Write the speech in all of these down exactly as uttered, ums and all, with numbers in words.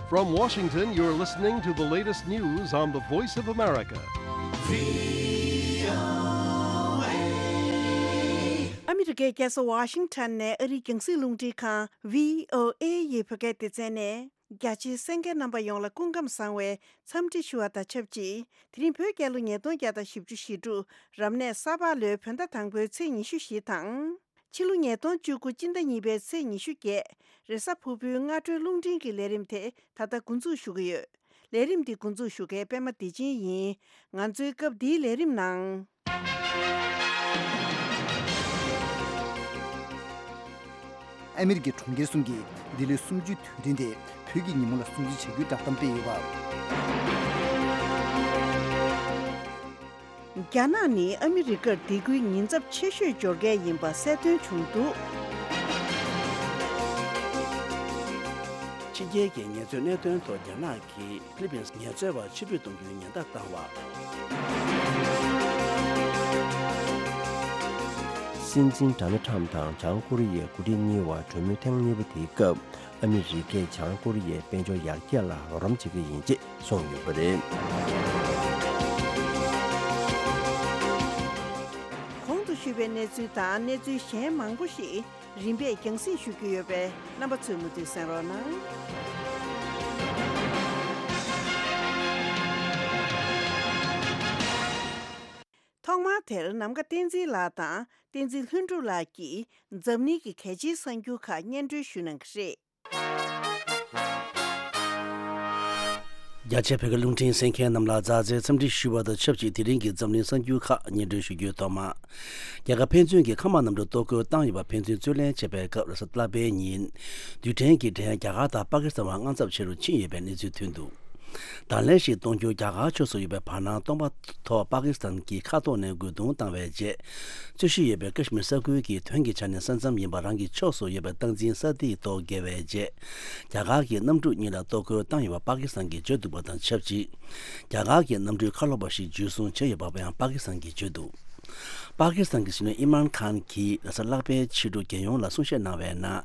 From Washington, you're listening to the latest news on the Voice of America. ཨ་མི་རི་ཀའི་རྒྱལ་ས་ཝ་ཤིང་ཊོན་ནས་ཨ་རིའི་རྒྱང་སྲིང་རླུང་འཕྲིན་ཁང་བྷི་ཨོ་ཨེ་ཡི་བོད་སྐད་སྡེ་ཚན་ནས། རྒྱ་ཆེའི་གསན་མཁན་རྣམ་པ་ཡོངས་ལ་སྐུ་ཁམས་བཟང་བའི་འཚམས་འདྲི་ཞུ་བ་དང་ཆབས་ཅིག་དེ་རིང་བོད་རྒྱལ་ལོ་ཉིས་སྟོང་བརྒྱ་དང་བཞི་བཅུ་ཞེ་དྲུག་རབ་གནས་ས་ཕག་ལོའི་བོད་ཟླ་དང་པོའི་ཚེས་ཉི་ཤུ་བཞི་དང་། ཕྱི་ལོ་ཉིས་སྟོང་བཅུ་དགུ་སྤྱི་ཟླ་གཉིས་པའི་ཚེས་ཉི་ཤུ་བརྒྱད། རེས་གཟའ་ཕུར་བུའི་སྔ་དྲོའི་རླུང་འཕྲིན་གྱི་ལས་རིམ་དེ་ད་ལྟ་འགོ་འཛུགས་ཞུ་གི་ཡོད། ལས་རིམ་འདི་འགོ་འཛུགས་ཞུ་མཁན་པད་མ་བདེ་ཆེན་ཡིན། ང་ཚོའི་སྐབས་འདིའི་ལས་རིམ་ནང་། ཨ་མི་རི་ཀའི་གྲོང་ཁྱེར་གསུམ་གྱིས་འདི་ལོའི་གསུམ་བཅུའི་དུས་དྲན་དེ་བོད་ཀྱི་ཉིན་མོ་ལ་སྲུང་བརྩི་བྱ་རྒྱུའི་བསྒྲགས་གཏམ་སྤེལ་ཡོད་པ། རྒྱ་ནག་ནི་ཨ་མི་རི་ཀར་སྡེ་ཁུལ་ཉེན་ཚབས་ཆེ་ཤོས་འབྱོར་མཁན་ཡིན་པ་གསལ་སྟོན་བྱུང་འདུག་ཕྱི་རྒྱལ་གྱི་ངལ་རྩོལ་གནད་དོན་ཐོག་རྒྱ་ནག་གིས་ཧྥི་ལི་པིན་ངལ་རྩོལ་བ་ཕྱིར་འབུད་གཏོང་རྒྱུའི་ཉེན་བརྡ་བཏང་བ། སྲིད་འཛིན་ཌོ་ནལ་ཁྲམ་དང་བྱང་ཀོ་རི་ཡའི་འགོ་ཁྲིད་གཉིས་བར་གྲོས་མོལ་ཐེངས་གཉིས་པ་དེའི་སྐབས། ཨ་མི་རི་ཀས་བྱང་ཀོ་རི་ཡའི་དཔལ་འབྱོར་ཡར་རྒྱས་ལ་རོགས་རམ་བྱེད་ཀྱི་ཡིན་ཅེས་གསུངས་ཡོད་པ་རེད། གོང་དུ་ཞུས་པའི་གནས་ཚུལ་དང་གནས་ཚུལ་གཞན་མང་པོ་ཞིག་རིམ་པས་རྒྱང་སྲིང་ཞུ་རྒྱུ་ཡོད་པས། རྣམ་པ་ཚོས་མུ་མཐུད་གསན་རོགས་གནང་། ཐོག་མར་དེར་ནམ་མཁའ་བསྟན་འཛིན་ལགས་དང་བསྟན་འཛིན་ལྷུན་གྲུབ་ལགས་ཀྱིས་འཛམ་གླིང་གི་གལ་ཆེའི་གསར་འགྱུར་ཁག་སྙན་སྒྲོན་ཞུ་གནང་གི་རེད། རྒྱ་ཆེའི་བོད་སྐད་རླུང་འཕྲིན་གསན་མཁན་རྣམས་ལ་མཛའ་བརྩེའི་འཚམས་འདྲི་ཞུ་བ་དང་ཆབས་ཅིག་དེ་རིང་གི་འཛམ་གླིང་གསར་འགྱུར་ཁག་སྙན་སྒྲོན་ཞུ་རྒྱུའི་ཐོག་མ། རྒྱ་གར་ཕན་ཚུན་གྱི་མཁའ་དམག་གནམ་གྲུ་གཏོར་རྒོལ་བཏང་ཡོད་པ་ཕན་ཚུན་རྩོད་ལེན་བྱས་པའི་སྐབས་རེས་གཟའ་ལྷག་པའི་ཉིན། རྡུལ་ཕྲན་གྱི་འགྲན་རྒྱ་གར་དང་པ་ཀི་སི་ཐན་བར་དངངས་འཚབ་ཆེ་རུ་ཕྱིན་ཡོད་པའི་གནས་ཚུལ་ཐོན་འདུག་དང་ལེན་ཞིག་གཏོང་རྒྱུ་རྒྱ་གར་ཕྱོགས་སུ་ཡོད་པའི་བར་སྣང་སྟོང་པ་ཐོག་པ་ཀི་སི་ཐན་གྱི་མཁའ་ཐོག་ནས་རྒོལ་རྡུང་བཏང་བའི་རྗེས། རྩོད་གཞི་ཡོད་པའི་ཀ་ཤི་མིར་ས་ཁུལ་གྱི་དོན་གྱི་ཆ་ནས་ས་མཚམས་ཡིན་པ་རང་གི་ཕྱོགས་སུ་ཡོད་པའི་སྟངས་འཛིན་ས་ཐིག་ཐོག་འགེལ་བའི་རྗེས། རྒྱ་གར་གྱི་གནམ་གྲུ་གཉིས་ལ་གཏོར་རྒོལ་བཏང་ཡོད་པ་པ་ཀི་སི་ཐན་གྱིས་བརྗོད་འདུག་པ་དང་ཆབས་ཅིག་རྒྱ་གར་གྱི་གནམ་གྲུའི་ཁ་ལོ་པ་ཞིག་འཇུ་བཟུང་བྱས་ཡོད་པ་ཡང་པ་ཀི་སི་ཐན་གྱིས་བརྗོད་འདུག་པ་ཀི་སི་ཐན་གྱི་སྲིད་བློན་ཨི་མཱན་ཁཱན་གྱིས་རེས་གཟའ་ལྷག་པའི་ཕྱི་དྲོ་རྒྱལ་ཡོངས་ལ་གསུང་བཤད་གནང་བའི་ནང་།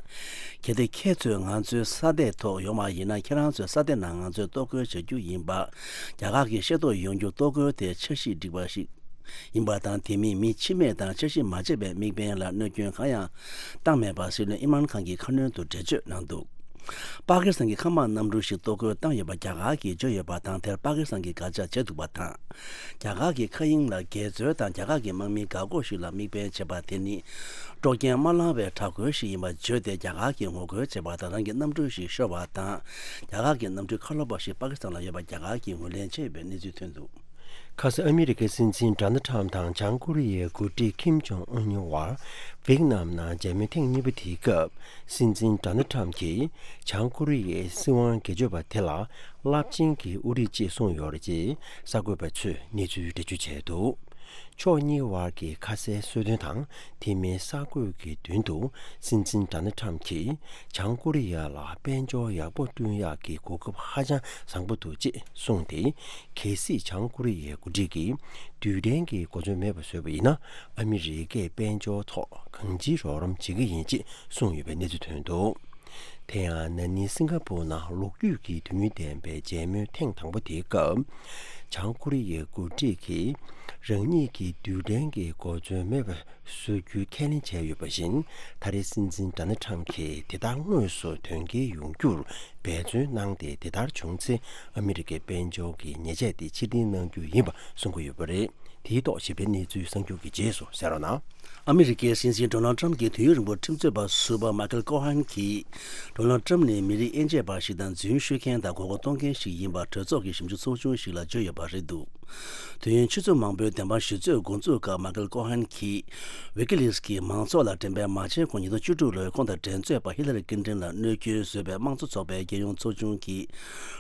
གལ་ཏེ་ཁྱེད་ཚོས་ང་ཚོའི་ས་སྟེང་ཐོག་ཡོང་བ་ཡིན་ན། ཁྱེད་རང་ཚོའི་ས་སྟེང་ནང་ང་ཚོས་གཏོར་རྒོལ་བྱ་རྒྱུ་ཡིན་པ། རྒྱ་གར་གྱིས་ཤེས་རྟོགས་ཡོང་རྒྱུ། གཏོར་རྒོལ་དེ་འཆར་གཞི་འགྲིག་པ་ཞིག་ཡིན་པ་དང་། དེ་མིན་མི་འཆི་རྨས་དང་འཆར་གཞི་མ་བརྗེད་པའི་དམིགས་འབེན་ལ་གནོད་སྐྱོན་གང་ཡང་བཏང་མེད་པ་སྲིད་བློན་ཨི་མཱན་ཁཱན་གྱིས་ཁ་སྣོན་དུ་འགྲེལ་བརྗོད་གནང་འདུག་པ་ཀི་སི་ཐན་གྱི་མཁའ་དམག་གནམ་གྲུ་ཞིག་གཏོར་རྒོལ་བཏང་ཡོད་པ་རྒྱ་གར་གྱིས་བརྗོད་ཡོད་པ་དང་། དེར་པ་ཀི་སི་ཐན་གྱིས་དགག་བྱ་བྱས་འདུག་པ་དང་། རྒྱ་གར་གྱི་མཁའ་དབྱིངས་ལ་འགལ་འཛོལ་དང་། རྒྱ་གར་གྱི་དམག་མིའི་འགག་སྒོ་ཞིག་ལ་དམིགས་འབེན་བྱས་པ་དེ་ནི། དཀྲོག་རྐྱེན་མ་བསླངས་པའི་དྲག་རྒོལ་ཞིག་ཡིན་པར་བརྗོད་དེ། རྒྱ་གར་གྱིས་ངོ་རྒོལ་བྱས་པ་དང་། རང་གི་གནམ་གྲུ་ཞིག་ཤོར་བ་དང་། རྒྱ་གར་གྱི་གནམ་གྲུའི་ཁ་ལོ་པ་ཞིག་པ་ཀི་སི་ཐན་ལ་ཡོད་པ་རྒྱ་གར་གྱིས་ངོས་ལེན་བྱས་ཡོད་པའི་གནས་ཚུལ་ཐོན་འདུག་ཁ་སང་ཨ་མི་རི་ཀའི་སྲིད་འཛིན་ཌོ་ནལ་ཁྲམ་དང་བྱང་ཀོ་རི་ཡའི་འགོ་ཁྲིད་ཁིམ་ཇོང་ཨུན་གཉིས་བར་ཝེ་ཏི་ནམ་ནང་མཇལ་མོལ་ཐེངས་གཉིས་པ་དེའི་སྐབས། སྲིད་འཛིན་ཌོ་ནལ་ཁྲམ་གྱིས་བྱང་ཀོ་རི་ཡའི་སྲིད་དབང་སྒེར་གཅོད་པ་དེ་ལ་རླབས་ཆེན་གྱི་དབུ་ཁྲིད་ཅེས་གསུངས་ཡོད་རེད་ཅེས་གསར་འགོད་པ་ཚོས་གནས་ཚུལ་འགྲེལ་བརྗོད་བྱས་འདུག་ཕྱོགས་གཉིས་བར་གྱི་ཁ་གསལ་གསལ་སྟོན་དང་དེ་མིན་གསར་འགོད་ཀྱི་མདུན་དུ། སྲིད་འཛིན་ཌོ་ནལ་ཁྲམ་གྱིས་བྱང་ཀོ་རི་ཡ་ལ་དཔལ་འབྱོར་ཡག་པོ་བསྐྲུན་ཡག་གི་གོ་སྐབས་ཧ་ཅང་བཟང་པོ་འདུག་ཅེས་གསུངས་ཏེ། གལ་སྲིད་བྱང་ཀོ་རི་ཡའི་འགོ་ཁྲིད་ཀྱིས་རྡུལ་ཕྲན་གྱི་གོ་མཚོན་མེད་པ་བཟོས་པ་ཡིན་ན། ཨ་མི་རི་ཀས་དཔལ་འབྱོར་ཐོག་གང་ཅིའི་རོགས་རམ་བྱེད་ཀྱི་ཡིན་ཅེས་གསུངས་ཡོད་པའི་གནས་ཚུལ་ཐོན་འདུག་དེ་ཡང་ན་ནིང་སིང་ག་པུར་ནང་ལོ་རྒྱུས་ཀྱི་དུས་ཡུན་ལྡན་པའི་མཇལ་མོལ་ཐེངས་དང་པོ་དེའི་སྐབས། བྱང་ཀོ་རི་ཡའི་འགོ་ཁྲིད་ཀྱིས་རང་ཉིད་ཀྱིས་རྡུལ་ཕྲན་གྱི་གོ་མཚོན་མེད་པ་བཟོ་རྒྱུའི་ཁས་ལེན་བྱས་ཡོད་པ་བཞིན། ད་རེས་སྲིད་འཛིན་ཌོ་ནལ་ཁྲམ་གྱིས་དེ་ལྟར་དངོས་སུ་དོན་འཁྱོལ་ཡོང་རྒྱུར་འབད་བརྩོན་གནང་སྟེ། དེ་ལྟར་བྱུང་ཚེ་ཨ་མི་རི་ཀའི་དཔལ་འབྱོར་གྱི་ཉེས་ཆད་དེ་ཕྱིར་འཐེན་གནང་རྒྱུ་ཡིན་པ་གསུང་གི་ཡོད་པ་རེད། དེའི་ཐོག་ཞིབ་ཕྲའི་གནས་ཚུལ་གསར་འགྱུར་གྱི་རྗེས་སུ་གསན་རོགས་གནང་། ཨ་མི་རི་ཀའི་སྲིད་འཛིན་ཌོ་ནལ་ཁྲམ་གྱིས་དུས་ཡུན་རིང་པོར་ཁྲིམས་རྩོད་པ་ཟུར་པ་མཱ་ཁེལ་ཀོ་ཧན་གྱིས། ཌོ་ནལ་ཁྲམ་ནི་མི་རིགས་དབྱེ་འབྱེད་པ་ཞིག་དང་། རྫུན་ཤོད་མཁན་དང་མགོ་སྐོར་གཏོང་མཁན་ཞིག་ཡིན་པར་གྲོས་ཚོགས་ཀྱི་ཞིབ་འཇུག་ཚོགས་ཆུང་ཞིག་ལ་བརྗོད་ཡོད་པ་རེད་འདུག་དུས་ཡུན་ཆུ་ཚོད་མང་པོའི་བདེན་དཔང་ཞིབ་རྩོད་འགོ་འཛུགས་སྐབས། མཱ་ཁེལ་ཀོ་ཧན་གྱིས་ཝི་ཀི་ལིགས་ཀྱིས་མང་ཚོགས་ལ་འགྲེམས་སྤེལ་མ་བྱས་གོང་ཉིས་སྟོང་བཅུ་དྲུག་ལོའི་ཁོང་དང་འགྲན་རྩོད་པ་ཧི་ལ་རི་ཀིན་ཏིན་ལ་གནོད་སྐྱོན་བཟོས་པའི་དམངས་གཙོ་ཚོགས་པའི་རྒྱལ་ཡོངས་ཚོགས་ཆུང་གི་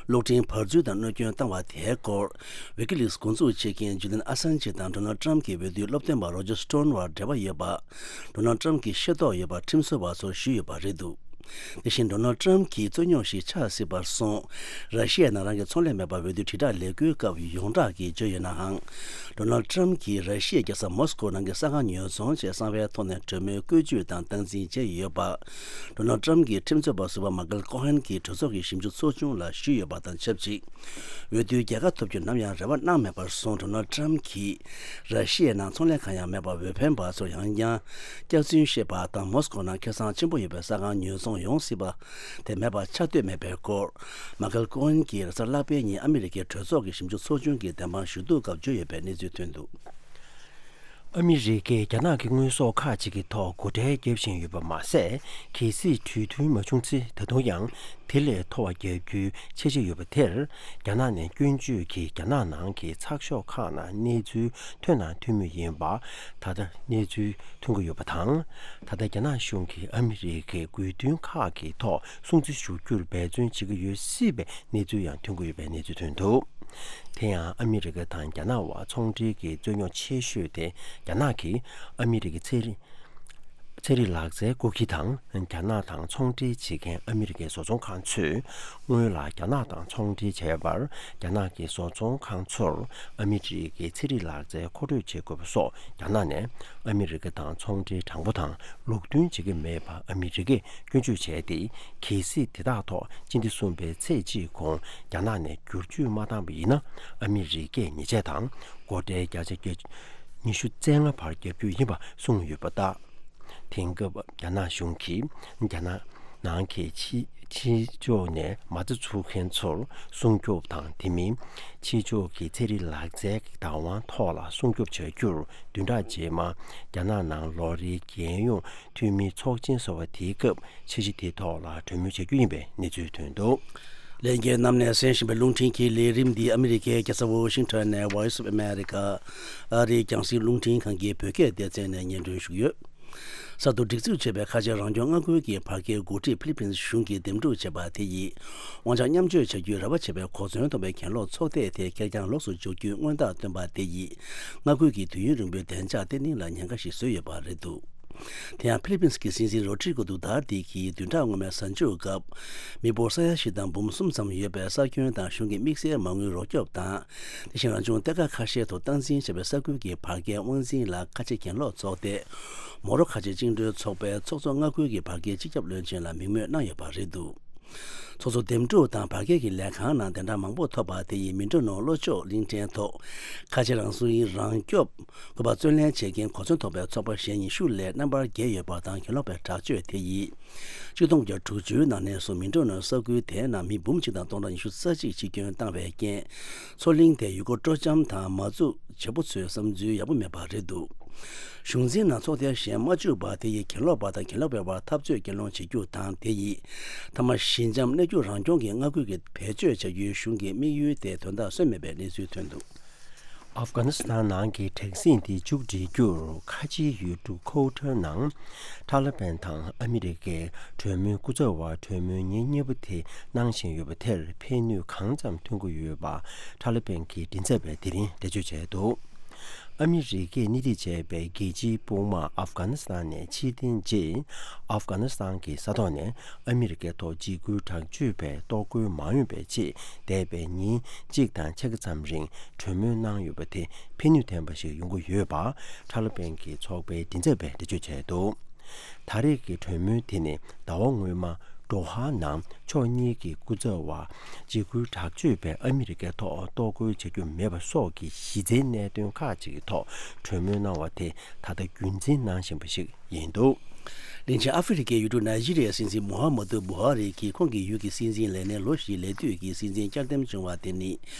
གློག་འཕྲིན་བར་འཛུལ་དང་གནོད་སྐྱོན་བཏང་བ་དེའི་སྐོར། ཝི་ཀི་ལིགས་འགོ་འཛུགས་བྱེད་མཁན་ཇུ་ལིན་ཨ་སན་ཇི་དང་ཌོ་ནལ་ཁྲམ་གྱི་འོས་བསྡུའི་སློབ་སྟོན་པ་རོ་ཇར་སྟོན་བར་འབྲེལ་བ་ཡོད་པ། ཌོ་ནལ་ཁྲམ་གྱིས་ཤེས་རྟོགས་ཡོད་པ་ཁྲིམས་བཟོ་བ་ཚོར་ཞུས་ཡོད་པ་རེད་འདུག་དེ་བཞིན་ཌོ་ནལ་ཊམ་གྱིས་རྩོད་རྙོག་ཞིག་ཆགས་སྲིད་པར་སོང་། ར་ཤི་ཡའི་ནང་རང་གི་ཚོང་ལས་མེད་པར་འོས་བསྡུ་དྲིལ་བསྒྲགས་ལས་འགུལ་སྐབས་ཡོངས་གྲགས་ཀྱིས་བརྗོད་ཡོད་ནའང་། ཌོ་ནལ་ཊམ་གྱིས་ར་ཤི་ཡའི་རྒྱལ་ས་མོ་སི་ཀོ་ནང་གི་ས་ཁང་ཉོ་ཚོང་བྱས་གསང་བའི་ཐོག་ནས་གྲོས་མོལ་བཀོལ་སྤྱོད་དང་སྟངས་འཛིན་བྱས་ཡོད་པ། ཌོ་ནལ་ཊམ་གྱི་ཁྲིམས་རྩོད་པ་ཟུར་པ་མ་ཀལ་ཀོ་ཧན་གྱིས་གྲོས་ཚོགས་ཀྱི་ཞིབ་འཇུག་ཚོགས་ཆུང་ལ་ཞུས་ཡོད་པ་དང་ཆབས་ཅིག་འོས་བསྡུའི་རྒྱལ་ཁ་ཐོབ་རྒྱུར་ནམ་ཡང་རེ་བ་གནང་མེད་པར་སོང་། ཌོ་ནལ་ཊམ་གྱིས་ར་ཤི་ཡའི་ནང་ཚོང་ལས་གང་ཡང་མེད་པར་འོས་འཕེན་པ་ཚོར་ཡང་ཡང་སྐྱག་རྫུན་བཤད་པ་དང་མོ་སི་ཀོ་ནང་ཁེ་བཟང་ཆེན་པོ་ཡོད་པའི་ས་ཁང་ཉོ་ཚོང་ཡོང་སྲིད་པ་དེ་མེད་པ་ཆགས་འདོད་མེད་པའི་སྐོར། མ་ཀལ་ཀོ་ཧན་གྱིས་རེས་གཟའ་ལྷག་པའི་ཉིན་ཨ་མི་རི་ཀའི་གྲོས་ཚོགས་ཀྱི་ཞིབ་འཇུག་ཚོགས་ཆུང་གི་བདེན་དཔང་ཞུ་གཏུག་སྐབས་བརྗོད་ཡོད་པའི་གནས་ཚུལ་ཐོན་འདུག་ཨ་མི་རི་ཀས་རྒྱ་ནག་གི་དངོས་ཟོག་ཁག་ཅིག་གི་ཐོག་སྒོ་ཁྲལ་བརྒྱབ་བཞིན་ཡོད་པ་མ་ཟད། གལ་སྲིད་གྲོས་མཐུན་མ་བྱུང་ཚེ་ད་དུང་ཡང་དེ་ལས་མཐོ་བ་བརྒྱབ་རྒྱུའི་འཆར་གཞི་ཡོད་པ་དེར། རྒྱ་ནག་ནས་སྐྱོན་བརྗོད་ཀྱིས་རྒྱ་ནག་ནང་གི་ཚགས་ཤོག་ཁག་ནང་གནས་ཚུལ་ཐོན་ན་ཐོན་མུས་ཡིན་པ་ད་ལྟ་གནས་ཚུལ་ཐོན་གྱི་ཡོད་པ་དང་། ད་ལྟ་རྒྱ་ནག་གཞུང་གིས་ཨ་མི་རི་ཀའི་དགོས་འདུན་ཁག་གི་ཐོག་སྲུང་བརྩི་ཞུ་རྒྱུར་འབད་བརྩོན་བྱེད་ཀྱི་ཡོད་སྲིད་པའི་གནས་ཚུལ་ཡང་ཐོན་གྱི་ཡོད་པའི་གནས་ཚུལ་ཐོན་འདུག་དེ་ཡང་ཨ་མི་རི་ཀ་དང་རྒྱ་ནག་དབར་ཚོང་འབྲེལ་གྱི་རྩོད་རྙོག་ཆེ་ཤོས་དེ་རྒྱ་ནག་གིས་ཨ་མི་རི་ཀའི་ཚན་རིག་ཚན་རིག་ལག་རྩལ་བརྐོ་བརྒྱུད་དང་། རྒྱ་ནག་དང་ཚོང་འབྲེལ་བྱེད་མཁན་ཨ་མི་རི་ཀའི་བཟོ་ཚོང་ཁང་ཚོས་སྔོན་ལ་རྒྱ་ནག་དང་ཚོང་འབྲེལ་བྱས་པར། རྒྱ་ནག་གི་བཟོ་ཚོང་ཁང་ཚོར་ཨ་མི་རི་ཀའི་ཚན་རིག་ལག་རྩལ་མཁོ་སྤྲོད་བྱེད་དགོས་པ་སོགས་རྒྱ་ནག་ནས་ཨ་མི་རི་ཀ་དང་ཚོང་འབྲེལ་དྲང་པོ་དང་ལུགས་མཐུན་བྱེད་ཀྱི་མེད་པ་ཨ་མི་རི་ཀས་སྐྱོན་བརྗོད་བྱས་ཏེ། གལ་སྲིད་དེ་དག་ཐོག་སྤྱི་ཟླ་གསུམ་པའི་ཚེས་གཅིག་གོང་རྒྱ་ནག་ནས་བསྒྱུར་བཅོས་མ་བཏང་པ་ཡིན་ན། ཨ་མི་རི་ཀས་ཉེས་ཆད་དང་སྒོ་ཁྲལ་བརྒྱ་ཆ་བརྒྱ་ཉི་ཤུ་རྩ་ལྔ་བར་བརྒྱབ་རྒྱུ་ཡིན་པ་གསུངས་ཡོད་པ་ལྟར། དེང་སྐབས་རྒྱ་ནག་གཞུང་གིས་རྒྱ་ནག་ནང་གི་ཕྱི་ཕྱི་ཕྱོགས་ནས་མ་རྩ་འཛུགས་མཁན་ཚོར་སྲུང་སྐྱོབ་དང་། དེ་མིན་ཕྱི་ཕྱོགས་ཀྱི་ཚན་རིག་ལག་རྩལ་གྱི་བདག་དབང་ཐོག་ལ་སྲུང་སྐྱོབ་བྱ་རྒྱུར་བདུན་ཕྲག་རྗེས་མ་རྒྱ་ནག་ནང་ལོ་རེའི་རྒྱལ་ཡོངས་འཐུས་མིའི་ཚོགས་ཆེན་ཟེར་བ་དེའི་སྐབས་འཆར་གཞི་དེའི་ཐོག་ལ་གྲོས་མོལ་བྱ་རྒྱུ་ཡིན་པའི་གནས་ཚུལ་ཐོན་འདུག་ལྷན་རྒྱས་རྣམས་ནས་གསན་བཞིན་པའི་རླུང་འཕྲིན་གྱི་ལས་རིམ་འདི་ཨ་མི་རི་ཀའི་རྒྱལ་ས་ཝོ་ཤིང་ཊོན་ནས་Voice of America ཨ་རིའི་རྒྱང་སྲིང་རླུང་འཕྲིན་ཁང་གི་བོད་སྐད་སྡེ་ཚན་ནས་སྙན་སྒྲོན་ཞུ་གི་ཡོད། གསར་དུ་སྒྲིག་འཛུགས་བྱས་པའི་ཁ་ཆེ་རང་སྐྱོང་མངའ་ཁུལ་གྱི་བར་བརྒལ་འགོ་ཁྲིད་ཕི་ལི་པིན་གཞུང་གིས་འདེམས་སྒྲུག་བྱས་པ་དེ་ཡིས་དབང་ཆ་མཉམ་སྤྱོད་བྱ་རྒྱུའི་རེ་བ་བྱེད་པའི་གོ་མཚོན་ཐོབ་པའི་གྱེན་ལོག་ཚོགས་སྡེ་དེ་ཁེར་རྐྱང་ལོགས་སུ་འཇོག་རྒྱུའི་མངོན་རྟགས་བཏོན་པ་དེ་ཡིས་མངའ་ཁུལ་གྱི་དུས་ཡུན་རིང་པོའི་བདེ་འཇགས་བརྟན་ལྷིང་ལ་ཉེན་ཁ་ཞིག་བཟོས་ཡོད་པ་རེད་འདུག་དེ་ཡང་ཕི་ལི་པིན་གྱི་སྲིད་འཛིན་རོ་ཌི་རི་གོ་དུ་ཏར་ཏེ་གིས་བདུན་ཕྲག་སྔོན་མའི་གཟའ་མཇུག་སྐབས་མི་འབོར་ས་ཡ་བཞི་དང་འབུམ་གསུམ་ཙམ་ཡོད་པའི་ས་ཁྱོན་དང་གཞུང་གི་དམིགས་བསལ་མ་དངུལ་རོགས་སྐྱོབ་དང་། དེ་བཞིན་རང་བྱུང་གཏེར་ཁ་ཁ་ཤས་ཐོག་སྟངས་འཛིན་བྱས་པའི་ས་ཁུལ་གྱི་བར་བརྒལ་དབང་འཛིན་ལ་ཁ་ཆེ་གྱེན་ལོག་ཚོགས་སྡེ་མོ་རོ་ཁ་ཆེ་བཅིངས་འགྲོལ་ཚོགས་པའི་ཚོགས་གཙོ་མངའ་ཁུལ་གྱི་བར་བརྒལ་སྤྱི་ཁྱབ་བློན་ཆེན་ལ་མིང་སྨོས་གནང་ཡོད་པ་རེད་འདུག་ཚོགས་གཙོ་འདེམས་སྒྲུག་དང་བར་བརྒལ་གྱི་ལས་ཁང་ནང་དེ་འདྲ་མང་པོ་ཐོབ་པ་དེ་ཡིས་མི་འགྲོ་ནོར་བློ་ཆོག་གླིང་ཕྲན་ཐོག་ཁ་ཆེ་རང་སྲུང་རང་སྐྱོབ་དགོས་པ་བརྩོན་ལེན་བྱེད་མཁན་གོ་མཚོན་ཐོབ་པའི་ཚོགས་པ་གཞན་ཉི་ཤུ་ལས་རྣམ་པར་རྒྱལ་ཡོད་པ་དང་། གྱེན་ལོག་པའི་དྲག་སྤྱོད་དེ་ཡིས་ཆིག་སྟོང་དགུ་བརྒྱ་དྲུག་ཅུའི་ནང་ནས་བཟུང་མི་འགྲོ་ནོར་ས་ཁུལ་དེའི་ནང་མི་འབུམ་གཅིག་དང་སྟོང་ཕྲག་ཉི་ཤུ་རྩ་གཅིག་འཆི་སྐྱོན་བཏང་བའི་རྐྱེན། མཚོ་གླིང་དེ་ཡུལ་སྐོར་སྤྲོ་འཆམ་དང་མ་འཛུགས་བྱེད་པོ་ཚོའི་བསམ་ཚུལ་ཡག་པོ་མེད་པ་རེད་འདུག་གཞུང་འཛིན་ནང་ཚོགས་སྡེ་གཞན་མ་བཅུག་པ་དེ་ཡིས་གྱེན་ལོག་པ་དང་གྱེན་ལོག་པའི་བར་འཐབ་རྩོད་གྱེན་སློང་བྱེད་རྒྱུ་དང་། དེ་ཡིས་མཐའ་མ་ཞི་འཇམ་གནས་རྒྱུ་རང་སྐྱོང་གི་མངའ་ཁུལ་གྱི་བེད་སྤྱོད་བྱ་རྒྱུའི་གཞུང་གི་དམིགས་ཡུལ་དེ་དོན་དག་སོན་མེད་པའི་གནས་ཚུལ་ཐོན་འདུག་ཨབ་གྷ་ནི་སི་ཐན་ནང་གི་དྲག་ཟིང་དེ་མཇུག་སྒྲིལ་རྒྱུར་ཁ་ཆེའི་ཡུལ་གྲུ་ཁོ་ཊར་ནང་ཐ་ལི་བན་དང་ཨ་མི་རི་ཀའི་གྲོས་མོལ་སྐུ་ཚབ་པ་གྲོས་མོལ་ཉིན་གཉིས་པ་དེ་གནང་བཞིན་ཡོད་པ་དེར་ཕན་ནུས་གང་ཙམ་ཐོན་གྱི་ཡོད་པ་ཐ་ལི་བན་གྱི་མགྲིན་ཚབ་པས་དེ་རིང་འགྲེལ་བརྗོད་བྱས་འདུག་ཨ་མི་རི་ཀས་སྣེ་ཁྲིད་བྱས་པའི་རྒྱལ་སྤྱིའི་དཔུང་དམག་ཨབ་གྷ་ནི་སི་ཐན་ནས་ཕྱིར་འཐེན་རྗེས། ཨབ་གྷ་ནི་སི་ཐན་གྱི་ས་ཐོག་ནས་ཨ་མི་རི་ཀའི་ཐོག་འཇིགས་སྐུལ་དྲག་སྤྱོད་པས་གཏོར་རྒོལ་མ་ཡོང་བའི་ཆེད་འདས་པའི་ཉིན་གཅིག་དང་ཕྱེད་ཀ་ཙམ་རིང་གྲོས་མོལ་གནང་ཡོད་པ་དེ་ཕན་ནུས་ལྡན་པ་ཞིག་ཡོང་གི་ཡོད་པ་ཐ་ལི་བན་གྱི་ཚོགས་པའི་མགྲིན་ཚབ་པས་འགྲེལ་བརྗོད་བྱས་འདུག་ད་རེས་ཀྱི་གྲོས་མོལ་དེ་ནི་ཟླ་བ་སྔོན་མ་དོ་ཧ་ནང་ཕྱོགས་གཉིས་ཀྱི་སྐུ་ཚབ་པ་འཇིགས་སྐུལ་དྲག་སྤྱོད་པས་ཨ་མི་རི་ཀའི་ཐོག་གཏོར་རྒོལ་བྱ་རྒྱུ་མེད་པ་སོགས་ཀྱི་གཞི་རྩའི་གནད་དོན་ཁག་ཅིག་གི་ཐོག་གྲོས་མོལ་གནང་བ་དེ་ད་ལྟ་རྒྱུན་འཛིན་གནང་བཞིན་པ་ཞིག་ཡིན་འདུག་གླིང་ཆེན་ཨ་ཧྥེ་རི་ཁའི་ཡུལ་གྲུ་ནཱི་ཇི་རི་ཡའི་སྲིད་འཛིན་མུ་ཧ་མ་ཏུ་བུ་ཧ་རི་གིས་ཁོང་གི་ཡུལ་གྱི་སྲིད་འཛིན་ལས་གནས་ལོ་བཞིའི་ལས་དུས་ཀྱི་སྲིད་འཛིན་བསྐྱར་འདེམས་བྱུང་བ་དེ་ནི་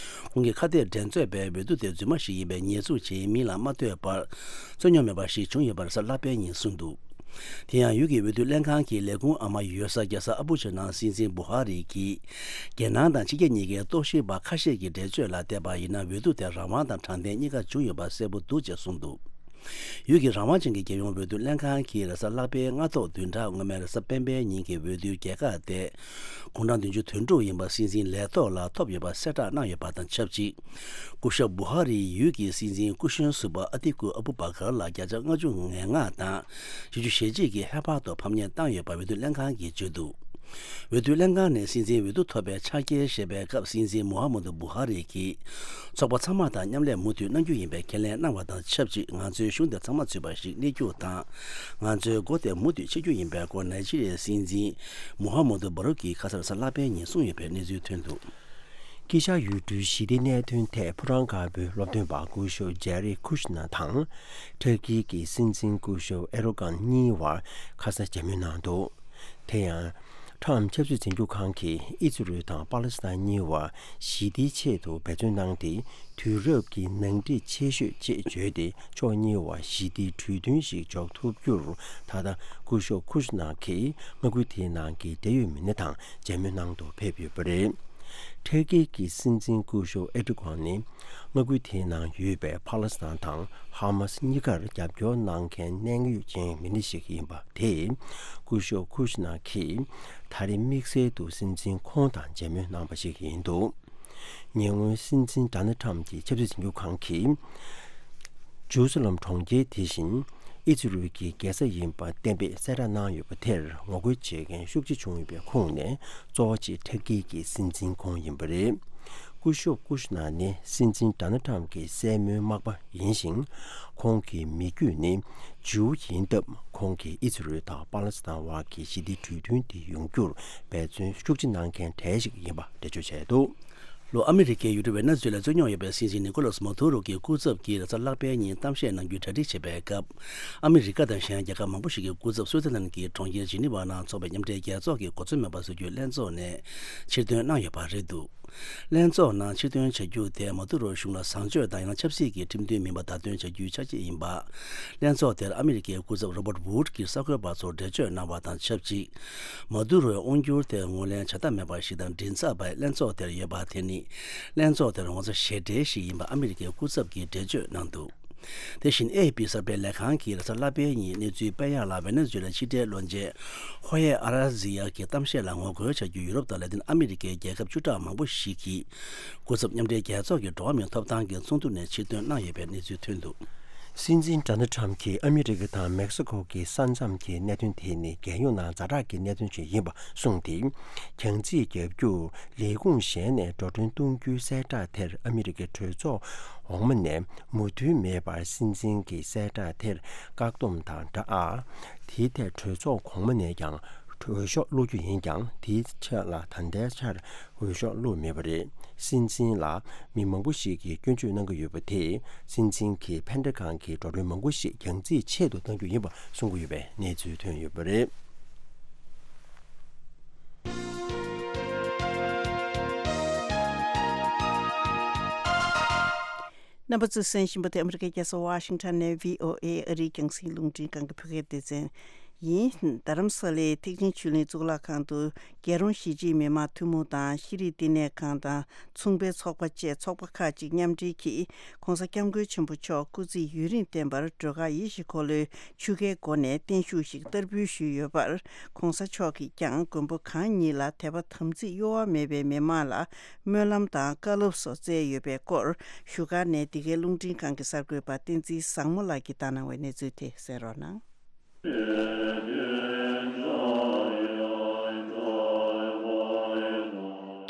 ཁོང་གི་ཁ་གཏད་འགྲན་རྩོད་པའི་འོས་བསྡུ་དེ་རྫུན་མ་ཞིག་ཡིན་པའི་ཉེས་འཛུགས་བྱེད་མིན་ལ་མ་ལྟོས་པར་རྩོད་རྙོག་མེད་པ་ཞིག་བྱུང་ཡོད་པ་རེས་གཟའ་ལྷག་པའི་ཉིན་གསུངས་འདུག་དེ་ཡང་ཡུལ་གྱི་འོས་བསྡུ་ལྷན་ཁང་གི་ལས་ཁུངས་ཨ་མ་ཡོད་ས་རྒྱལ་ས་ཨ་བུ་ཇ་ནང་སྲིད་འཛིན་བུ་ཧ་རི་གིས་རྒྱལ་ནང་དང་ཕྱི་རྒྱལ་གཉིས་ཀའི་རྟོག་ཞིབ་པ་ཁ་ཤས་ཀྱི་འགྲེལ་བརྗོད་ལ་བལྟས་པ་ཡིན་ན་འོས་བསྡུ་དེ་རང་དབང་དང་དྲང་བདེན་གཉིས་ཀ་བྱུང་ཡོད་པ་གསལ་པོ་འདུག་ཅེས་གསུངས་འདུག་ཡུལ་གྱི་རང་དབང་ཅན་གྱི་རྒྱལ་ཡོངས་འོས་བསྡུ་ལྷན་ཁང་གིས་རེས་གཟའ་ལྷག་པའི་སྔ་ཐོག་བདུན་ཕྲག་སྔོན་མའི་རེས་གཟའ་སྤེན་པའི་ཉིན་གྱི་འོས་བསྡུའི་རྒྱལ་ཁ་དེ། དགུང་གྲངས་བདུན་ཅུ་དོན་དྲུག་ཡིན་པ་སྲིད་འཛིན་ལས་ཐོག་ལ་ཐོབ་ཡོད་པ་གསལ་བསྒྲགས་གནང་ཡོད་པ་དང་ཆབས་ཅིག་སྐུ་ཞབས་བུ་ཧ་རིས་ཡུལ་གྱི་སྲིད་འཛིན་སྐུ་གཞོན་ཟུར་པ་ཨ་ཏི་ཀུ་ཨ་བུ་བ་གར་ལ་བརྒྱ་ཆ་ལྔ་བཅུ་ང་ལྔ་དང་བཞི་བཅུ་ཞེ་གཅིག་གི་ཧེ་བག་ཏུ་ཕམ་ཉེས་བཏང་ཡོད་པ་འོས་བསྡུ་ལྷན་ཁང་གིས་བརྗོད་འདུག་འོས་བསྡུ་ལྷན་ཁང་ནས་སྲིད་འཛིན་འོས་བསྡུ་ཐོབ་པའི་ཕྱག་འཁྱེར་བཞེས་པའི་སྐབས། སྲིད་འཛིན་མུ་ཧ་མུ་དུ་བུ་ཧ་རི་གིས་ཚོགས་པ་ཚང་མ་དང་མཉམ་ལས་མུ་མཐུད་གནང་རྒྱུ་ཡིན་པའི་ཁས་ལེན་གནང་བ་དང་ཆབས་ཅིག་ང་ཚོའི་གཞུང་དེ་ཚང་མ་ཚུད་པ་ཞིག་གནས་རྒྱུ་དང་། ང་ཚོའི་འགོ་དེ་མུ་མཐུད་ཕྱེ་རྒྱུ་ཡིན་པའི་སྐོར་ནཱི་ཇི་རི་ཡའི་སྲིད་འཛིན་མུ་ཧ་མུ་དུ་བུ་ཧ་རི་གིས་ཁ་སང་རེས་གཟའ་ལྷག་པའི་ཉིན་གསུངས་ཡོད་པའི་གནས་ཚུལ་ཐོན་འདུག་དཀྱིལ་ཤར་ཡུལ་གྲུའི་ཞི་བདེའི་གནད་དོན་ཐད་ཕོ་བྲང་དཀར་པོའི་སློབ་སྟོན་པ་སྐུ་ཞབས་ཇེ་རི་ཁུ་ཤ་ནར་དང་། ཏུར་ཀི་གི་སྲིད་འཛིན་སྐུ་ཞབས་ཨེར་ཌོ་གྷན་གཉིས་བར་ཁ་སང་མཇལ་མོལ་གནང་འདུག་དེ་ཡང་། ཁྲམ་ཆབ་སྲིད་འཛིན་སྐྱོང་ཁང་གིས་ཨི་ཛི་རུལ་དང་པ་ལི་སི་ཐན་གཉིས་བར་ཞི་བདེའི་ཆེད་དུ་འབད་བརྩོན་གནང་སྟེ། དུས་རབས་ཀྱི་ནང་འགྲིག་ཆེ་ཤོས་ཅེས་བརྗོད་དེ། ཕྱོགས་གཉིས་བར་ཞི་བདེའི་གྲོས་མཐུན་ཞིག་འཇོག་ཐུབ་རྒྱུར། ད་ལྟ་སྐུ་ཞབས་ཁུ་ཤ་ནར་གྱིས་མངའ་ཁུལ་དེའི་ནང་གི་འབྲེལ་ཡོད་མི་སྣ་དང་མཇལ་མོལ་གནང་དུ་ཕེབས་ཡོད་པ་རེད། ཏུར་ཀི་གི་སྲིད་འཛིན་སྐུ་ཞབས་ཨེར་ཌོ་གྷན་ནི། མངའ་ཁུལ་དེའི་ནང་ཡོད་པའི་ཕ་ལེ་སི་ཐན་དང་ཧ་མ་སི་གཉིས་ཀར་རྒྱབ་སྐྱོར་གནང་མཁན་གནད་ཡོད་ཅན་མི་སྣ་ཞིག་ཡིན་པ་དེས། སྐུ་ཞབས་ཁུ་ཤ་ནར་གྱིས་ད་རེས་དམིགས་བསལ་དུ་སྲིད་འཛིན་ཁོང་དང་མཇལ་མོལ་གནང་བ་ཞིག་ཡིན་འདུག་ཉེ་སྔོན་སྲིད་འཛིན་ཌོ་ནལ་ཌི་ཊརམ་གྱི་ཆབ་སྲིད་འཛིན་སྐྱོང་ཁང་གིས། ཇེ་རུ་སཱ་ལེམ་གྲོང་ཁྱེར་དེ་བཞིན་ཨི་ཛི་རུལ་གྱི་རྒྱལ་ས་ཡིན་པ་གཏན་འབེབས་གསལ་བསྒྲགས་གནང་ཡོད་པ་དེར་ངོ་རྒོལ་བྱེད་མཁན་ཤུགས་ཆེ་བྱུང་ཡོད་པའི་ཁོངས་ནས། གཙོ་བོ་གཅིག་ཏུར་ཀི་གི་སྲིད་འཛིན་ཁོང་ཡིན་པ་རེད། སྐུ་ཞབས་ཀུ་ཤ་ནར་ནི་སྲིད་འཛིན་ཌོ་ནལ་ཌི་ཊརམ་གྱི་སྲས་མོའི་མག་པ་ཡིན་ཞིང་། ཁོང་གི་མི་རྒྱུད་ནི་ཇིའུ་ཡིན་སྟབས། ཁོང་གིས་ཨི་ཛི་རུལ་དང་པ་ལི་སི་ཐན་བར་གྱི་ཞི་བདེའི་གྲོས་མཐུན་དེ་ཡོང་རྒྱུར་འབད་བརྩོན་ཤུགས་ཆེ་གནང་མཁན་གྲས་ཤིག་ཡིན་པ་འགྲེལ་བརྗོད་བྱས་འདུག་ལྷོ་ཨ་མི་རི་ཀའི་ཡུལ་གྲུ་ཝེ་ནེ་ཛུ་ཝེ་ལའི་རྩོད་རྙོག་ཡོད་པའི་སྲིད་འཛིན་ནི་ཀོ་ལོ་སི་མ་དུ་རོ་གིས་སྐུ་ཚབ་ཀྱིས་རེས་གཟའ་ལྷག་པའི་ཉིན་གཏམ་བཤད་གནང་རྒྱུའི་གྲ་སྒྲིག་བྱེད་པའི་སྐབས། ཨ་མི་རི་ཀ་དང་གཞན་རྒྱལ་ཁབ་མང་པོ་ཞིག་གི་སྐུ་ཚབ་སུའི་ཙི་ལན་གྱི་གྲོང་ཁྱེར་ཇི་ནི་ཝ་ནང་འཚོགས་པའི་མཉམ་འབྲེལ་རྒྱལ་ཚོགས་ཀྱི་གོ་མཚོན་མེད་པ་བཟོ་རྒྱུའི་ལྷན་ཚོགས་ནས་ཕྱིར་འདོན་གནང་ཡོད་པ་རེད་འདུག་ལྷན་ཚོགས་ནང་ཕྱིར་འདོན་བྱ་རྒྱུ་དེ་མ་དུ་རོ་གཞུང་ལ་བཟང་སྤྱོད་དང་ཡང་ན་ཆབ་སྲིད་ཀྱི་ཁྲིམས་མཐུན་མིན་པ་བརྡ་སྟོན་བྱ་རྒྱུའི་ཆ་ཤས་ཡིན་པ། ལྷན་ཚོགས་དེར་ཨ་མི་རི་ཀའི་སྐུ་ཚབ་རོ་བརྟ་ཝུཌ་གྱིས་གསར་འགོད་པ་ཚོར་འགྲེལ་བརྗོད་གནང་བ་དང་ཆབས་ཅིག་མ་དུ་རོའི་དབང་སྒྱུར་དེ་ངོས་ལེན་བྱ་ཐབས་མེད་པ་ཞིག་དང་མགྲིན་ཚབ་པ་ལྷན་ཚོགས་དེར་ཡོད་པ་དེ་ནི། ལྷན་ཚོགས་དེར་ངོ་ཚ་ཞེ་འགྲས་ཤིག་ཡིན་པ་ཨ་མི་རི་ཀའི་སྐུ་ཚབ་ཀྱིས་འགྲེལ་བརྗོད་གནང་འདུག་དེ་བཞིན་ཨེ་ཨེ་ཕི་གསར་སྤེལ་ལས་ཁང་གིས་རེས་གཟའ་ལྷག་པའི་ཉིན་གནས་ཚུལ་སྤེལ་ཡག་ལ། ཝེ་ནེ་ཛུ་ཝེ་ལའི་ཕྱི་འབྲེལ་བློན་ཆེན་ཧོ་ཡེ་ཨ་ར་ཟི་ཡ་གི་གཏམ་བཤད་ལ་ངོ་རྒོལ་བྱ་རྒྱུ་ཡུ་རོབ་དང་ལ་ཏིན་ཨ་མི་རི་ཀའི་རྒྱལ་ཁབ་བཅུ་ཕྲག་མང་པོ་ཞིག་གིས་སྐུ་ཚབ་མཉམ་འབྲེལ་རྒྱལ་ཚོགས་ཀྱི་འགྲོ་བ་མིའི་ཐོབ་ཐང་གི་ཚོགས་འདུ་ནས་ཕྱིར་འདོན་གནང་ཡོད་པའི་གནས་ཚུལ་ཐོན་འདུག་སྲིད་འཛིན་ཌོ་ནལ་ཌི་ཊརམ་གྱིས་ཨ་མི་རི་ཀ་དང་མེག་སི་ཀོ་གི་ས་མཚམས་ཀྱི་གནད་དོན་དེ་ནི་རྒྱལ་ཡོངས་ནང་ཛ་དྲག་གི་གནད་དོན་ཞིག་ཡིན་པ་གསུངས་ཏེ། རྒྱང་རྩིས་བརྒྱབ་རྒྱུར། ལས་ཁུངས་གཞན་ནས་འགྲོ་གྲོན་གཏོང་རྒྱུའི་གསལ་བསྒྲགས་དེར་ཨ་མི་རི་ཀའི་གྲོས་ཚོགས་འོག་མ་ནས་མོས་མཐུན་མེད་པར། སྲིད་འཛིན་གྱི་གསལ་བསྒྲགས་དེར་བཀག་སྡོམ་དང་སྦྲགས། དེའི་ཐད་གྲོས་ཚོགས་གོང་མ་ནས་ཀྱང་འོས་ཤོག་བླུག་རྒྱུ་ཡིན་ཀྱང་། དེའི་ཆ་ལ་ད་ལྟའི་ཆར་འོས་ཤོག་བླུགས་མེད་པ་རེད། སྲིད་འཛིན་ལ་མི་མང་པོ་ཞིག་གིས་སྐྱོན་བརྗོད་གནང་གི་ཡོད་པ་དེས། སྲིད་འཛིན་གྱི་ཕན་བདེ་ཁང་གི་འགྲོ་གྲོན་མང་པོ་ཞིག་རྒྱང་རྩིས་ཆེད་དུ་གཏང་རྒྱུ་ཡིན་པ་གསུང་གི་ཡོད་པའི་གནས་ཚུལ་ཐོན་ཡོད་པ་རེད། རྣམ་པ་ཚོས་གསན་བཞིན་པ་དེ་ཨ་མི་རི་ཀའི་རྒྱལ་ས་ཝ་ཤིང་ཊོན་ནས་བྷི་ཨོ་ཨེ་ཨ་རིའི་རྒྱང་སྲིང་རླུང་འཕྲིན་ཁང་གི་བོད་སྐད་སྡེ་ཚན་ཡིན། རྡ་རམ་ས་ལའི་ཐེག་ཆེན་ཆོས་གླིང་གཙུག་ལག་ཁང་དུ། རྒྱལ་རོང་གཞིས་བྱེས་མི་མང་ཐུན་མོང་དང་ཤེས་རིག་བསྟི་གནས་ཁང་དང་མཚུངས་པའི་ཚོགས་པ་བཅས་ཚོགས་པ་ཁག་ཅིག་མཉམ་འབྲེལ་གྱིས། ྋགོང་ས་ྋསྐྱབས་མགོན་ཆེན་པོ་མཆོག་སྐུ་ཚེ་ཡུན་རིང་བརྟན་པར་སྒྲོལ་དཀར་ཡེ་ཤེས་འཁོར་ལོའི་ཆོས་ཁའི་སྒོ་ནས་བརྟན་བཞུགས་ཤིག་བསྟར་འབུལ་ཞུས་ཡོད་པར། ྋགོང་ས་མཆོག་གིས་ཀྱང་མགོན་པོ་གང་ཉིད་ལ་དད་པ་དམ་ཚིག་གཡོ་བ་མེད་པའི་མི་མང་ལ་སྨོན་ལམ་དང་བཀའ་སློབ་སོགས་སྩལ་ཡོད་པའི་སྐོར། བཞུགས་སྒར་ནས་འདི་གའི་རླུང་འཕྲིན་ཁང་གི་གསར་འགོད་པ་བསྟན་འཛིན་བཟང་མོ་ལགས་ཀྱིས་བཏང་གནང་བའི་གནས་ཚུལ་དེ་གསན་རོགས་གནང་།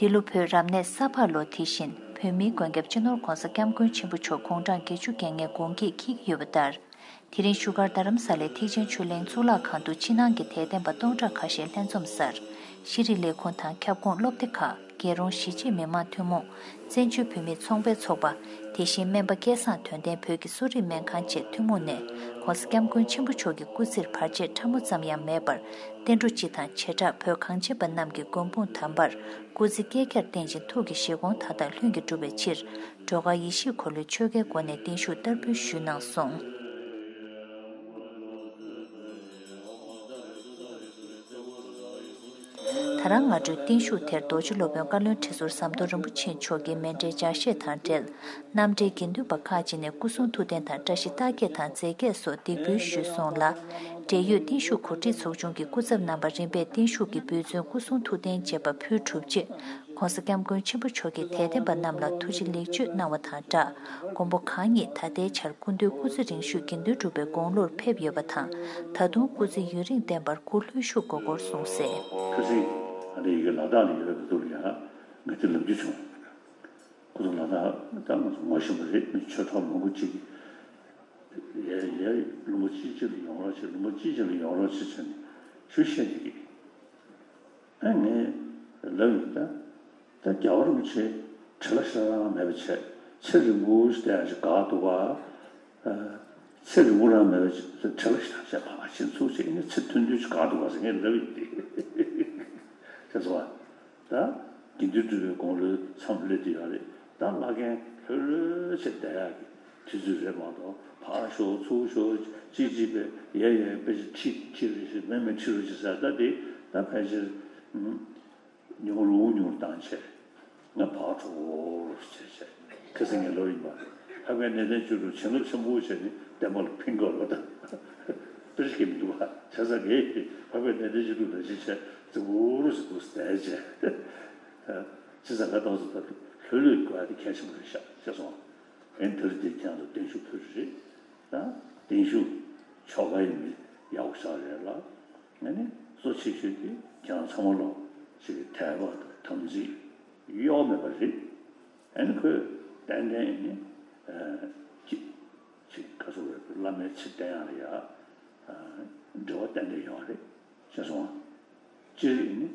འདི་ལོ་བོད་རབ་གནས་ས་ཕག་ལོ་དེ་བཞིན་བོད་མིའི་མགོན་སྐྱབས་སྤྱི་ནོར་༧གོང་ས་༧སྐྱབས་མགོན་ཆེན་པོ་མཆོག་དགུང་གྲངས་བརྒྱད་ཅུ་གྱ་ལྔའི་དགུང་སྐེག་འཁེལ་གྱི་ཡོད་པ་ལྟར། དེ་རིང་བཞུགས་སྒར་རྡ་རམ་ས་ལའི་ཐེག་ཆེན་ཆོས་གླིང་གཙུག་ལག་ཁང་དུ་ཕྱི་ནང་གི་དད་ལྡན་པ་སྟོང་ཕྲག་ཁ་ཤས་ལྷན་འཛོམས་སར། ཤེས་རིག་ལས་ཁུངས་དང་ཁྱབ་ཁོངས་སློབ་སྡེ་ཁག་རྒྱལ་རོང་གཞིས་བྱེས་མི་མང་ཐུན་མོང་། བཙན་བྱོལ་བོད་མིའི་ཚོང་པའི་ཚོགས་པ། དེ་བཞིན་སྨན་པ་སྐལ་བཟང་དོན་ལྡན་བོད་ཀྱི་གསོ་རིག་སྨན་ཁང་བཅས་ཐུན་མོང་ནས་ྋགོང་ས་ྋསྐྱབས་མགོན་ཆེན་པོ་མཆོག་གི་སྐུ་ཚེར་བར་ཆད་ཕྲ་མོ་ཙམ་ཡང་མེད་པར་བརྟན་འགྲོ་སྤྱི་དང་བྱེ་བྲག་བོད་གངས་ཅན་པ་རྣམས་ཀྱི་མགོན་དཔུང་དམ་པར་སྐུ་ཚེ་བསྐལ་བརྒྱར་བརྟན་ཅིང་ཐུགས་ཀྱི་བཞེད་དགོངས་མཐའ་དག་ལྷུན་གྱིས་འགྲུབ་པའི་ཕྱིར། སྒྲོལ་དཀར་ཡེ་ཤེས་འཁོར་ལོའི་ཆོས་ཁའི་སྒོ་ནས་བརྟན་བཞུགས་བསྟར་འབུལ་ཞུས་གནང་སོང་། ད་རང་སྔ་དྲོའི་བརྟན་བཞུགས་དེར་རྡོ་རྗེ་སློབ་དཔོན་བཀའ་བློན་ཁྲི་ཟུར་ཟམ་གདོང་རིན་པོ་ཆེ་མཆོག་གིས་མཎྜལ་ལྗགས་བཤད་དང་འབྲེལ། རྣམ་འབྲེལ་དགེ་འདུན་པ་ཁག་ཅིག་ནས་སྐུ་གསུང་ཐུགས་རྟེན་དང་བཀྲ་ཤིས་རྟགས་བརྒྱད་དང་རྫས་བརྒྱད་སོགས་འདེགས་འབུལ་ཞུས་སོང་ལ། འབྲེལ་ཡོད་བརྟན་བཞུགས་གོ་སྒྲིག་ཚོགས་ཆུང་གི་སྐུ་ཚབ་རྣམ་པ་རིམ་པས་བརྟན་བཞུགས་ཀྱི་འབུལ་ཚོན་སྐུ་གསུང་ཐུགས་རྟེན་བཅས་པ་ཕུལ་གྲུབ་རྗེས། ྋགོང་ས་ྋསྐྱབས་མགོན་ཆེན་པོ་མཆོག་གིས་དད་ལྡན་པ་རྣམས་ལ་ཐུགས་རྗེ་ལེགས་བརྗོད་གནང་བ་དང་སྦྲགས། མགོན་པོ་གང་ཉིད་ད་ལྟའི་ཆར་སྐུ་མདུན་སྐུ་ཚེ་རིང་ཤོས་དགེ་འདུན་གྲུབ་པའི་དགུང་ལོར་ཕེབས་ཡོད་པ་དང་། ད་དུང་སྐུ་ཚེ་ཡུན་རིང་བརྟན་པར་སྐུ་ལྷོད་བཞུགས་དགོས་སྐོར་གསུངས་གསལ། ཁ་སང་ཨ་རི་ཡི་གེ་ལ་དྭགས་ལ་ཡོད་པའི་དུས་ལ་ཡང་ང་དེ་ལབ་རྒྱུ་བྱུང་། ཁོ་ཚོ་ལ་དྭགས་ད་ང་ཚོ་ངོ་ཤེས་པ་རེད། མི་ཆོས་གྲོགས་མང་པོ་ཅིག་གིས་ཡ་ཡ་ལུང་པ་ཅིག་ཅིག་ལ་ཡོང་རོགས་བྱེད། ལུང་པ་ཅིག་ཅིག་ལ་ཡོང་རོགས་བྱེད་བྱས་ནས་ཞུ་བཤད་བསྡད་ཀྱི། ཨ་ངས་ལབ་ཡིན། ད་ད་རྒྱལ་བ་རིན་པོ་ཆེ་བྲེལ་བ་ཞེ་དྲག་མེད་པ་བྱས། ཚེ་རིང་པོ་ཞིག་བསྡད་ཡག་ཅིག་དགའ་འདུག་ག་ཨ་ཚེ་རིང་པོ་རང་མེད་པ་ཅིག་བྲེལ་བ་ཞེ་དྲག་བྱས། ཕར་ཕྱིན་ཚུར་བྱས། ཨ་ནི་ཚེ་ཐུང་ཐུང་ཅིག་དགའ་འདུག་ག་ཟེར་ངས་ལབ་ཡིན་ཏེ། ཤེས་སོང་ཨ། ད་དགེ་འདུན་གྲུབ་པའི་དགུང་ལོའི་མཚམས་སླེབས་བསྡད་ཡོད་རེད། ད་བླ་རྒན་ལྷོད་ལྷོད་བྱས་བསྡད་ཡག་གི་དུས་ཚོད་རེད་མ་གཏོགས། ཕར་ཤོག་ཚུར་ཤོག་ཅིག་ཅིག་པས་ཡ་ཡ་དཔེ་ཆ་ཁྲིད་ཁྲིད་རོགས་བྱེད། མེད་མེད་ཁྲིད་རོགས་བྱེད་ཟེར། ད་དེ་ད་ཕལ་ཆེར་ཉུང་རུ་ཉུང་རུ་བཏང་བྱས། ང་ཕར་འགྲོ་རོགས་བྱས་བྱས། ཁ་སང་ངས་ལབ་ཡིན་པ། འཕགས་པའི་གནས་བརྟན་བཅུ་དྲུག་བྱིན་རླབས་ཆེན་པོ་བྱས་ནས་བསྟན་པ་ལ་ཕན་དགོས་པ་དང་། དཔེ་ཆ་གི་མི་འདུག་པ། བྱས་ཙང་ངས་འཕགས་པའི་གནས་བརྟན་བཅུ་དྲུག་ནང་བཞིན་བྱས་རྫིག་པོ་རུ་ཟེར་འདུག་ཟེར་བྱས། བྱས་ཙང་ང་ཏོག་ཙམ་ད་ལྷོད་ལྷོད་དགོས་ཡ་དེ་གལ་ཆེན་པོ་རེད་ཤག་ཤེས་སོང་། ཨེ་འདིར་དེ་ཁྱེད་རང་ཚོ་བརྟན་བཞུགས་ཕུལ་རེད། ད་བརྟན་བཞུགས་ཆོ་ག་ཡིན་མིན་ཡག་པོ་ཞེ་དྲག་རེད་ལ། ཨ་ནི་གཙོ་ཆེ་ཤོས་དེ་ཁྱེད་རང་ཚང་མ་ལོ་ཅིག་དད་པ་དང་དམ་ཚིག་གཡོ་བ་མེད་པ་རེད། ཨ་ནི་ཁོས་ཏན་ཏན་ཨ་ནི་ཅིག་ཅིག་ག་ཚོད་རེད། བླ་མའི་ཚེ་བརྟན་ཡག་ལ་ཡ་འབྲེལ་བ་ཏན་ཏན་ཡོད་རེད། ཤེས་སོང་ཨ། སྤྱིར་ཨ་ནི་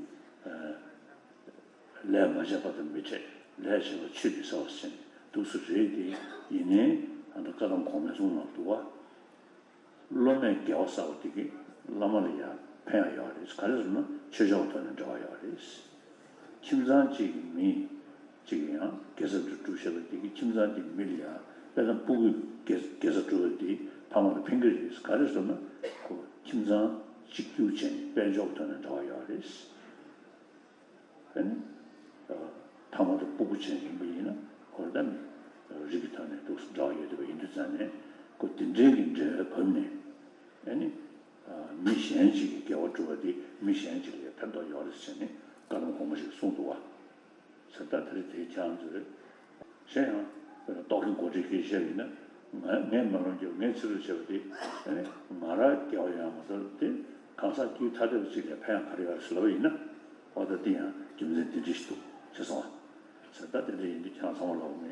ལས་མ་བྱས་པ་དང་མི་འཕྲད། ལས་བྱས་པ་ཆོས་ཀྱིས་བསལ་བ་ཟེར་ནས་འདུག་སེ་རེད་དེ། ཡིན་ནའི་ཨ་ད་བཀའ་གདམས་གོང་མའི་གསུང་ནང་འདུག་པ། སློབ་མས་དགེ་བ་བསགས་པ་དེ་གིས་བླ་མ་ལ་ཡང་ཕན་ཡག་ཡོད་རེད། ག་རེ་ཟེར་ན་ཆོས་བྱ་བ་ཐོག་ནས་འབྲེལ་བ་ཡོད་རེད། ཁྱིམ་ཚང་གཅིག་གི་མི་གཅིག་གིས་ཡང་དགེ་རྩ་སྒྲུབ་བྱས་པ་དེ་གིས་ཁྱིམ་ཚང་དེའི་མི་ལ་ཡང་དཔེར་ན་སྤུ་གུས་དགེ་དགེ་རྩ་སྒྲུབ་པ་དེས་ཕ་མ་ལ་ཕན་གྱི་རེད། ག་རེ་ཟེར་ན་ཁོ་ཁྱིམ་ཚང་གཅིག་གྱུར་བྱས་ནས་དཔལ་འབྱོར་ཐོག་ནས་འབྲེལ་བ་ཡོད་རེད། ཨ་ནི། ཕ་མ་དང་སྤུ་གུ་ཅན་ཡིན་པ་ཡིན་ན་ཁོ་རང་ད་རིགས་ཀྱི་ཐོག་ནས་འདུག་སེ་འབྲེལ་བ་ཡོད་བསྡད་པ་ཡིན་དུས་ཙང་ནས། ཁོ་དེ་འདྲའི་གི་འབྲེལ་བའི་བབ་ནས། ཨ་ནི། མི་གཞན་གཅིག་གིས་དགེ་བ་བསྒྲུབས་པ་དེ་མི་གཞན་གཅིག་ལ་ཡང་ཕན་ཐོགས་ཡོད་རེད་ཟེར་ནས་བཀའ་གདམས་གོང་མ་ཞིག་གསུངས་འདུག་པ། ཟེར། ད་དེ་རིང་དེ་ཁྱེད་རང་ཚོས་གཞན་ཡང་རྟོག་གེ་མགོ་ཁྲིད་ཀྱིས་བཤད་ཡིན་ན། ང་ངས་མ་ལོན་རྒྱུ། ངས་ཕྱི་རུ་བྱས་པ་དེ་ཨ་ནི་ང་རང་དགེ་བ་ཡོང་མ་གཏོགས་དེ་གང་ཟག་དཀྱུས་ཐ་དད་པ་ཅིག་ལ་ཕན་ཡག་ག་རེ་ཡོད་ཟེར་ལབ་པ་ཡིན་ན། འོ་ད་དེ་ཡང་རྒྱུ་མཚན་དེ་འདྲ་ཞིག་འདུག་ཟེར་སོང་བ། ཟེར། ད་དེ་འདྲ་ཡིན་དུས་ཁྱེད་རང་ཚང་མ་ལོག་ནས་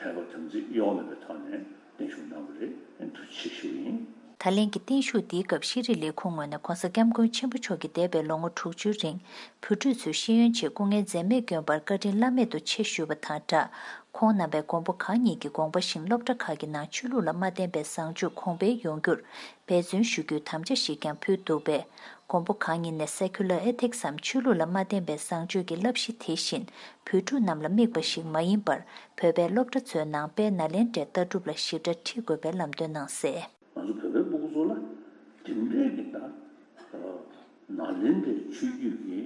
དད་པ་དམ་ཚིག་གཡོ་བ་མེད་པའི་ཐོག་ནས་བརྟན་བཞུགས་གནང་བ་རེད། ཨ་ནི་ཐུགས་རྗེ་ཆེ་ཞུ་ཡིན། ད་ལན་གྱི་བརྟན་བཞུགས་འདིའི་སྐབས་ཤེས་རིག་ལས་ཁུངས་ངོས་ནས་ྋགོང་ས་ྋསྐྱབས་མགོན་ཆེན་པོ་མཆོག་གིས་འདས་པའི་ལོ་ངོ་དྲུག་ཅུའི་རིང་བོད་ཕྲུག་ཚོའི་ཤེས་ཡོན་ཆེད་སྐུ་ངལ་འཛེམས་མེད་བསྐྱོན་པར་བཀའ་དྲིན་བླ་མེད་དུ་ཆེ་ཞུས་པ་དང་སྦྲགས། ཁོང་རྣམ་པས་མགོན་པོ་གང་ཉིད་ཀྱི་དགོངས་པ་བཞིན་སློབ་གྲྭ་ཁག་གི་ནང་ཆོས་ལུགས་ལ་མ་བརྟེན་པའི་བཟང་སྤྱོད་གོང་འཕེལ་ཡོང་རྒྱུར་འབད་བརྩོན་ཞུ་རྒྱུའི་དམ་བཅའ་ཞིག་ཀྱང་ཕུལ་འདུག་པས། མགོན་པོ་གང་ཉིད་ནས་Secular Ethics འམ་ཆོས་ལུགས་ལ་མ་བརྟེན་པའི་བཟང་སྤྱོད་ཀྱི་བསླབ་གཞི་དེ་བཞིན་བོད་ཕྲུག་རྣམས་ལ་དམིགས་པ་ཞིག་མ་ཡིན་པར། བོད་པའི་སློབ་གྲྭ་ཚོའི་ནང་དཔལ་ནཱ་ལེནྡྲའི་ལྟ་གྲུབ་ལ་ཞིབ་ཕྲ་ཁྲིད་དགོས་པའི་ལམ་སྟོན་གནང་གསལ། ང་ཚོ་བོད་པའི་སྤུ་གུ་ཚོ་ལ་དེ་འདྲའི་གི་ད་ནཱ་ལེནྡྲའི་ཆོས་བརྒྱུད་ཀྱི་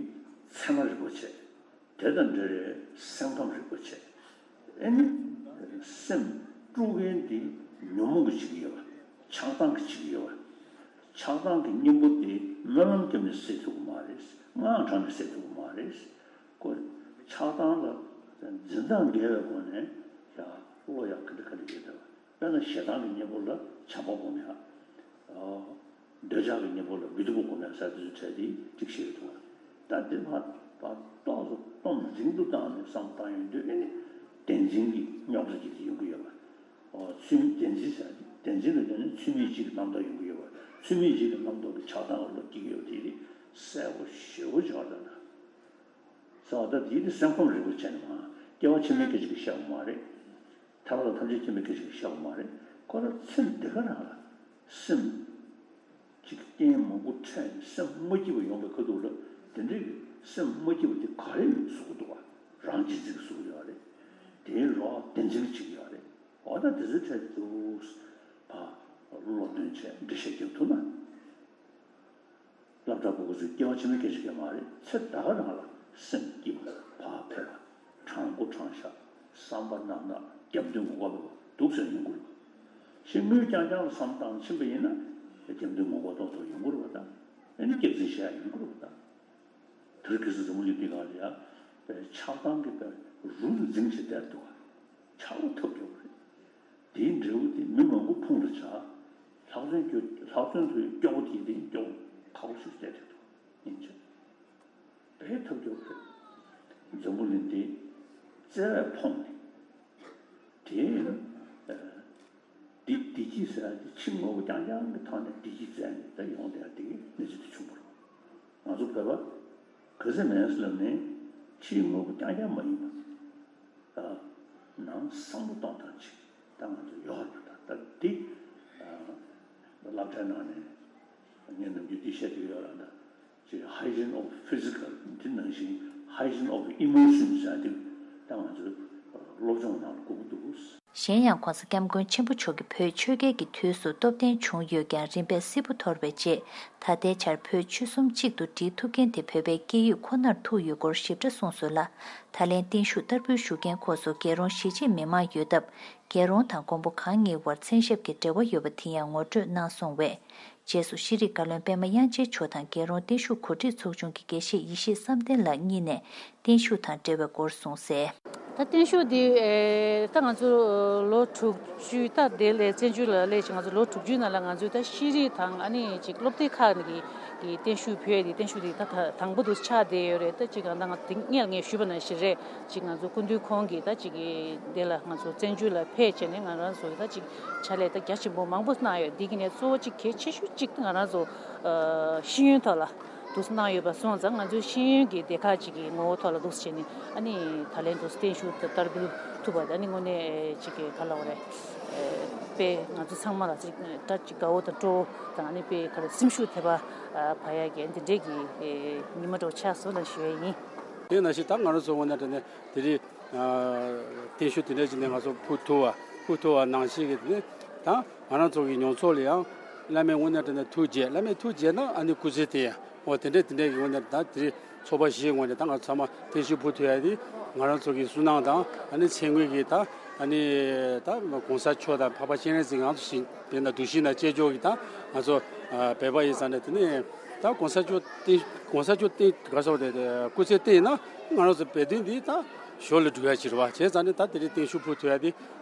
ཚད་མ་རིན་པོ་ཆེ། དེ་དང་འབྲེལ་བའི་སེམས་ཁམས་རིག་པ་བྱས། ཨེ་ནི། སེམས་དཀྲུག་མཁན་དེ་ཉོན་མོངས་ཀྱིས་བྱེད་ཀྱི་ཡོད་པ། ཆགས་སྡང་གིས་བྱེད་ཀྱི་ཡོད་པ། ཆགས་སྡང་གི་གཉེན་པོ་དེ་སྨོན་ལམ་བརྒྱབ་ནས་སེལ་ཐུབ་ཀྱི་མ་རེད། དངངས་དྲགས་ནས་སེལ་ཐུབ་ཀྱི་མ་རེད། ཁོ་ཆགས་སྡང་ལ་འཛིན་སྟངས་འགལ་བའི་སྒོ་ནས་ཡ་བློ་ཡག་ག་འདྲ་ག་འདྲ་ཡོད་བསྡད་པ། དཔེར་ན་ཞེ་སྡང་གི་གཉེན་པོ་ལ་བྱམས་པ་སྒོམ་ཡ། འདོད་ཆགས་ཀྱི་གཉེན་པོ་ལ་བི་དུ་པོ་སྒོམ་ཡ་ཟེར་དེ་ཚོའི་གྲས་དེ་གཅིག་བཤད་ཀྱི་འདུག་བ། ད་དེ་མ་པ་ཏོག་ཙམ་སྟོབས་འཛིན་དུ་བཏང་ནས་བསམ་བློ་བཏང་ཡོང་དུས་ཨེ་ནི་བདེན་འཛིན་གྱི་རྙོག་དྲ་ཅིག་དེ་ཡོང་གི་ཡོད་པ། ཨོ་ཚུལ་བདེན་འཛིན་ཟེར་བདེན་འཛིན་ལ་བརྟེན་ནས་ཚུལ་མིན་བྱེད་ཀྱི་རྣམ་རྟོག་ཡོང་གི་ཡོད་པ། ཚུལ་མིན་བྱེད་ཀྱི་རྣམ་རྟོག་གི་ཆགས་སྡང་ལ་བློ་སྐྱེ་གི་ཡོད་པ་དེ་རིགས་གསལ་པོ་ཞེ་པོ་ཅིག་ཡོད་རེད་ད། ཟེར་བ་ད་དེའི་དེ་སེམས་ཁམས་རིག་པ་བྱས་ནས་མ་སྐྱེ་བ་ཕྱི་མའི་སྐད་ཅིག་གིས་བཤད་པ་མ་རེད། ཐར་པ་དང་ཐམས་ཅད་མཁྱེན་པའི་སྐད་ཅིག་གིས་བཤད་པ་མ་རེད། ཁོ་རང་ཚེ་འདི་ག་རང་ལ་སེམས་ཅིག་རྐྱེན་མང་པོ་འཕྲད་ནས་སེམས་མ་སྐྱིད་པ་ཡོང་བའི་ཁ་ཐུག་ལ་དེ་འདྲའི་གི་སེམས་མ་སྐྱིད་པ་དེ་ག་རེ་བཟོ་གི་འདུག་བ། རང་གཅེས་འཛིན་གྱིས་བཟོ་གི་ཡོད་རེད། དེའི་རོགས་བདེན་འཛིན་གྱིས་བྱེད་ཀྱི་ཡོད་རེད། འོ་ད་དེ་ཚོའི་གྲས་དེ་ཚོ་ཕར་བློ་འདོན་བྱས་འགྲེལ་བཤད་རྒྱབ་ཐུབ་ན། སློབ་གྲྭ་པ་ཚོས་སྐྱེ་བ་ཕྱི་མའི་སྐད་ཆ་སྐད་མ་རེད། ཚེ་ད་ག་རང་ལ་སེམས་སྐྱིད་པ། བག་ཕེབས་པ། དྲང་པོ་དྲང་བཞག་བསམ་པ་རྣམ་དག་སྐྱབས་མདུན་ངོ་དགའ་བོ་འདུག་ཟེར་ཡོང་གི་རེད་པ། ཞེ་དངུལ་རྐྱང་རྐྱང་ལ་བསམ་བཏང་ཕྱིན་པ་ཡིན་ན། སྐྱབས་མདུན་ངོ་དགའ་ཏོག་ཏོ་ཡོང་གི་རེད་པ། ད་ཨ་ནི་སྐྱག་རྫུན་བཤད་ཡ་ཡོང་གི་རེད་པ། ད་དེ་རིང་ཁ་སང་འཛམ་བུ་གླིང་འདི་སྒང་ལ་ཡ་པའི་ཆགས་སྡང་གི་པའི་རུ་འཛིང་བྱེད་བསྡད་འདུག་ག་ཆགས་པ་ཐབས་སྐྱོ་པོ་རེད། དེའི་འབྲས་བུ་དེ་མི་མང་པོ་ཕུང་དུ་བྱ། ལྷག་དོན་སྐྱོ་ལྷག་དོན་དུ་སྐྱོ་པོ་དེ་དེ་སྐྱོ་པོ་ཁག་པོ་ཞིག་བསྡད་བསྡད་འདུག་ཡིན་ཕྱིར། དཔེ་ཐབས་སྐྱོ་པོ་རེད། འཛམ་བུ་གླིང་འདི་བཙལ་བས་ཕོངས་ནས། དེ་ཨ་བདེ་བདེ་སྐྱིད་ཟེར་ཡ་དེ་ཕྱི་དངོས་པོ་རྐྱང་རྐྱང་གི་ཐོག་ནས་བདེ་སྐྱིད་བཙལ་ནས་ད་ཡོང་བསྡད་ཡ་དེ་གི་གནས་ཚུལ་དེ་བྱུང་བ་རེད། ང་ཚོ་བོད་པ་ག་ཚོད་མེད་ཟེར་ལབ་ནས་ཕྱིའི་དངོས་པོ་རྐྱང་རྐྱང་མ་ཡིན་པ། ཨ་ནང་བསམ་བློ་གཏོང་སྟངས་ཅིག་ད་ང་ཚོ་ཡོད་རེད་པ། ད་ད་འདི་ཨ་སློབ་གྲྭའི་ནང་ནས་ངས་ནམ་རྒྱུན་འདི་བཤད་ཀྱི་ཡོད་ར། ད་ཅིག་hygiene of physical འདི་ནང་བཞིན་hygiene of emotions ཟེར་ཡ་འདི་ད་ང་ཚོའི་སློབ་སྦྱོང་ནང་ལ་དགོས་ཀྱི་འདུག་གཞན་ཡང་༧གོང་ས་༧སྐྱབས་མགོན་ཆེན་པོ་མཆོག་གིས་བོད་ཆོལ་ཁའི་གི་དུས་སུ་སྟོབས་ལྡན་བྱུང་ཡོད་ཀྱང་རིམ་པས་སིལ་བུ་འཐོར་བའི་རྗེས། ད་ལྟའི་ཆར་བོད་ཆོལ་གསུམ་གཅིག་ཏུ་སྒྲིལ་ཐུབ་མཁན་དེ་བོད་པའི་སྐད་ཡིག་ཁོ་ནར་ཐུག་ཡོད་སྐོར་ཞིབ་ཕྲ་གསུངས་སོང་ལ། ད་ལན་བརྟན་བཞུགས་བསྟར་འབུལ་ཞུ་མཁན་ཁོ་ཚོ་རྒྱལ་རོང་གཞིས་བྱེས་མི་མང་ཡོད་སྟབས། རྒྱལ་རོང་དང་མགོན་པོ་གང་གཉིས་བར་མཚན་ཞབས་ཀྱི་འབྲེལ་བ་ཡོད་པ་དེ་ཡང་ངོ་སྤྲོད་གནང་སོང་བས། རྗེས་སུ་ཤེས་རིག་བཀའ་བློན་པད་མ་དབྱངས་ཅན་མཆོག་དང་རྒྱལ་རོང་བརྟན་བཞུགས་གོ་སྒྲིག་ཚོགས་ཆུང་གི་དགེ་བཤེས་ཡེ་ཤེས་བསམ་གཏན་ལགས་གཉིས་ནས་བརྟན་བཞུགས་དང་འབྲེལ་བའི་སྐོར་གསུངས་གསལ། ད་བརྟན་བཞུགས་འདི་ཨེ་ད་ང་ཚོ་ལོ་དྲུག་ཅུ་ད་དེ་ལས་བཙན་བྱོལ་ལ་སླེབས་ཤིང་ང་ཚོ་ལོ་དྲུག་ཅུའི་ནང་ལ་ང་ཚོས་ད་ཤེས་རིག་དང་ཨ་ནི་ཅིག་སློབ་དེབ་ཁག་ནས་ཀྱི་ཀྱི་བརྟན་བཞུགས་ཕུལ་ཡས་དེ་བརྟན་བཞུགས་དེ་ད་ད་དང་པོ་དུ་ཆགས་བསྡད་ཡོད་རེད། ད་ཅིག་ང་ད་ང་དེ་སྔོན་ལ་ངས་ཞུས་པ་ནང་བཞིན་རེད། ཅིག་ང་ཚོ་སྐུ་མདུན་ཁོང་གིས་ད་ཅིག་གི་དེ་ལ་ང་ཚོ་བཙན་བྱོལ་ལ་ཕེབས་བྱས་ནས་ང་རང་ཚོ་ད་ཅིག་ཕྱག་ལས་ད་རྒྱ་ཆེན་པོ་མང་པོ་གནང་ཡོད། འདི་གི་ནས་གཙོ་བོ་ཅིག་གལ་ཆེ་ཤོས་ཅིག་ད་ང་རང་ཚོ་ཨ་ཤེས་ཡོན་ཐོག་ལ་འདུག་སེ་གནང་ཡོད་པ་སོང་ཙང་ང་ཚོའི་ཤེས་ཡོན་གྱི་སྡེ་ཁག་ཅིག་གི་ངོ་བོ་ཐོག་ལ་འདུག་སེ་བྱས་ནས་ཨ་ནི་ད་ལན་འདུག་སེ་བརྟན་བཞུགས་ད་བསྟར་འབུལ་ཐུབ་པ་ད་ནི་དངོས་གནས་ཅིག་གི་ག་ལ་བ་རེད། དཔེ་ང་ཚོ་ཚང་མ་ལ་ཅིག་ད་ཅིག་དགའ་བོ་དང་སྤྲོ་བོ་དང་ཨ་ནི་དཔེ་ག་རེ་སེམས་ཤུགས་ཐེབས་པ་བ་ཡ་གི་འདི་འདྲས་ཀྱི་ཉི་མ་འདྲ་བོ་ཆགས་སོང་ལ་ཞུ་ཡ་ཡིན། དེ་ནང་བཞིན་ད་ང་རང་ཚོ་ངོས་ནས་དྲན་ནས་དེ་རིང་ཨ་བརྟན་བཞུགས་དེ་འདྲ་ཅིག་ནས་ང་ཚོ་ཕུལ་ཐུབ་པ་ཕུལ་ཐུབ་པ་ནང་བཞིན་གྱི་དེ་ནས་ད་ང་རང་ཚོ་གི་མྱོང་ཚོར་ལ་ཡང་བླ་མའི་དངོས་གནས་དྲང་གནས་ཐུགས་རྗེ། བླ་མའི་ཐུགས་རྗེ་ན་ཨ་ནི་སྐུ་ཚེ་བརྟན་ཡ། འོ་དེ་འདྲས་དེ་འདྲས་ཀྱི་ངོས་ནས་ད་དེ་རིང་ཚོགས་པ་བཞིའི་ངོས་ནས་ད་ང་ཚང་མ་བརྟན་བཞུགས་ཕུལ་ཐུབ་ཡ་དེ་ང་རང་ཚོ་གི་སུན་སྣང་དང་ཨ་ནི་ཚེ་སྔོན་གྱི་ད་ཨ་ནི་ད་གོང་ས་མཆོག་དང་འཕགས་པ་སྤྱན་རས་གཟིགས་ང་ཚོ་བཞིན་དཔེར་ན་གདུལ་ཞིང་དང་བཅས་ཕྱོགས་ཀྱི་ད་ང་ཚོ་བོད་པ་ཡིན་ཙང་ནས་དེ་ནས་ད་གོང་ས་མཆོག་བརྟན་གོང་ས་མཆོག་བརྟན་ག་སོགས་དེ་སྐུ་ཚེ་བརྟན་ན་ང་རང་ཚོ་བོད་དོན་འདི་ད་ཞོར་ལ་འགྲོ་ཡ་ཅིག་རེད་བ། བྱས་ཙང་ནས་ད་དེ་རིང་བརྟན་བཞུགས་ཕུལ་ཐུབ་ཡ་དེ་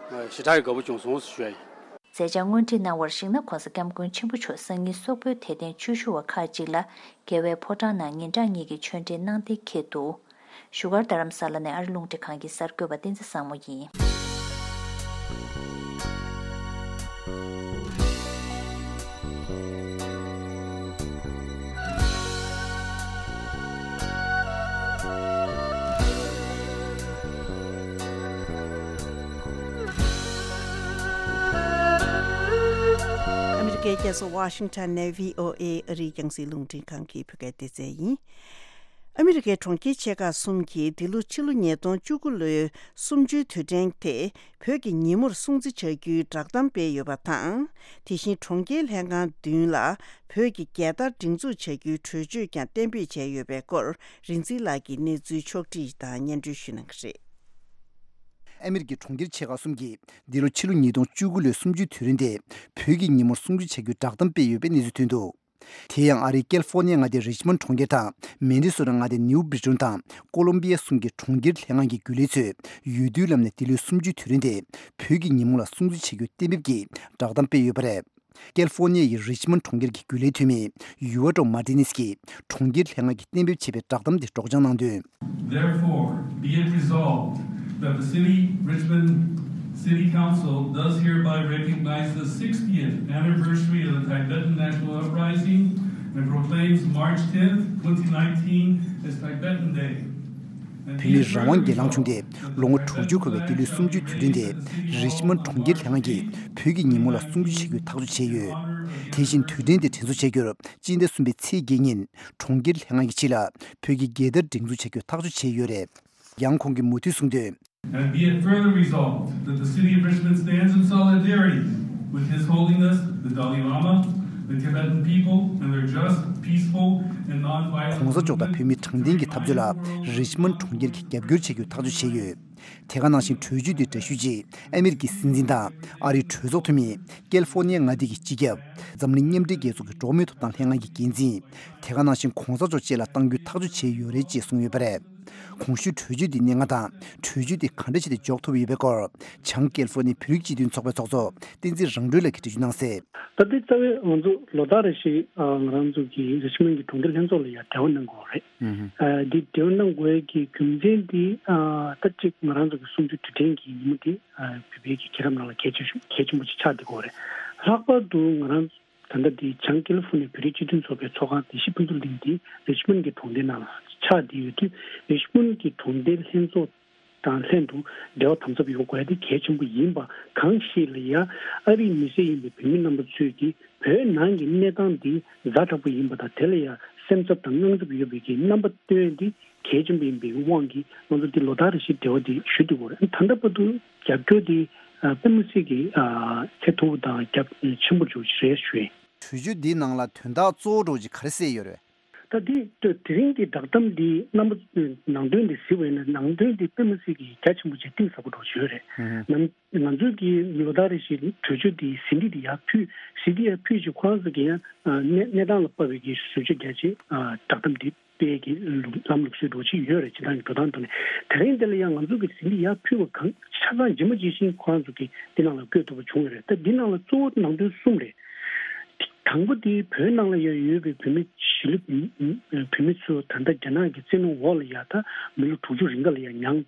ཞེ་དྲག་གི་དགའ་པོ་བྱུང་སོང་ཞུ་ཡ་ཡིན། མཛད་འཆར་སྔོན་ཁྲིད་གནང་བར་གཞིགས་ན། ྋགོང་ས་ྋསྐྱབས་མགོན་ཆེན་པོ་མཆོག་སང་ཉིན་སོག་པོའི་དད་ལྡན་ཆོས་ཞུ་བ་ཁག་ཅིག་ལ་རྒྱལ་བའི་ཕོ་བྲང་ནང་ཉིན་གྲངས་གཉིས་ཀྱི་ཆོས་འབྲེལ་གནང་གཏན་འཁེལ་འདུག་བཞུགས་སྒར་རྡ་རམ་ས་ལ་ནས་ཨ་རི་རླུང་འཕྲིན་ཁང་གི་གསར་འགོད་པ་བསྟན་འཛིན་བཟང་མོ་ཡིན། ཨ་མི་རི་ཀའི་རྒྱལ་ས་ཝ་ཤིང་ཊོན་ནས་བྷི་ཨོ་ཨེ་ཨ་རིའི་རྒྱང་སྲིང་རླུང་འཕྲིན་ཁང་གི་བོད་སྐད་སྡེ་ཚན་ཡིན། ཨ་མི་རི་ཀའི་གྲོང་ཁྱེར་ཆེ་ཁག་གསུམ་གྱིས་འདི་ལོ་ཕྱི་ལོ་ཉིས་སྟོང་བཅུ་དགུ་ལོའི་གསུམ་བཅུའི་དུས་དྲན་དེ་བོད་ཀྱི་ཉིན་མོར་སྲུང་བརྩི་བྱ་རྒྱུའི་བསྒྲགས་གཏམ་སྤེལ་ཡོད་པ་དང་། དེ་བཞིན་གྲོང་ཁྱེར་ལྷན་ཁང་བདུན་ལ་བོད་ཀྱི་རྒྱལ་དར་སྒྲེང་འཛུགས་བྱ་རྒྱུའི་གྲོས་ཆོད་ཀྱང་གཏན་འབེབས་བྱས་ཡོད་པའི་སྐོར། རིག་འཛིན་ལགས་ཀྱིས་གནས་ཚུལ་ཕྱོགས་བསྒྲིགས་དང་སྙན་སྒྲོན་ཞུ་གནང་གི་རེད། ཨ་མི་རི་ཀའི་གྲོང་ཁྱེར་ཆེ་ཁག་གསུམ་གྱིས་འདི་ལོ་ཕྱི་ལོ་ཉིས་སྟོང་བཅུ་དགུ་ལོའི་གསུམ་བཅུའི་དུས་རིང་དེ་བོད་ཀྱི་ཉིན་མོར་སྲུང་བརྩི་བྱ་རྒྱུའི་བསྒྲགས་གཏམ་སྤེལ་ཡོད་པའི་གནས་ཚུལ་ཐོན་འདུག་དེ་ཡང་ཨ་རིའི་ཀལ་ཧྥོ་ནི་ཡ་མངའ་སྡེའི་རིཆ་མོན་གྲོང་ཁྱེར་དང་མེ་ནི་སོ་ཊ་མངའ་སྡེའི་ནིའུ་བྷི་རི་ཊོན་དང་ཀོ་ལོམ་བི་ཡ་གསུམ་གྱི་གྲོང་ཁྱེར་ལྷན་ཁང་གི་རྒྱུན་ལས་ཚོས་འོས་བསྡུའི་ལམ་ནས་འདི་ལོའི་གསུམ་བཅུའི་དུས་རིང་དེ་བོད་ཀྱི་ཉིན་མོ་ལ་སྲུང་བརྩི་བྱ་རྒྱུ་གཏན་འབེབས་ཀྱིས་བསྒྲགས་གཏམ་སྤེལ་ཡོད་པ་རེད། ཀལ་ཧྥོ་ནི་ཡའི་རིཆ་མོན་གྲོང་ཁྱེར་གྱི་རྒྱུན་ལས་འཐུས་མི་ཡུ་ཨ་ཀྲོ་མར་ཏི་ནེས་ཀྱིས་གྲོང་ཁྱེར་ལྷན་ཁང་གིས་གཏན་འབེབས་བྱས་པའི་བསྒྲགས་གཏམ་དེ་སྒྲོག་སྦྱང་གནང་དོན། Therefore, be it resolved that the city, Richmond City Council does hereby recognize the sixtieth anniversary of the Tibetan National Uprising and proclaims March tenth, twenty nineteen as Tibetan Day. བོད་མིའི་རང་དབང་སྒེར་ལངས་བྱུང་སྟེ་ལོ་ངོ་དྲུག་ཅུ་འཁོར་བའི་འདི་ལོའི་གསུམ་བཅུའི་དུས་དྲན་དེ་རིཆ་མོན་གྲོང་ཁྱེར་ལྷན་ཁང་གིས་བོད་ཀྱི་ཉིན་མོ་ལ་སྲུང་བརྩི་བྱ་རྒྱུའི་ཐག་གཅོད་བྱས་ཡོད། དེ་བཞིན་དུས་དྲན་དེ་དྲན་གསོ་བྱ་རྒྱུར་སྤྱི་ཟླ་གསུམ་པའི་ཚེས་བརྒྱད་ཉིན་གྲོང་ཁྱེར་ལྷན་ཁང་གི་ཕྱི་ལ་བོད་ཀྱི་རྒྱལ་དར་སྒྲེང་འཛུགས་བྱ་རྒྱུའི་ཐག་གཅོད་བྱས་ཡོད་རེད། ཡང་ཁོང་གིས་མུ་མཐུད་གསུངས་དོན། And be it further resolved that the City of Richmond stands in solidarity with His Holiness the Dalai Lama The Tibetan people and their just, peaceful, and non-violent གོང་ས་མཆོག་དང་བོད་མིའི་དྲང་བདེན་གྱི་འཐབ་རྩོད་ལ་རི་ཆི་མོན་གྲོང་ཁྱེར་གྱིས་རྒྱབ་སྐྱོར་བྱེད་རྒྱུའི་ཐག་གཅོད་བྱས་ཡོད། དེ་ག་ནང་བཞིན་གྲོས་ཆོད་དེའི་འདྲ་བཤུས་རྗེས་ཨ་མི་རི་ཀའི་སྲིད་འཛིན་དང་ཨ་རིའི་གྲོས་ཚོགས་འཐུས་མི། ཀལ་ཧྥོར་ནི་ཡ་མངའ་སྡེ་གི་སྤྱི་ཁྱབ། འཛམ་གླིང་མཉམ་འབྲེལ་རྒྱལ་ཚོགས་ཀྱི་འགྲོ་བ་མིའི་ཐོབ་ཐང་ལྷན་ཁང་གི་འགན་འཛིན། དེ་ག་ནང་བཞིན་གོང་ས་མཆོག་བཅས་ལ་གཏང་རྒྱུའི་ཐག་གཅོད་བྱས་ཡོད་རེད་ཅེས་གསུངས་ཡོད་པ་རེད། གོང་ཞུས་གྲོས་ཆོད་དེའི་གནད་འགག་དང་གྲོས་ཆོད་དེ་ག་འདྲ་བྱས་ཏེ་འཇོག་ཐུབ་ཡོད་པའི་སྐོར། བྱང་ཀལ་ཧྥོར་ནི་བོད་རིགས་སྤྱི་མཐུན་ཚོགས་པའི་ཚོགས་གཙོ་བསྟན་འཛིན་རང་གྲོལ་ལགས་ཀྱིས་འགྲེལ་བརྗོད་གནང་གསལ། ད་ལྟའི་རྩ་བའི་ང་ཚོ་ལོ་ལྟར་རེ་བཞིན་ང་རང་ཚོ་གི་རི་ཆི་མོན་གྱི་གྲོང་སྡེ་ལྷན་ཚོགས་ལ་ཡང་འབྲེལ་བ་གནང་དགོས་པ་རེད། ཨ་འདི་འབྲེལ་བ་གནང་དགོས་ཀྱི་རྒྱུ་མཚན་འདི་ད་གཅིག་ང་རང་ཚོ་གི་གསུམ་བཅུ་དུས་དྲན་གྱི་ཉིན་མོ་འདི་བོད་པའི་གི་རྒྱལ་རབས་ནང་ལ་གལ་ཆེ་ཤོས་གལ་ཆེན་པོ་ཅིག་ཆགས་བསྡད་ཡོད་རེད། ལྷག་པར་དུ་ང་རང་ད་ལྟ་འདི་བྱང་ཀེ་ལི་ཧྥོ་ནི་ཡ་བོད་རིགས་སྤྱི་མཐུན་ཚོགས་པའི་ཚོགས་ཁང་བདེ་སྐྱིད་ཕུན་ཚོགས་གླིང་འདི་རི་ཆི་མོན་གྱི་གྲོང་སྡེ་ནང་ལ་ཆགས་བསྡད་ཡོད་དུས་རི་ཆི་མོན་གྱི་གྲོང་སྡེ་ལྷན་ཚོགས་དང་ལྷན་དུ་འབྲེལ་བ་དམ་ཟབ་ཡོད་དགོས་ཡ་དེ་གལ་ཆེན་པོ་ཡིན་པ་གང་ཞིག་ལ་ཡ་ཨ་རིའི་མི་སེར་ཡིན་པའི་བོད་མི་རྣམ་པ་ཚོས་ཀྱིས་བོད་ནང་གི་གནས་སྟངས་འདི་ཛ་དྲག་པོ་ཡིན་པ་དང་དེ་ལ་ཡ་སེམས་འཚབ་དང་དངངས་འཚབ་ཡོད་པའི་གི་རྣམ་པ་སྟོན་ཡ་འདི་གལ་ཆེན་པོ་ཡིན་པའི་དབང་གིས་ང་ཚོ་འདི་ལོ་ལྟར་རེ་བཞིན་འབྲེལ་བ་འདི་ཞུ་བསྡད་ཡོད་རེད། ད་ལྟ་བར་དུ་རྒྱབ་སྐྱོར་འདི་དཔེ་མི་སྲིད་ཀྱི་ཚད་མཐོ་པོ་དང་རྒྱ་ཆེན་པོ་འདྲ་བོ་ཞིག་རེད་ཞུ་ཡིན། གྲོས་ཆོད་འདིའི་ནང་ལ་དོན་དག་གཙོ་བོ་འདྲ་བོ་ཅིག་ག་རེ་གསལ་ཡོད་རེད། ད་འདི་ལྟོས་དེ་རིང་གི་བསྒྲགས་གཏམ་འདི་རྣམ་པ་ནང་དོན་འདི་གཟིགས་པ་ཡིན་ན་ནང་དོན་འདི་དཔེ་མི་སྲིད་ཀྱི་རྒྱ་ཆེན་པོ་ཅིག་གཏིང་ཟབ་པོ་འདྲ་བོ་ཞིག་ཡོད་རེད། ང་ང་ཚོས་ཀྱི་ལོ་ལྟར་རེ་བཞིན་གྲོས་ཆོད་འདི་ཟིན་བྲིས་འདི་ཡར་ཕུལ་ཟིན་བྲིས་ཡར་ཕུལ་རྗེས་ཁོ་རང་ཚོ་གི་ཡང་གནས་གནས་སྟངས་ལ་དཔག་པའི་གི་བཟོ་བཅོས་རྒྱག་ཆེད་བསྒྲགས་གཏམ་འདི་སྤེལ་གྱི་ལམ་ལུགས་སྲོལ་འདྲ་བོ་ཅིག་ཡོད་རེད། སྤྱིར་བཏང་གི་འགྲོ་སྟངས་ཐོག་ནས་དེ་རིང་འདི་ལ་ཡང་ང་ཚོ་གི་ཟིན་བྲིས་ཡར་ཕུལ་བ་གང་ཆ་ཚང་ཇི་མ་ཇི་བཞིན་ཁོ་རང་ཚོ་གི་འདི་ནང་ལ་བཀོད་ཐུབ་པ་བྱུང་ཡོད་རེད། ད་འདི་ནང་ལ་གཙོ་བོ་ནང་དོན་གསུམ་རེད། དང་པོ་དེ་བོད་ནང་ལ་ཡང་ཡོད་པའི་བོད་མི་གཞིས་ལུས་བོད་མི་ཚོ་ད་ལྟ་རྒྱ་ནག་གི་བཙན་གནོན་འོག་ལ་ཡང་ད་མི་ལོ་དྲུག་ཅུ་རིང་ག་ལ་ཡང་མྱངས་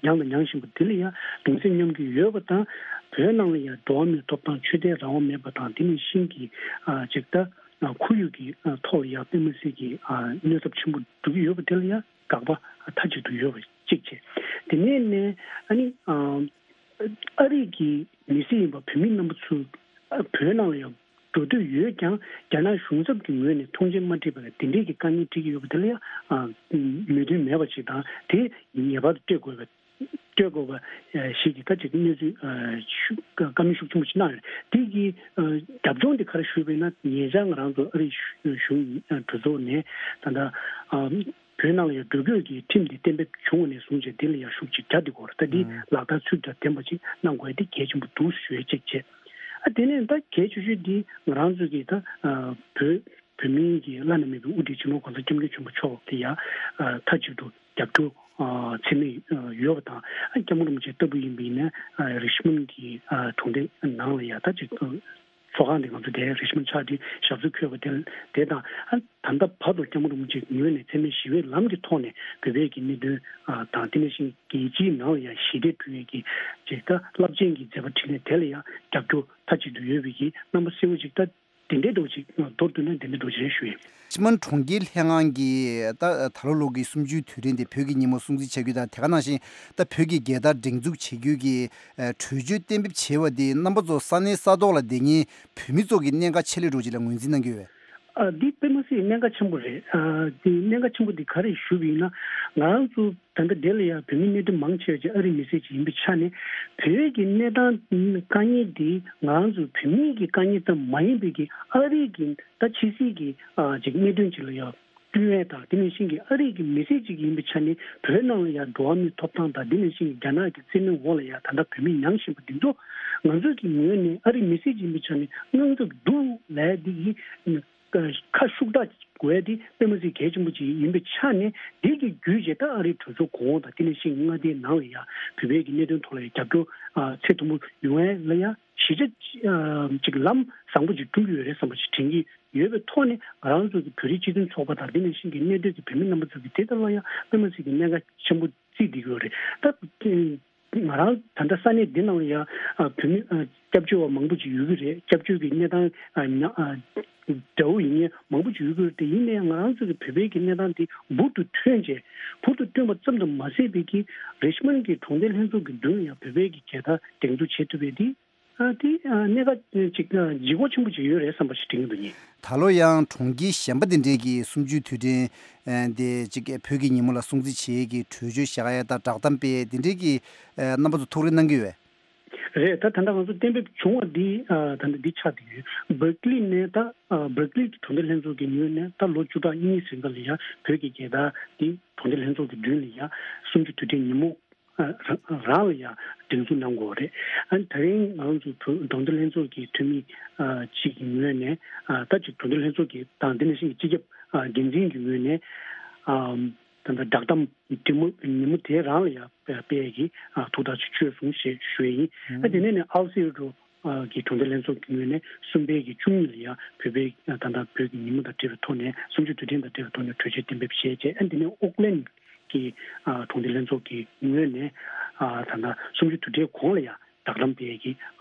མྱངས་དང་མྱང་བཞིན་པ་དེ་ལ་ཡང་གདུང་སེམས་མཉམ་སྐྱེད་ཡོད་པ་དང་བོད་ནང་ལ་ཡང་འགྲོ་བ་མིའི་ཐོབ་ཐང་ཆོས་དད་རང་དབང་མེད་པ་དང་དེ་ནང་བཞིན་གྱི་ཅིག་ད་ཁོར་ཡུག་གི་ཐོག་ལ་ཡང་དཔེ་མི་སྲིད་ཀྱི་གནོད་ཚབས་ཆེན་པོ་འགྲོ་གི་ཡོད་པ་དེ་ལ་ཡང་དགག་པ་མཐའ་གཅིག་ཏུ་ཡོད་པ་གཅིག་བྱས། དེ་ནས་ནས་ཨ་ནི། ཨ་རིག་གི་མི་སེར་ཡིན་པ་བོད་མི་རྣམ་པ་ཚོ་བོད་ནང་ལ་ཡང་འགྲོ་འདོད་ཡོད་ཀྱང་རྒྱ་ནག་གཞུང་ཚབ་ཀྱི་ངོས་ནས་མཐོང་མཆན་མ་སྤྲད་པར་དེ་འདྲའི་གི་དཀའ་ངལ་འཕྲད་ཀྱི་ཡོད་པ་དེ་ལ་ཡང་མོས་མཐུན་མེད་པ་ཞིག་དང་དེ་ངེས་པར་དུ་སྤྲོད་དགོས་པ་སྤྲོད་དགོས་པ་ཞིག་གི་ད་ཅིག་གནས་ཚུལ་ཞུ་བཀའ་མོལ་ཤུགས་ཆེན་པོ་ཞིག་གནང་ཡོད། དེ་གི་རྒྱབ་ལྗོངས་དེ་ག་རེ་ཞུས་པས་ན་ཉེ་ཆར་ང་རང་ཚོ་ཨ་རིའི་གཞུང་གྲོས་ཚོགས་ནས་ད་ལྟ། བོད་ནང་ལ་ཡང་འགྲོ་སྐྱོད་ཀྱི་ཁྲིམས་འདི་གཏན་འབེབས་བྱུང་བ་ནས་བཟུང་བྱས་འདི་ལ་ཡང་ཤུགས་ཆེ་རྒྱ་འདི་དགོས་རེད། ད་འདི་ལག་བསྟར་ཚུལ་དང་ལྡན་པ་ཅིག་གནང་དགོས་འདི་གལ་ཆེན་པོ་འདུག་ཞུ་ཡས་གཅིག་བྱས། ཨ་དེ་ནས་ད་གལ་ཆེ་ཤོས་འདི་ང་རང་ཚོ་གི་ད་བོད་བོད་མིའི་གི་བླ་ན་མེད་པའི་དབུ་ཁྲིད་སྤྱི་ནོར་༸གོང་ས་༸སྐྱབས་མགོན་ཆེན་པོ་མཆོག་གི་ཡང་མཐའ་གཅིག་ཏུ་རྒྱབ་སྐྱོར་ཚད་མེད་ཡོད་པ་དང་། ཨ་སྐྱབས་མགོན་རིན་པོ་ཆེ་ལྟ་བུ་ཡིན་པ་ཡིན་ན་རི་ཆི་མོན་གྱི་གྲོང་སྡེ་ནང་ལ་ཡང་ད་ཅིག་ཚོགས་ཁང་དེ་ང་ཚོ་དེ་རི་ཆི་མོན་ཕྱག་བྲིས་ཞབས་སོར་འཁོད་པ་དེ་དེ་དང་ཨ་ད་ལྟ་བར་དུ་སྐྱབས་མགོན་རིན་པོ་ཆེའི་ངོས་ནས་འཚེ་མེད་ཞི་བའི་ལམ་གྱི་ཐོག་ནས་བོད་པའི་གི་གནད་དོན་དང་དེ་ནང་བཞིན་རྒྱལ་སྤྱིའི་ནང་ལ་ཡང་ཞི་བདེ་བསྐྲུན་ཡས་ཀྱི་ཅིག་ད་རླབས་ཆེན་གྱི་མཛད་པ་འཕྲིན་ལས་དེ་ལ་ཡང་རྒྱབ་སྐྱོར་མཐའ་གཅིག་ཏུ་ཡོད་པའི་གི་རྣམ་པ་གསལ་བོ་ཅིག་ད་དེ་འདྲའི་འདྲ་བོ་ཅིག་མདོར་བསྡུས་ན་དེ་འདྲའི་འདྲ་བོ་ཅིག་རེད་ཞུ་ཡིན། ཕྱི་མ་གྲོང་ཁྱེར་ལྷན་ཁང་གིས་ད་ད་ལོ་ལོ་གི་གསུམ་བཅུའི་དུས་དྲན་དེ་བོད་ཀྱི་ཉིན་མོ་སྲུང་བརྩི་བྱ་རྒྱུ་དང་དེ་ག་ནང་བཞིན་ད་བོད་ཀྱི་རྒྱལ་དར་སྒྲེང་འཛུགས་བྱེད་རྒྱུ་གི་གྲོས་ཆོད་གཏན་འབེབས་བྱས་པ་དེ་རྣམ་པ་ཚོ་ས་གནས་ས་ཐོག་ལ་བསྡད་མཁན་བོད་མི་ཚོ་གི་གནད་འགག་ཆེ་ལོས་འགྲོ་ཅིག་ལ་ངོས་འཛིན་གནང་གི་ཡོད་པས། ཨ་འདི་དཔེ་མ་སྲིད་གནད་འགག་ཆེན་པོ་རེད། ཨ་འདི་གནད་འགག་ཆེན་པོ་འདི་ག་རེ་ཞུ་བ་ཡིན་ན་ང་རང་ཚོ་ད་ལྟ་འདི་ལ་ཡང་བོད་མི་གནད་དོན་མང་ཆེ་བ་ཅིག་ཨ་རིའི་མི་སེར་ཅིག་ཡིན་པའི་ཆ་ནས་བོད་ཀྱི་གནས་སྟངས་དཀའ་ངལ་འདི་ང་རང་ཚོ་བོད་མི་གི་དཀའ་ངལ་ཙམ་མ་ཡིན་པའི་གི་ཨ་རི་གི་ད་ཕྱི་སྲིད་ཀྱི་ཨ་ཅིག་གནད་དོན་ཅིག་ལ་ཡང་བསྟུན་ཡས་དང་དེ་ནང་བཞིན་གྱི་ཨ་རིའི་གི་མི་སེར་ཅིག་ཡིན་པའི་ཆ་ནས་བོད་ནང་ལ་ཡང་འགྲོ་བ་མིའི་ཐོབ་ཐང་དང་དེ་ནང་བཞིན་གྱི་རྒྱ་ནག་གི་བཙན་གནོན་འོག་ལ་ཡང་ད་ལྟ་བོད་མི་མྱངས་བཞིན་པ་འདི་ཚོ་ང་ཚོ་གི་ངོས་ནས་ཨ་རིའི་མི་སེར་ཅིག་ཡིན་པའི་ཆ་ནས་དངངས་འཚབ་འདུག་ལབ་འདི་ཡིན། ཁ་ཤུགས་དྲག་དགོས་ཡ་དེ་དཔེ་མ་སྲིད་གལ་ཆེན་པོ་ཅིག་ཡིན་པའི་ཆ་ནས་འདི་གི་བརྒྱུད་བྱས་ད་ཨ་རིའི་གྲོས་ཚོགས་གོང་འོག་དང་དེ་ནང་བཞིན་མངའ་སྡེའི་ནང་ལ་ཡང་བོད་པའི་གི་གནད་དོན་ཐོག་ལ་ཡང་རྒྱབ་སྐྱོར་ཚད་མཐོན་པོ་ཡོང་ཡ་ལ་ཡང་གཞིས་ཆགས་ཅིག་ལམ་བཟང་པོ་ཅིག་བསྐྲུན་གྱི་ཡོད་རེད་བསམ་པ་ཅིག་དྲན་གྱི་ཡོད་པའི་ཐོག་ནས་ང་རང་ཚོ་གི་བོད་རིགས་སྤྱི་མཐུན་ཚོགས་པ་དང་དེ་ནང་བཞིན་གྱི་གནད་སྡོད་ཀྱི་བོད་མི་རྣམ་པ་ཚོ་གི་དེ་ལྟ་ལ་ཡང་དཔེ་མ་སྲིད་ཀྱི་གནད་འགག་ཆེན་པོ་བརྩིས་བསྡད་ཀྱི་ཡོད་རེད་ད། ང་རང་ད་ལྟ་ས་གནས་འདི་ནང་ལ་ཡང་ཨ་བོད་མི་ཨ་སྐྱབས་བཅོལ་བ་མང་པོ་ཅིག་ཡོད་ཀྱི་རེད། སྐྱབས་བཅོལ་གྱི་གནས་སྟངས་ཨ་ཉ་ཨ་འདྲ་བོ་ཡིན་མཁན་མང་པོ་ཅིག་ཡོད་ཀྱི་རེད། དེ་ཡིན་ནའི་ང་རང་ཚོ་གི་བོད་པའི་གི་གནས་སྟངས་འདི་འབུར་དུ་ཐོན་བྱས་འབུར་དུ་བཏོན་པ་ཙམ་དུ་མ་ཟད་པའི་གི་རི་ཆི་མོན་གྱི་གྲོང་སྡེ་ལྷན་ཚོགས་ཀྱི་མདུན་ལ་ཡང་བོད་པའི་གི་རྒྱལ་དར་སྒྲེང་འཛུགས་བྱེད་ཐུབ་པའི་འདི་ཨ་འདི་ཨ་གནད་འགག་ཅིག་ཨ་ལྗིད་ཁོག་ཆེན་པོ་ཅིག་ཡོད་རེད་བསམ་པ་ཞིག་དྲན་གྱི་འདུག་ཉིན། ད་ལོ་ཡང་གྲོང་ཁྱེར་གཞན་པ་དེ་འདྲས་ཀྱི་གསུམ་བཅུའི་དུས་དྲན་ཨ་དེ་ཅིག་བོད་ཀྱི་ཉིན་མོ་ལ་སྲུང་བརྩི་བྱེད་ཀྱི་གྲོས་ཆོད་བཞག་ཡ་དང་བསྒྲགས་གཏམ་སྤེལ་དེ་འདྲས་ཀྱི་ཨ་རྣམ་པ་ཚོ་ཐུགས་རེ་གནང་གི་ཡོད། རེད། ད་ད་ལྟ་ང་ཚོ་གཏན་འབེབས་བྱུང་བ་འདི་ཨ་ད་ལྟ་འདི་ཆགས་བསྡད་ཡོད། སྦར་ཀི་ལི་ནས་ད་ཨ་སྦར་ཀི་ལི་གྲོང་སྡེ་ལྷན་ཚོགས་ཀྱི་ངོས་ནས་ད་ལོ་བཅུ་ཕྲག་གཉིས་རིང་ག་ལ་ཡ་བོད་ཀྱི་རྒྱལ་དར་འདི་གྲོང་སྡེ་ལྷན་ཚོགས་ཀྱི་མདུན་ལ་ཡ་གསུམ་བཅུ་དུས་དྲན་ཉིན་མོ་ཨ་རང་རང་ལ་ཡ་སྒྲེང་འཛུགས་གནང་དགོས་པ་རེད། ཨ་ནི་ད་རིང་ང་རང་ཚོ་བོད་གྲོང་སྡེ་ལྷན་ཚོགས་ཀྱི་འཐུས་མི་ཨ་གཅིག་གི་ངོས་ནས་ཨ་ད་ཅིག་གྲོང་སྡེ་ལྷན་ཚོགས་ཀྱི་དང་དེ་ནང་བཞིན་གྱི་སྤྱི་ཁྱབ་ཨ་འགན་འཛིན་གྱི་ངོས་ནས་ཨ། ད་ལྟ་བསྒྲགས་གཏམ་འདི་མོ་ཉིན་མོ་དེ་རང་ལ་ཡང་སྤེལ་གྱི་ཐུགས་ཐག་ཆོད་སོང་ཞེས་ཞུ་ཡི་ཡིན། ཨ་དེ་ནས་ནས་ཨལ་སི་རུ་གི་གྲོང་སྡེ་ལྷན་ཚོགས་ཀྱི་ངོས་ནས་གསུམ་པའི་གི་བཅུ་གཉིས་ལ་ཡང་བོད་པའི་ད་ལྟ་བོད་ཀྱི་ཉིན་མོ་དང་འབྲེལ་བའི་ཐོག་ནས་གསུམ་བཅུ་དུས་དྲན་དང་འབྲེལ་བའི་ཐོག་ནས་གྲོས་ཆོད་གཏན་འབེབས་བྱས་རྗེས། ཨ་དེ་ནས་ཨོག་ལན་གྱི་གྲོང་སྡེ་ལྷན་ཚོགས་ཀྱི་ངོས་ནས་ད་ལྟ་གསུམ་བཅུ་དུས་དྲན་གོང་ལ་ཡང་བསྒྲགས་གཏམ་སྤེལ་གྱི་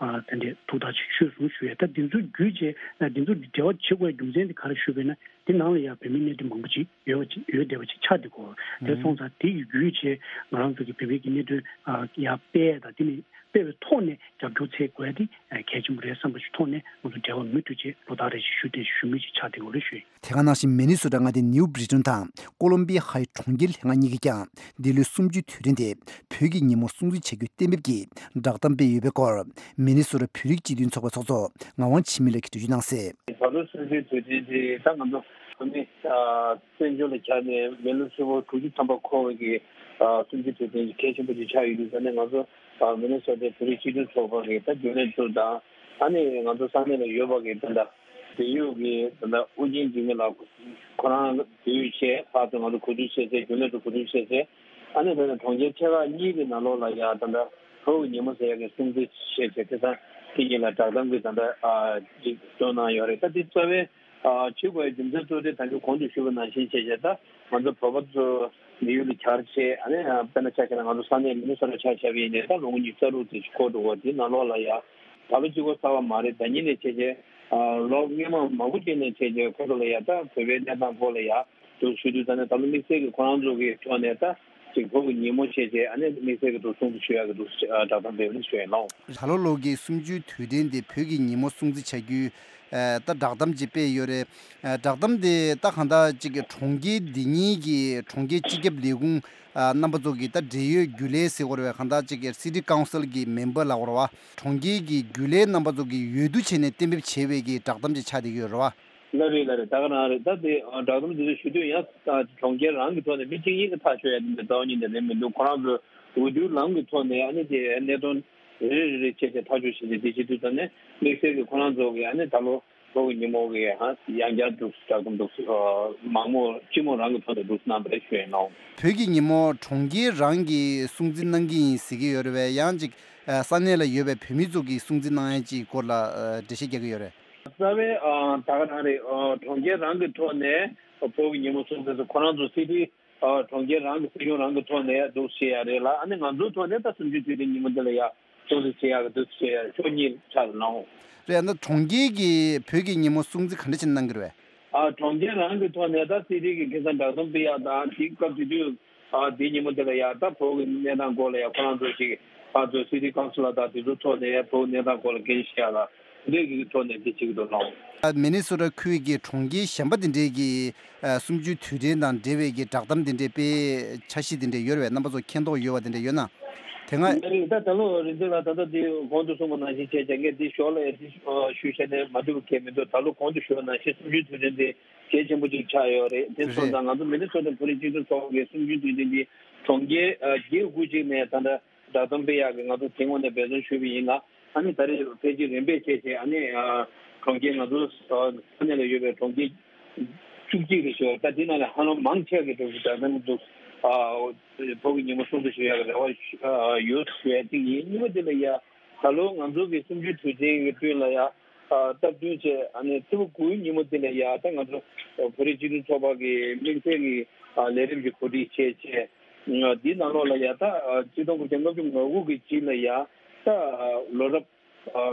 དེ་འདྲའི་ཐུགས་ཐག་ཆོད་སོང་ཞུ་ཡ། ད་འདི་ཚོ་བརྒྱུད་བྱས་འདི་ཚོ་འབྲེལ་བ་བྱེད་དགོས་རྒྱུ་མཚན་དེ་ག་རེ་ཞུས་པས་ན། དེ་ནང་ལ་ཡང་བོད་མིའི་གནད་དོན་མང་པོ་ཅིག་ཡོད་པ་ཅིག་ཡོད་བསྡད་པ་ཅིག་ཆགས་བསྡད་ཀྱི་ཡོད། དེ་སོང་ཙང་དེ་ཡི་བརྒྱུད་བྱས་ང་རང་ཚོ་གི་བོད་པའི་གི་གནད་དོན་ཡར་སྤེལ་དང་དེ་ནི་སྤེལ་བའི་ཐོག་ནས་རྒྱབ་སྐྱོར་འཚོལ་དགོས་ཡ་དེ་གལ་ཆེན་པོ་རེད་བསམ་པ་ཞིག་ཐོག་ནས་ང་ཚོ་འབྲེལ་བ་མུ་མཐུད་བྱས་ལོ་ལྟར་རེ་བཞིན་ཞུ་བསྡད་ཞུ་མུས་ཅིག་ཆགས་བསྡད་ཀྱི་ཡོད་རེད་ཞུ་ཡིན། དེ་ག་ནང་བཞིན་མི་ནི་སོ་ཊ་མངའ་སྡེ་ནིའུ་བྷི་རི་ཊོན་དང་ཀོ་ལོམ་པི་ཧའི་གྲོང་ཁྱེར་ལྷན་ཁང་གཉིས་ཀྱིས་ཀྱང་འདི་ལོའི་གསུམ་བཅུའི་དུས་དྲན་དེ་བོད་ཀྱི་ཉིན་མོར་སྲུང་བརྩི་བྱ་རྒྱུའི་གཏན་འབེབས་ཀྱིས་བསྒྲགས་གཏམ་སྤེལ་ཡོད་པའི་སྐོར་མི་ནི་སོ་ཊ་བོད་རིགས་སྤྱི་མཐུན་ཚོགས་པའི་ཚོགས་གཙོ་ངག་དབང་འཆི་མེད་ལགས་ཀྱིས་འགྲེལ་བརྗོད་གནང་གསལ། ད་ལོ་གསུམ་བཅུའི་དུས་དྲན་དེ་ད་ང་ཚོ་བོད་མི་བཙན་བྱོལ་ལ་གྱར་ནས་མི་ལོ་ཧྲིལ་པོ་དྲུག་ཅུ་ཐམ་པ་འཁོར་བའི་གི་གསུམ་བཅུའི་དུས་དྲན་གལ་ཆེན་པོ་ཅིག་ཆགས་ཡོད་དུས་ཙང་ནས་ང་ཚོ་མི་ནི་སོ་ཊའི་བོད་རིགས་སྤྱི་མཐུན་ཚོགས་པ་གི་ད་རྒྱུན་ལས་ཚོ་དང་ཨ་ནི་ང་ཚོ་ས་གནས་ལ་ཡོད་པ་གི་ད་ལྟ་འབྲེལ་ཡོད་ཀྱི་ད་ལྟ་ཨུ་རྒྱན་འབྲུག་མི་ལགས་ཁོ་རང་འབྲེལ་ཡོད་བྱས་ཕར་ཚུར་ང་ཚོ་གོ་བསྡུར་བྱས་ཚེ་རྒྱུན་ལས་ཚོ་གོ་བསྡུར་བྱས་ཚེ་ཨ་ནི་ད་ལྟ་གྲོང་ཁྱེར་ཆེ་ཁག་གཉིས་ཀྱི་ནང་ལོགས་ལ་ཡ་ད་ལྟ་བོད་ཀྱི་ཉིན་མོ་ཟེར་ཡ་གི་སྲུང་བརྩི་བྱས་བྱས་དེ་ཚང་དེ་གཉིས་ལ་བསྒྲགས་གཏམ་གྱི་ད་ལྟ་ཅིག་བཏོན་གནང་ཡོད་རེད། ད་དེ་རྩ་བའི་བྱེད་དགོས་རྒྱུ་མཚན་གཙོ་དེ་ད་ལྟ་གོང་དུ་ཞུས་པ་ནང་བཞིན་བྱས་བྱས་ད་ང་ཚོ་བོད་པ་ཚོ་མི་ཡུལ་ལ་གྱར་བྱས་ཨ་ནི་དཔེར་ན་ཆ་བཞག་ན་ང་ཚོ་ས་གནས་མི་ནི་སོ་ཊ་ཆ་བཞག་པ་ཡིན་ནའི་ད་ལོ་ངོ་ཉི་ཤུ་རྩ་དྲུག་དེ་ཅིག་འཁོར་འགྲོ་བ་དེ་ནང་ལོགས་ལ་ཡ། ད་ལོ་གཅིག་པོ་གསར་པ་མ་རེད། ད་ཉིན་ནས་བྱས་རྗེས་ལོ་སྔོན་མ་མང་པོ་ཅིག་ནས་བྱས་རྗེས་ཁོ་ཚོ་ལ་ཡ་ད་བོད་པའི་གནས་སྟངས་སྐོར་ལ་ཡ་དུ་ཞུ་དུས་ད་ནས་ད་ལོ་དམིགས་བསལ་གྱི་ཁོ་རང་ཚོ་གི་ཕྱོགས་ནས་ད་ཅིག་བོད་ཀྱི་ཉིན་མོ་བྱས་རྗེས་ཨ་ནི་དམིགས་བསལ་གྱི་དུ་སྲུང་བརྩི་ཞུ་ཡག་གི་དུ་བསྒྲགས་གཏམ་སྤེལ་བ་ཞུ་ཡིན་ལོ། ད་ལོ་ལོ་གི་གསུམ་བཅུའི་དུས་དྲན་དེ་བོད་ཀྱི་ཉིན་མོ་སྲུང་བརྩི་བྱ་རྒྱུའི་ད་བསྒྲགས་གཏམ་ཅིག་སྤེལ་ཡོད་རེད། བསྒྲགས་གཏམ་དེ་ད་གང་ལྟར་ཅིག་གྲོང་ཁྱེར་འདི་ཉིད་ཀྱི་གྲོང་ཁྱེར་སྤྱི་ཁྱབ་ལས་ཁུངས་རྣམ་པ་ཚོ་གི་ད་འབྲེལ་ཡོད་རྒྱུན་ལས་ཟེར་དགོས་རེད་བས། གང་ལྟར་ཅིག་City Council་གི་མེམ་བར་ལབ་དགོས་རེད་བ། གྲོང་ཁྱེར་གྱི་རྒྱུན་ལས་རྣམ་པ་ཚོ་གི་འོས་བསྡུ་བྱས་ནས་གཏན་འབེབས་བྱས་པའི་གི་བསྒྲགས་གཏམ་ཅིག་ཆགས་བསྡད་ཀྱི་ཡོད་རེད་བ། ལགས་རེད་ལགས་རེད། ད་ག་རང་རེད། ད་དེ་བསྒྲགས་གཏམ་དེ་ཚོ་ཞུ་དུས་ཡང་གྲོང་ཁྱེར་རང་གི་ཐོག་ནས་མི་གཅིག་གཉིས་ཀྱིས་ཐག་གཅོད་ཡ་དེ་འདྲ་རྩ་བ་ཉིད་ནས་རེད་མི་འདུག་ཁོ་རང་ཚོས་འོས་བསྡུའི་ལམ་གྱི་ཐོག་ནས་ཨ་ནི་དེ་གནད་དོན་རེ་རེ་རེ་བྱས་བྱས་ཐག་གཅོད་བྱས་བྱས་དེ་བྱེད་དུས་ཙམ་ནས་དམིགས་བསལ་གྱི་ཁོ་རང་ཚོ་གི་ཨ་ནི་ད་ལོ་བོད་ཀྱི་ཉིན་མོ་གི་ཡང་བསྐྱར་འདུག་བསྒྲགས་གཏམ་འདུག་མང་མོ་སྤྱི་མོས་རང་གི་ཐོག་ནས་འདུག་གནང་པ་རེད་ཞུ་ཡིན་ནོ། བོད་ཀྱི་ཉིན་མོ་གྲོང་ཁྱེར་རང་གིས་སྲུང་བརྩི་གནང་གི་ཡིན་ཟེར་གྱི་ཡོད་རེད་བས། ཡང་ཅིག་ས་གནས་ལ་ཡོད་པའི་བོད་མི་ཚོ་གིས་སྲུང་བརྩི་གནང་ཡ་ཅིག་སྐོར་ལ་འགྲེལ་བཤད་རྒྱག་གི་ཡོད་རེད། རྩ་བའི་ད་ག་རང་རེད། གྲོང་ཁྱེར་རང་གི་ཐོག་ནས་བོད་ཀྱི་ཉིན་མོ་སྲུང་བརྩི་ཁོ་རང་ཚོ་སྲིད་ཁྲི་གྲོང་ཁྱེར་རང་གི་སྲིད་གཞུང་རང་གི་ཐོག་ནས་འདུག་བྱེད་ཡ་རེད་ལ། ཨ་ནི་ང་ཚོའི་ཐོག་ནས་ད་གསུམ་བཅུའི་དུས་དྲན་ཉིན་མོ་འདི་ལ་ཡ་སྲུང་བརྩི་བྱེད་ཡག་གི་འདུག་བྱེད་ཡ་ཕྱོགས་གཉིས་ཆགས་སུ་ལངས། རེད། ཨ་ནི་གྲོང་ཁྱེར་གྱིས་བོད་ཀྱི་ཉིན་མོ་སྲུང་བརྩི་ག་འདྲ་བྱས་གནང་གི་རེད་བས། ཨ་གྲོང་ཁྱེར་རང་གི་ཐོག་ནས་ད་སྲིད་ཁྲི་གི་ཁ་སང་བསྒྲགས་གཏམ་སྤེལ་ཡག་དང་དེའི་སྐབས་དེ་དུས་ཨ་དེའི་ཉིན་མོ་དེ་ལ་ཡ་ད་བོད་ཀྱི་གནས་སྟངས་སྐོར་ལ་ཡ་ཁོ་རང་ཚོ་ཞིག་ཕར་ཚུར་སྲིད་ཁྲི་ཀའུན་སི་ལར་དང་དེ་ཚོའི་ཐོག་ནས་བོད་ཀྱི་གནས་སྟངས་སྐོར་ལ་སྐད་ཆ་བཤད་ཡག་ལ་འདི་གི་ཐོག་ནས་འདི་བྱེད་ཀྱི་འདུག་ལགས། མི་ནི་སོ་ཊ་ཁུལ་གྱི་གྲོང་ཁྱེར་གཞན་པ་དེ་འདྲས་ཀྱི་གསུམ་བཅུའི་དུས་དྲན་དང་འབྲེལ་བའི་གི་བསྒྲགས་གཏམ་དེ་འདྲས་སྤེལ་འཆར་གཞི་དེ་འདྲས་ཡོད་རེད་བས། རྣམ་པ་ཚོ་མཁྱེན་རྟོགས་ཡོད་པ་དེ་འདྲས་ཡོད་ན། དེ་སྔ། ངས་རིག་ད་ད་ལོ་རིག་འཛིན་ལགས་ད་ལྟ་འདི་གོང་དུ་གསུངས་པ་ནང་བཞིན་བྱས་བྱས་ངས་འདི་ཞོར་ལ་ཡང་འདི་ཞུ་བྱས་ནས་མ་འགྲིག་པ་གང་མི་འདུག་ད་ལོ་གོང་དུ་ཞུ་བ་ནང་བཞིན་གསུམ་བཅུའི་དུས་དྲན་འདི་གལ་ཆེན་པོ་ཅིག་ཆགས་ཡོད་རེད། དེ་སོང་ཙང་ང་ཚོ་མི་ནི་སོ་ཊ་བོད་རིགས་སྤྱི་མཐུན་ཚོགས་པ་གིས་གསུམ་བཅུའི་དུས་དྲན་འདི་གྲོང་ཁྱེར་བརྒྱད་དགུ་ཅིག་ནས་ད་ལྟ་བསྒྲགས་གཏམ་སྤེལ་ཡག་གི་ང་ཚོ་དེ་སྔོན་ནས་འབད་བརྩོན་ཞུས་པ་ཡིན་ལ། ཨ་ནི་ད་རེས་ཕལ་ཆེར་རིམ་པས་བྱས་བྱས་ཨ་ནི་གྲོང་ཁྱེར་ང་ཚོ་ས་གནས་ལ་ཡོད་པའི་གྲོང་ཁྱེར་བཅུ་གཅིག་རེ་ཞིག་ད་དེ་ནང་ལ་ཧ་ལམ་མང་ཆེ་གི་འགྲོ་གི་ད་ལྟ་འདུག་བོད་ཀྱི་ཉིན་མོ་སྲུང་བརྩི་ཞུ་ཡག་གི་རེ་བ་ཡོད་ཞུ་ཡ་གཅིག་ཡིན། གཉིས་པ་དེ་ལ་ཡ་ད་ལོ་ང་ཚོ་གི་གསུམ་བཅུའི་དུས་དྲན་གྱི་སྐབས་ལ་ཡ་སྟབས་བསྟུན་བྱས་ཨ་ནི་ཕྱི་ཟླ་དགུ་པའི་ཉིན་མོ་དེ་ལ་ཡ་ད་ང་ཚོ་བོད་རིགས་སྤྱི་མཐུན་ཚོགས་པ་གི་དམིགས་བསལ་གྱི་ལས་རིམ་གྱི་གོ་སྒྲིག་བྱས་བྱས། འདིའི་ནང་ལོགས་ལ་ཡ་ད་ཆིག་སྟོང་དགུ་བརྒྱ་ལྔ་བཅུ་ང་དགུ་གི་རྗེས་ལ་ཡ་ད་ལོ་རབས་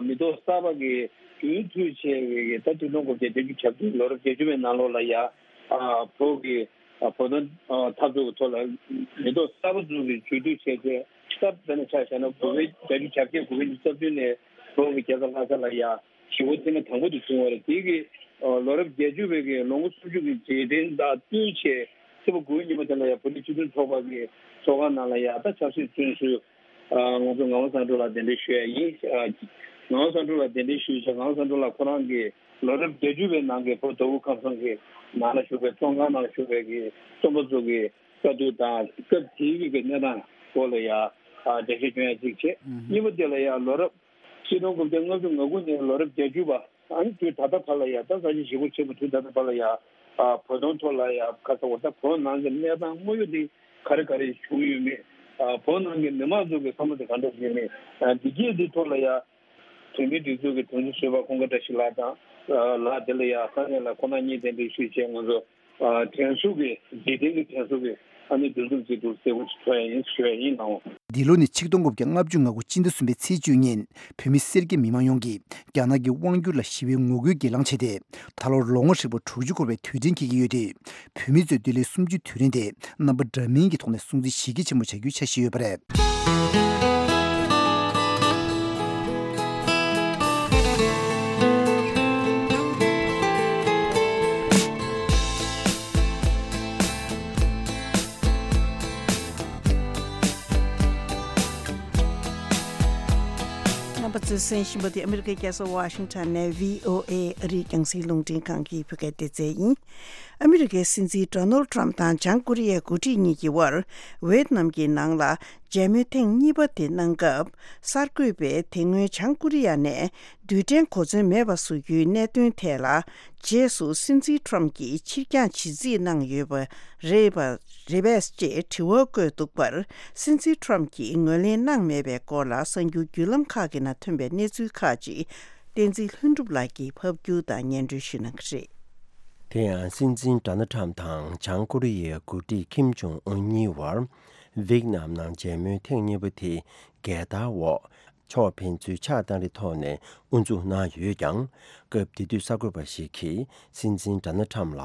མི་ཐོག་གསར་པ་གི་རྒྱུན་མཐུད་བྱས་པའི་ད་ཆིག་སྟོང་དགུ་བརྒྱ་བརྒྱད་ཅུ་གྱ་བདུན་ལོ་རབས་བརྒྱད་ཅུ་པའི་ནང་ལོགས་ལ་ཡ་བོད་ཀྱི་བོད་དོན་འཐབ་རྩོད་ཀྱི་ཐོག་ལ་མི་ཐོག་གསར་པ་ཚོ་གི་ཇུས་གཏོགས་བྱས་ཏེ་ད་དཔེར་ན་ཆ་བཞག་ན་དགུ་པའི་བརྒྱད་ཅུ་གྱ་བརྒྱད་དགུ་པའི་ཉི་ཤུ་རྩ་བདུན་ནས་བོད་ཀྱི་རྒྱལ་ས་ལྷ་ས་ལ་ཡ། ཞི་བའི་ཐེངས་མ་དང་པོ་དེ་བྱུང་བ་རེད། དེ་གི་ལོ་རབས་བརྒྱད་ཅུ་པའི་གི་ལོ་ངོ་སུམ་ཅུ་གི་རྗེས་དྲན་དང་བསྟུན་བྱས་ཕྱི་ཟླ་དགུ་པའི་ཉིན་མོ་དེ་ལ་ཡང་བོད་རིགས་སྤྱི་མཐུན་ཚོགས་པ་གི་ཚོགས་ཁང་ནང་ལ་ཡང་ད་ཆབ་སྲིད་བཙོན་ཟུར་ ཨ། ང་ཚོ་ངག་དབང་བསམ་འགྲུབ་ལགས་གདན་འདྲེན་ཞུ་ཡ་ཡིན། ཨ། ངག་དབང་བསམ་འགྲུབ་ལགས་གདན་འདྲེན་ཞུས་བྱས། ངག་དབང་བསམ་འགྲུབ་ལགས་ཁོ་རང་གིས་ལོ་རབས་བརྒྱད་ཅུ་པའི་ནང་གི་བོད་མདོ་དབུས་ཁམས་གསུམ་གྱི་ནང་ལ་བཞུགས་པའི། བཙོན་ཁང་ནང་བཞུགས་པའི་གི་བཙོན་པ་ཚོ་གི་དཀའ་སྡུག་དང་། སྐབས་དེའི་གི་གནས་སྟངས་སྐོར་ལ་ཡ། ཨ། འགྲེལ་བཤད་སྐྱོན་ཡ་གཅིག་བྱས། ཨུ་ཧུ། གཉིས་པ་དེ་ལ་ཡ། ལོ་རབས་ཆིག་སྟོང་དགུ་བརྒྱ་ལྔ་བཅུ་ང་དགུ་ནས་ལོ་རབས་བརྒྱད་ཅུ་བར། ཨ་ནི་དུས་ད་ལྟ་བར་ལ་ཡ། ད་ས་ཆ་ཞེ་པོ་ཆེན་པོ་དུས་ད་ལྟ་བར་ལ་ཡ། ཨ། བོད་དོན་ཐོག་ལ་ཡ། ཁ་ས་འོ། ད་བོད་ནང་གི་གནས་སྟངས་དངོས་ཡོད་དེ་ག་རེ་ག་རེ་བྱུང་ཡོད་མེད། ཨ། བོད་ནང་གི་མི་མང་ཚོ་གི་བསམ་བློ་དེ་ག་འདྲ་ཞིག་ཡོད་མེད། ཨ། འདི་གས་འདི་ཐོག་ལ་ཡ། བོད་མིའི་སྒྲིག་འཛུགས་ཀྱི་དོན་གཅོད་ཟུར་པ་ཀུན་དགའ་བཀྲ་ཤིས་ལགས་དང་། ཨ། ལགས་དེ་ལ་ཡ། ས་གནས་ལ་ཁོང་རྣམ་གཉིས་གདན་འདྲེན་ཞུས་བྱས། ང་ཚོ། ཨ། དྲན་གསོ་གི། རྗེས་དྲན་གྱི་དྲན་གསོ་གི། ཨ་ནི་འདུ་འཛོམས་ཅིག་འདུག་ཟེར་བ་ཞིག་ཚོགས་ཡ་ཡིན་ཞུ་ཡ་ཡིན་ནའོ། འདི་ལོ་ནི་ཆིག་སྟོང་དགུ་བརྒྱ་ལྔ་བཅུ་ང་དགུ་སྤྱི་ཟླ་གསུམ་པའི་ཚེས་བཅུ་ཉིན་བོད་མི་སེར་སྐྱ་མི་མང་ཡོངས་ཀྱིས་རྒྱ་ནག་གི་དབང་སྒྱུར་ལ་ཞི་བའི་ངོ་རྒོལ་གྱི་ལངས་བྱས་ཏེ། ད་ལོར་ལོ་ངོ་ཧྲིལ་པོ་དྲུག་ཅུ་འཁོར་བའི་དུས་དྲན་འཁེལ་གྱི་ཡོད་དུས། བོད་མི་ཚོས་འདི་ལོའི་གསུམ་བཅུའི་དུས་དྲན་དེ་རྣམ་པ་འདྲ་མིན་གྱི་ཐོག་ནས་སྲུང་བརྩི་ཞེ་གལ་ཆེན་པོ་བྱ་རྒྱུའི་འཆར་གཞི་ཡོད་པ་རེད། རྣམ་པ་ཚོས་གསན་བཞིན་པ་དེ་ཨ་མི་རི་ཀའི་རྒྱལ་ས་ཝ་ཤིང་ཊོན་ནས་བྷི་ཨོ་ཨེ་ཨ་རིའི་རྒྱང་སྲིང་རླུང་འཕྲིན་ཁང་གི་བོད་སྐད་སྡེ་ཚན་ཡིན། ཨ་མི་རི་ཀའི་སྲིད་འཛིན་ཌོ་ནལ་ཊམ་དང་བྱང་ཀོ་རི་ཡའི་འགོ་ཁྲིད་གཉིས་ཀྱི་དབར་ཝེད་ནམ་གྱི་ནང་ལ་མཇལ་མོལ་ཐེངས་གཉིས་པ་དེ་གནང་སྐབས། གསར་འགོད་པས་དེ་སྔོན་བྱང་ཀོ་རི་ཡ་ནས་རྡུལ་ཕྲན་གོ་མཚོན་མེད་པ་བཟོ་རྒྱུའི་གནད་དོན་ཐད་ལ། རྗེས་སུ་སྲིད་འཛིན་ཊམ་གྱིས་ཕྱིར་འགྱངས་བྱེད་རྩིས་གནང་ཡོད་པ་རེད་པ། རེད་པས་ཅེས་དྲི་བ་བཀོད་འདུག་པར། སྲིད་འཛིན་ཊམ་གྱིས་ངོས་ལེན་གནང་མེད་པའི་སྐོར་ལ། གསར་འགྱུར་བརྒྱུད་ལམ་ཁག་གི་ནང་ཐོན་པའི་གནས་ཚུལ་ཁག་ཅིག་བསྟན་འཛིན་ལྷུན་གྲུབ་ལགས་ཀྱིས་ཕབ་སྒྱུར་དང་སྙན་སྒྲོན་ཞུ་གནང་གི་རེད། དེ་ཡང་སྲིད་འཛིན་ཌོ་ནལ་ཊམ་དང་བྱང་ཀོ་རི་ཡའི་འགོ་ཁྲིད་ཁིམ་ཇོང་ཨུན་གཉིས་བར་ཝེད་ནམ་ནང་མཇལ་མོལ་ཐེངས་གཉིས་པ་དེ་རྒྱལ་དར་འོག་ཕྱོགས་ཕན་ཚུན་ཕྱག་བཏང་རེས་ཐོག་ནས་དབུ་འཛུགས་གནང་ཡོད་ཀྱང་། སྐབས་དེ་དུས་གསར་འགོད་པ་ཞིག་གིས་སྲིད་འཛིན་ཌོ་ནལ་ཊམ་ལ་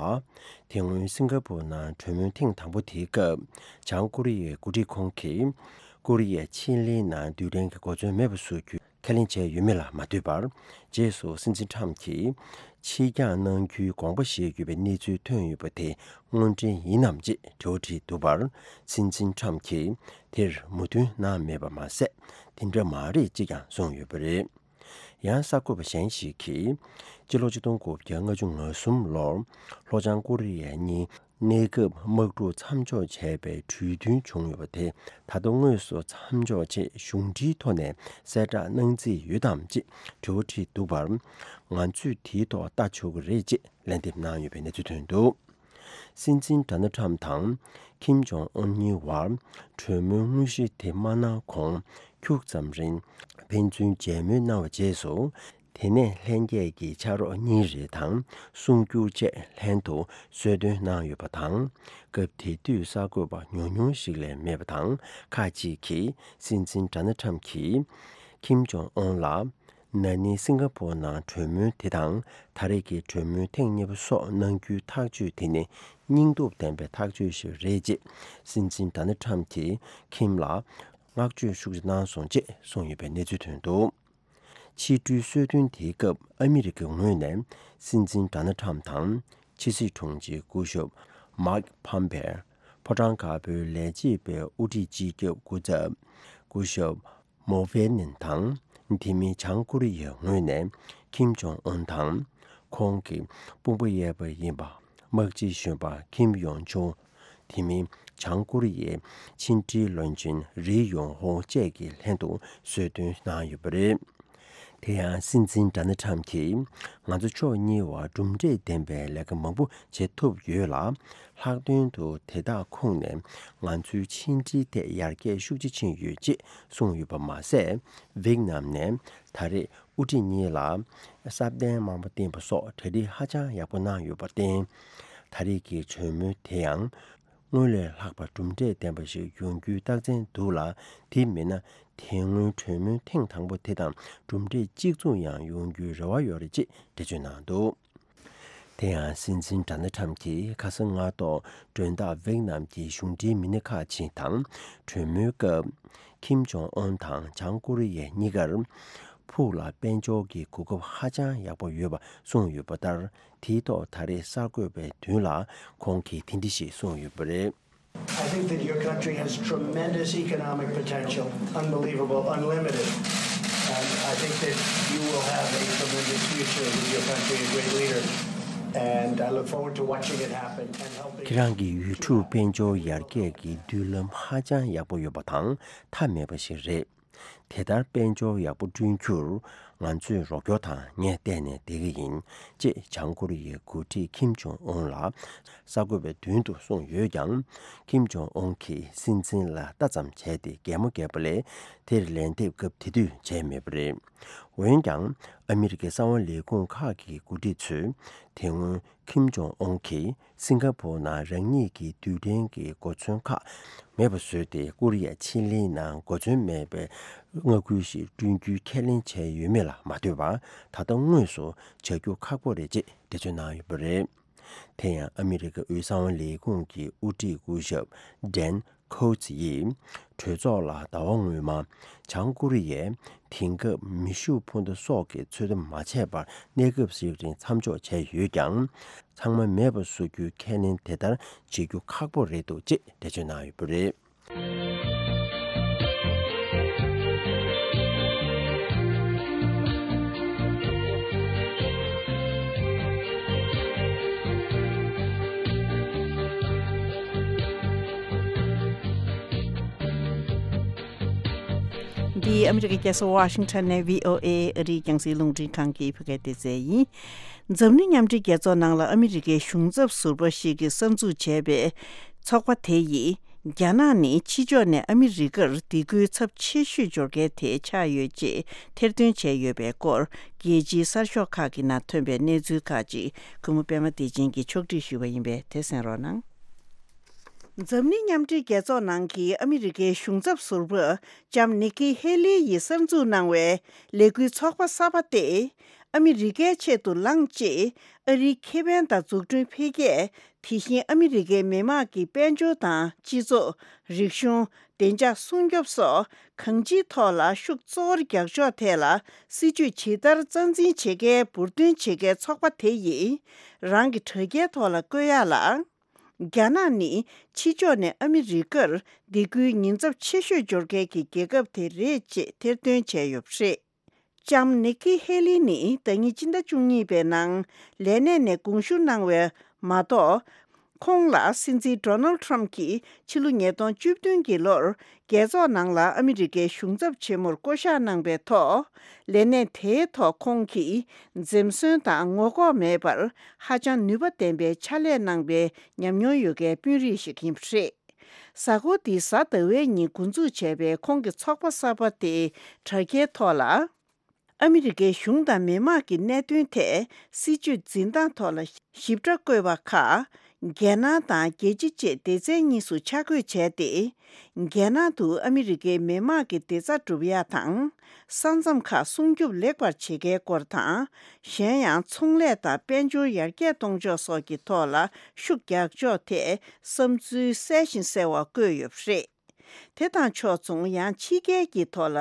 དེ་སྔོན་སིང་ག་པུར་ནང་གྲོས་མོལ་ཐེངས་དང་པོ་དེའི་སྐབས། བྱང་ཀོ་རི་ཡའི་འགོ་ཁྲིད་ཁོང་གིས་ཀོ་རི་ཡའི་ཕྱེད་གླིང་ནང་རྡུལ་ཕྲན་གྱི་གོ་མཚོན་མེད་པ་བཟོ་རྒྱུ་ཁས་ལེན་བྱས་ཡོད་མེད་ལ་མ་ལྟོས་པར། རྗེས་སུ་སྲིད་འཛིན་ཊམ་གྱིས་ཕྱིར་འགྱངས་གནང་རྒྱུའི་དགོངས་པ་བཞེས་ཡོད་པའི་གནས་ཚུལ་ཐོན་ཡོད་པ་དེ་དངོས་འབྲེལ་ཡིན་ནམ་ཅེས་དྲི་བ་དྲིས་འདུག་པར། སྲིད་འཛིན་ཊམ་གྱིས་དེར་མོས་མཐུན་གནང་མེད་པ་མ་ཟད། དེ་འདྲ་མ་རེད་ཅེས་ཀྱང་གསུངས་ཡོད་པ་རེད། ཡང་གསར་འགོད་པ་གཞན་ཞིག་གིས། སྤྱི་ལོ་ཆིག་སྟོང་དགུ་བརྒྱ་ལྔ་བཅུ་ང་གསུམ་ལོར་ལྷོ་བྱང་ཀོ་རི་ཡ་གཉིས་གནས་སྐབས་དམག་འཁྲུག་མཚམས་འཇོག་བྱས་པའི་གྲོས་མཐུན་བྱུང་ཡོད་པ་དེ། ད་ལྟ་དངོས་སུ་མཚམས་འཇོག་ཆེད་གཞུང་འབྲེལ་ཐོག་ནས་གསལ་བསྒྲགས་གནང་རྩིས་ཡོད་དམ་ཅེས་དྲི་བ་དྲིས་འདུག་པར། ང་ཚོས་དེའི་ཐོག་ལྟ་ཆོག་གི་རེད་ཅེས་ལན་འདེབས་གནང་ཡོད་པའི་གནས་ཚུལ་ཐོན་འདུག། སྲིད་འཛིན་ཌོ་ནལ་ཊམ་དང་ཁིམ་ཇོང་ཨུན་གཉིས་བར་གྲོས་མོལ་དངོས་གཞི་དེ་མ་གནང་གོང་ཁྱུག་ཙམ་རིང་ཕན་ཚུན་མཇལ་མོལ་གནང་བའི་རྗེས་སུ། དེ་ནས་ལྷན་རྒྱས་ཀྱི་ཕྱག་རོགས་གཉིས་རེ་དང་གསུང་སྒྱུར་བཅས་ལྷན་དུ་གསོལ་སྟོན་གནང་ཡོད་པ་དང་། སྐབས་དེ་དུས་གསར་འགོད་པ་ཉུང་ཉུང་ཞིག་ལས་མེད་པ་དང་། ཁག་ཅིག་གིས་སྲིད་འཛིན་ཌོ་ནལ་ཊམ་གྱིས་ཁིམ་ཇོང་ཨུན་ལ། ན་ནིང་སིང་ག་པོར་ནང་གྲོས་མོལ་དེ་དང་། ད་རེས་ཀྱི་གྲོས་མོལ་ཐེངས་གཉིས་པ་སོགས་གནང་རྒྱུའི་ཐག་གཅོད་དེ་ནི་སྙིང་སྟོབས་ལྡན་པའི་ཐག་གཅོད་ཞིག་རེད་ཅེས་སྲིད་འཛིན་ཌོ་ནལ་ཊམ་གྱིས་ཁིམ་ལ་བསྔགས་བརྗོད་ཤུགས་ཆེ་གནང་སོང་ཅེས་གསུངས་ཡོད་པའི་གནས་ཚུལ་ཐོན་འདུག། ཕྱི་དྲིལ་གསོལ་སྟོན་དེའི་སྐབས་ཨ་མི་རི་ཀའི་ངོས་ནས་སྲིད་འཛིན་ཌོ་ནལ་ཊམ་དང་། ཕྱི་སྲིད་དྲུང་ཆེ་སྐུ་ཞབས་མཱིག་ཕམ་པེ། ཕོ་བྲང་དཀར་པོའི་ལས་བྱེད་པའི་དབུ་ཁྲིད་སྤྱི་ཁྱབ་སྐུ་ཚབ་སྐུ་ཞབས་མོ་ཝེ་ནན་དང་། དེ་མིན་བྱང་ཀོ་རི་ཡའི་ངོས་ནས་ཁིམ་ཇོང་ཨུན་དང་། ཁོང་གི་དཔུང་པ་གཡས་པ་ཡིན་པ་དམག་སྤྱི་གཞོན་པ་ཁིམ་ཡོང་ཆུང་། དེ་མིན་བྱང་ཀོ་རི་ཡའི་ཕྱི་འབྲེལ་བློན་ཆེན་རི་ཡོང་ཧོ་བཅས་ཀྱིས་ལྷན་དུ་གསོལ་སྟོན་གནང་ཡོད་པ་རེད། དེ་ཡང་སྲིད་འཛིན་ཌོ་ནལ་ཊམ་གྱིས། ང་ཚོ་ཕྱོགས་གཉིས་བར་གྲུབ་འབྲས་ལྡན་པའི་ལས་ཀ་མང་པོ་བྱེད་ཐུབ་ཡོད་ལ། ལྷག་དོན་དུ་དེ་དག་ཁོངས་ནས་ང་ཚོའི་ཕྱི་འབྲེལ་ཐད་ཡར་རྒྱས་ཤུགས་ཆེ་ཕྱིན་ཡོད་ཅེས་གསུངས་ཡོད་པ་མ་ཟད། ཝེད་ནམ་ནས་ད་རེས་དབུ་ཁྲིད་གཉིས་ལ་སྲབ་གདན་དམར་པོ་བསྟན་པ་སོགས་གྲ་སྒྲིག་ཧ་ཅང་ཡག་པོ་གནང་ཡོད་པར་བརྟེན། ད་རེས་ཀྱི་གྲོས་མོལ་དེ་ཡང་། སྔོན་ལས་ལྷག་པ་གྲུབ་འབྲས་ལྡན་པ་ཞིག་ཡོང་རྒྱུའི་རྟགས་མཚན་འདུག་ལ། དེ་མིན་ན་དེ་སྔོན་གྲོས་མོལ་ཐེངས་དང་པོ་དེ་དང་གྲུབ་འབྲས་གཅིག་མཚུངས་ཡང་ཡོང་རྒྱུའི་རེ་བ་ཡོད་རེད་ཅེས་འགྲེལ་བརྗོད་གནང་འདུག། དེ་ཡང་སྲིད་འཛིན་ཌོ་ནལ་ཊམ་གྱིས་ཁ་སང་སྔ་ཐོག་མགྲོན་བདག་ཝེད་ནམ་གྱི་གཞུང་འབྲེལ་མི་སྣ་ཁག་ཅིག་དང་གྲོས་མོལ་སྐབས། ཁིམ་ཇོང་ཨུན་དང་བྱང་ཀོ་རི་ཡ་གཉིས་ཀར་ཕུགས་ལ་དཔལ་འབྱོར་གྱི་གོ་སྐབས་ཧ་ཅང་ཡག་པོ་ཡོད་པ་གསུངས་ཡོད་པ་ལྟར། དེའི་ཐོག་ད་རེས་གསར་འགོད་པའི་མདུན་ལ་ཁོང་གིས་དེ་འདྲ་ཞིག་གསུངས་ཡོད་པ་རེད། I think that your country has tremendous economic potential, unbelievable, unlimited. And I think that you will have a tremendous future with your country, a great leader. And I look forward to watching it happen and helping. ཁྱེད་རང་གི་ཡུལ་གྲུ་དཔལ་འབྱོར་ཡར་རྒྱས་ཀྱི་མདུན་ལམ་ཧ་ཅང་ཡག་པོ་ཡོད་པ་དང་མཐའ་མེད་པ་ཞིག་རེད། དེ་ལྟར་དཔལ་འབྱོར་ཡག་པོ་བསྐྲུན་རྒྱུར་ང་ཚོས་རོགས་སྐྱོར་དང་ངས་བལྟས་ནས་བསྡད་ཀྱི་ཡིན། ཅེས་བྱང་ཀོ་རི་ཡའི་འགོ་ཁྲིད་ཁིམ་ཇོང་ཨུན་ལ་གསར་འགོད་པའི་མདུན་དུ་གསུངས་ཡོད་ཀྱང་། ཁིམ་ཇོང་ཨུན་གྱིས་སྲིད་འཛིན་ལ་ལྟ་ཙམ་བྱས་ཏེ་གད་མོ་བགད་པ་ལས་དེར་ལན་འདེབས་སྐབས་དེ་དུས་བྱས་མེད་པ་རེད། འོན་ཀྱང་ཨ་མི་རི་ཀའི་གསང་བ་ལས་ཁུངས་ཁག་གི་འགོ་ཁྲིད་ཚོས་དེ་སྔོན་ཁིམ་ཇོང་ཨུན་གྱིས་སིང་ག་པོར་ནང་རང་ཉིད་ཀྱི་རྡུལ་ཕྲན་གྱི་གོ་མཚོན་ཁག་མེད་པ་བཟོས་ཏེ་ཀོ་རི་ཡ་ཕྱེད་གླིང་ནང་གོ་མཚོན་མེད་པའི་མངའ་ཁུལ་ཞིག་བསྐྲུན་རྒྱུའི་ཁས་ལེན་བྱས་ཡོད་མེད་ལ་མ་ལྟོས་པར་ད་ལྟ་དངོས་སུ་བྱ་རྒྱུ་ཁག་པོ་རེད་ཅེས་འགྲེལ་བརྗོད་གནང་ཡོད་པ་རེད། དེ་ཡང་ཨ་མི་རི་ཀའི་དབུས་གསང་བ་ལས་ཁུངས་ཀྱི་དབུ་ཁྲིད་སྐུ་ཞབས་ཌན་ཁོ་ཚི་ཡིས་གྲོས་ཚོགས་ལ་ཟླ་བ་སྔོན་མ་བྱང་ཀོ་རི་ཡས་དེང་སྐབས་མེ་ཤུགས་འཕུར་མདའ་སོགས་ཀྱི་ཚོད་ལྟ་མ་བྱས་པར་གནས་སྐབས་ཤིག་རིང་མཚམས་འཇོག་བྱས་ཡོད་ཀྱང་། ཚང་མ་མེད་པ་བཟོ་རྒྱུའི་ཁས་ལེན་དེ་ལྟར་བྱེད་རྒྱུ་ཁག་པོ་རེད་འདུག་ཅེས་འགྲེལ་བརྗོད་གནང་ཡོད་པ་རེད། འདི་ཨ་མི་རི་ཀའི་རྒྱལ་ས་ཝ་ཤིང་ཊོན་ནས་བྷི་ཨོ་ཨེ་ཨ་རིའི་རྒྱང་སྲིང་རླུང་འཕྲིན་ཁང་གི་བོད་སྐད་སྡེ་ཚན་ཡིན། འཛམ་གླིང་མཉམ་འབྲེལ་རྒྱལ་ཚོགས་ནང་ལ་ཨ་མི་རི་ཀའི་གཞུང་ཚབ་ཟུར་པ་ཞིག་གིས་གསར་འཛུགས་བྱས་པའི་ཚོགས་པ་དེ་ཡིས། རྒྱ་ནག་ནི་ཕྱི་ཕྱོགས་ནས་ཨ་མི་རི་ཀར་སྡིགས་སྐུལ་ཚབས་ཆེ་ཤོས་འབྱོར་མཁན་དེ་ཆགས་ཡོད་ཅེས་ཐེར་འདོན་བྱས་ཡོད་པའི་སྐོར། རྒྱལ་སྤྱིའི་གསར་ཤོག་ཁག་གི་ནང་ཐོན་པའི་གནས་ཚུལ་ཁག་ཅིག་གུས་མོ་པད་མ་བདེ་ཆེན་གྱིས་ཕྱོགས་སྒྲིག་ཞུས་པ་ཡིན་པས་དེ་གསན་རོགས་གནང་། འཛམ་གླིང་མཉམ་འབྲེལ་རྒྱལ་ཚོགས་ནང་གི་ཨ་མི་རི་ཀའི་གཞུང་ཚབ་ཟུར་པ་ལྕམ་ནིག་ཀི་ཧེ་ལི་ཡིས་གསར་འཛུགས་གནང་བའི་ལས་འགུལ་ཚོགས་པ་གསར་པ་སྟེ། ཨ་མི་རི་ཀའི་ཆེད་དུ་ལངས་རྗེས། ཨ་རིའི་ཁེ་ཕན་དང་འཛུགས་སྐྲུན་འཕེལ་རྒྱས། དེ་བཞིན་ཨ་མི་རི་ཀའི་མི་དམངས་ཀྱི་དཔལ་འབྱོར་དང་སྤྱི་ཚོགས། རིག་གཞུང་། བདེ་འཇགས་སྲུང་སྐྱོབ་སོགས་གང་ཅིའི་ཐོག་ལ་ཤུགས་གཙོ་བོར་རྒྱག་ཕྱོགས་ཐད་ལ་སྲིད་ཇུས་ཇི་ལྟར་རྩ་འཛིན་བྱེད་མཁན་འབུར་འདོན་བྱེད་མཁན་ཚོགས་པ་དེ་ཡིས་རང་གི་དྲ་རྒྱའི་ཐོག་ལ་བཀོད་ཡག་ལ། རྒྱ་ནག་ནི་ཕྱི་ཕྱོགས་ནས་ཨ་མི་རི་ཀར་སྡིགས་སྐུལ་ཉེན་ཚབས་ཆེ་ཤོས་འབྱོར་མཁན་གྱི་རྒྱལ་ཁབ་དེ་རེད་ཅེས་ཐེར་འདོན་བྱས་ཡོད་པ་རེད། ལྕམ་ནིག་ཀི་ཧེ་ལི་ནི་ཟླ་ཉིན་སྤྱི་ཟླ་བཅུ་གཉིས་པའི་ནང་ལས་གནས་ནས་དགོངས་ཞུ་གནང་བ་མ་གཏོགས། ཁོང་ལ་སྲིད་འཛིན་ཌོ་ནལ་ཊམ་གྱིས་ཕྱི་ལོ་ཉིས་སྟོང་བཅུ་བདུན་གྱི་ལོར་རྒྱལ་ཚོགས་ནང་ལ་ཨ་མི་རི་ཀའི་གཞུང་ཚབ་ཆེན་མོར་བསྐོ་གཞག་གནང་པའི་ཐོག་ལས་གནས་དེའི་ཐོག་ཁོང་གིས་འཛེམ་ཟོན་དང་ངོ་ལྐོག་མེད་པར་ཧ་ཅང་ནུས་པ་ལྡན་པའི་ཕྱག་ལས་གནང་པའི་ཉམས་མྱོང་ཡོད་མཁན་དཔོན་རིགས་ཤིག་ཡིན་པ་རེད། གཟའ་འཁོར་འདིའི་གཟའ་ཟླ་བའི་ཉིན་འགོ་འཛུགས་བྱས་པའི་ཁོང་གི་ཚོགས་པ་གསར་པ་དེའི་དྲ་རྒྱའི་ཐོག་ལ། ཨ་མི་རི་ཀའི་གཞུང་དང་མི་དམངས་ཀྱི་གནད་དོན་ཐད་སྲིད་ཇུས་འཛིན་སྟངས་ཐོག་ལ་ཞིབ་ཕྲ་བཀོད་པ་ཁག་རྒྱལ་ནང་དང་རྒྱལ་སྤྱི་བཅས་སྡེ་ཚན་གཉིས་སུ་ཆ་བགོས་བྱས་ཏེ། རྒྱལ་ནང་དུ་ཨ་མི་རི་ཀའི་མི་དམངས་ཀྱི་བདེ་རྩ་སྒྲུབ་ཡག་དང་། ས་མཚམས་ཁག་སྲུང་སྐྱོབ་ལེགས་པར་བྱེད་མཁན་སྐོར་དང་། གཞན་ཡང་ཚོང་ལས་དང་དཔལ་འབྱོར་ཡར་རྒྱས་གཏོང་ཕྱོགས་སོགས་ཀྱི་ཐོག་ལ་ཤུགས་རྒྱག་ཕྱོགས་ཐད་བསམ་ཚུལ་གསལ་ཞིང་གསལ་བ་བཀོད་ཡོད་པ་རེད། དེ་དང་ཕྱོགས་མཚུངས་ཡང་ཕྱི་རྒྱལ་གྱི་ཐོག་ལ་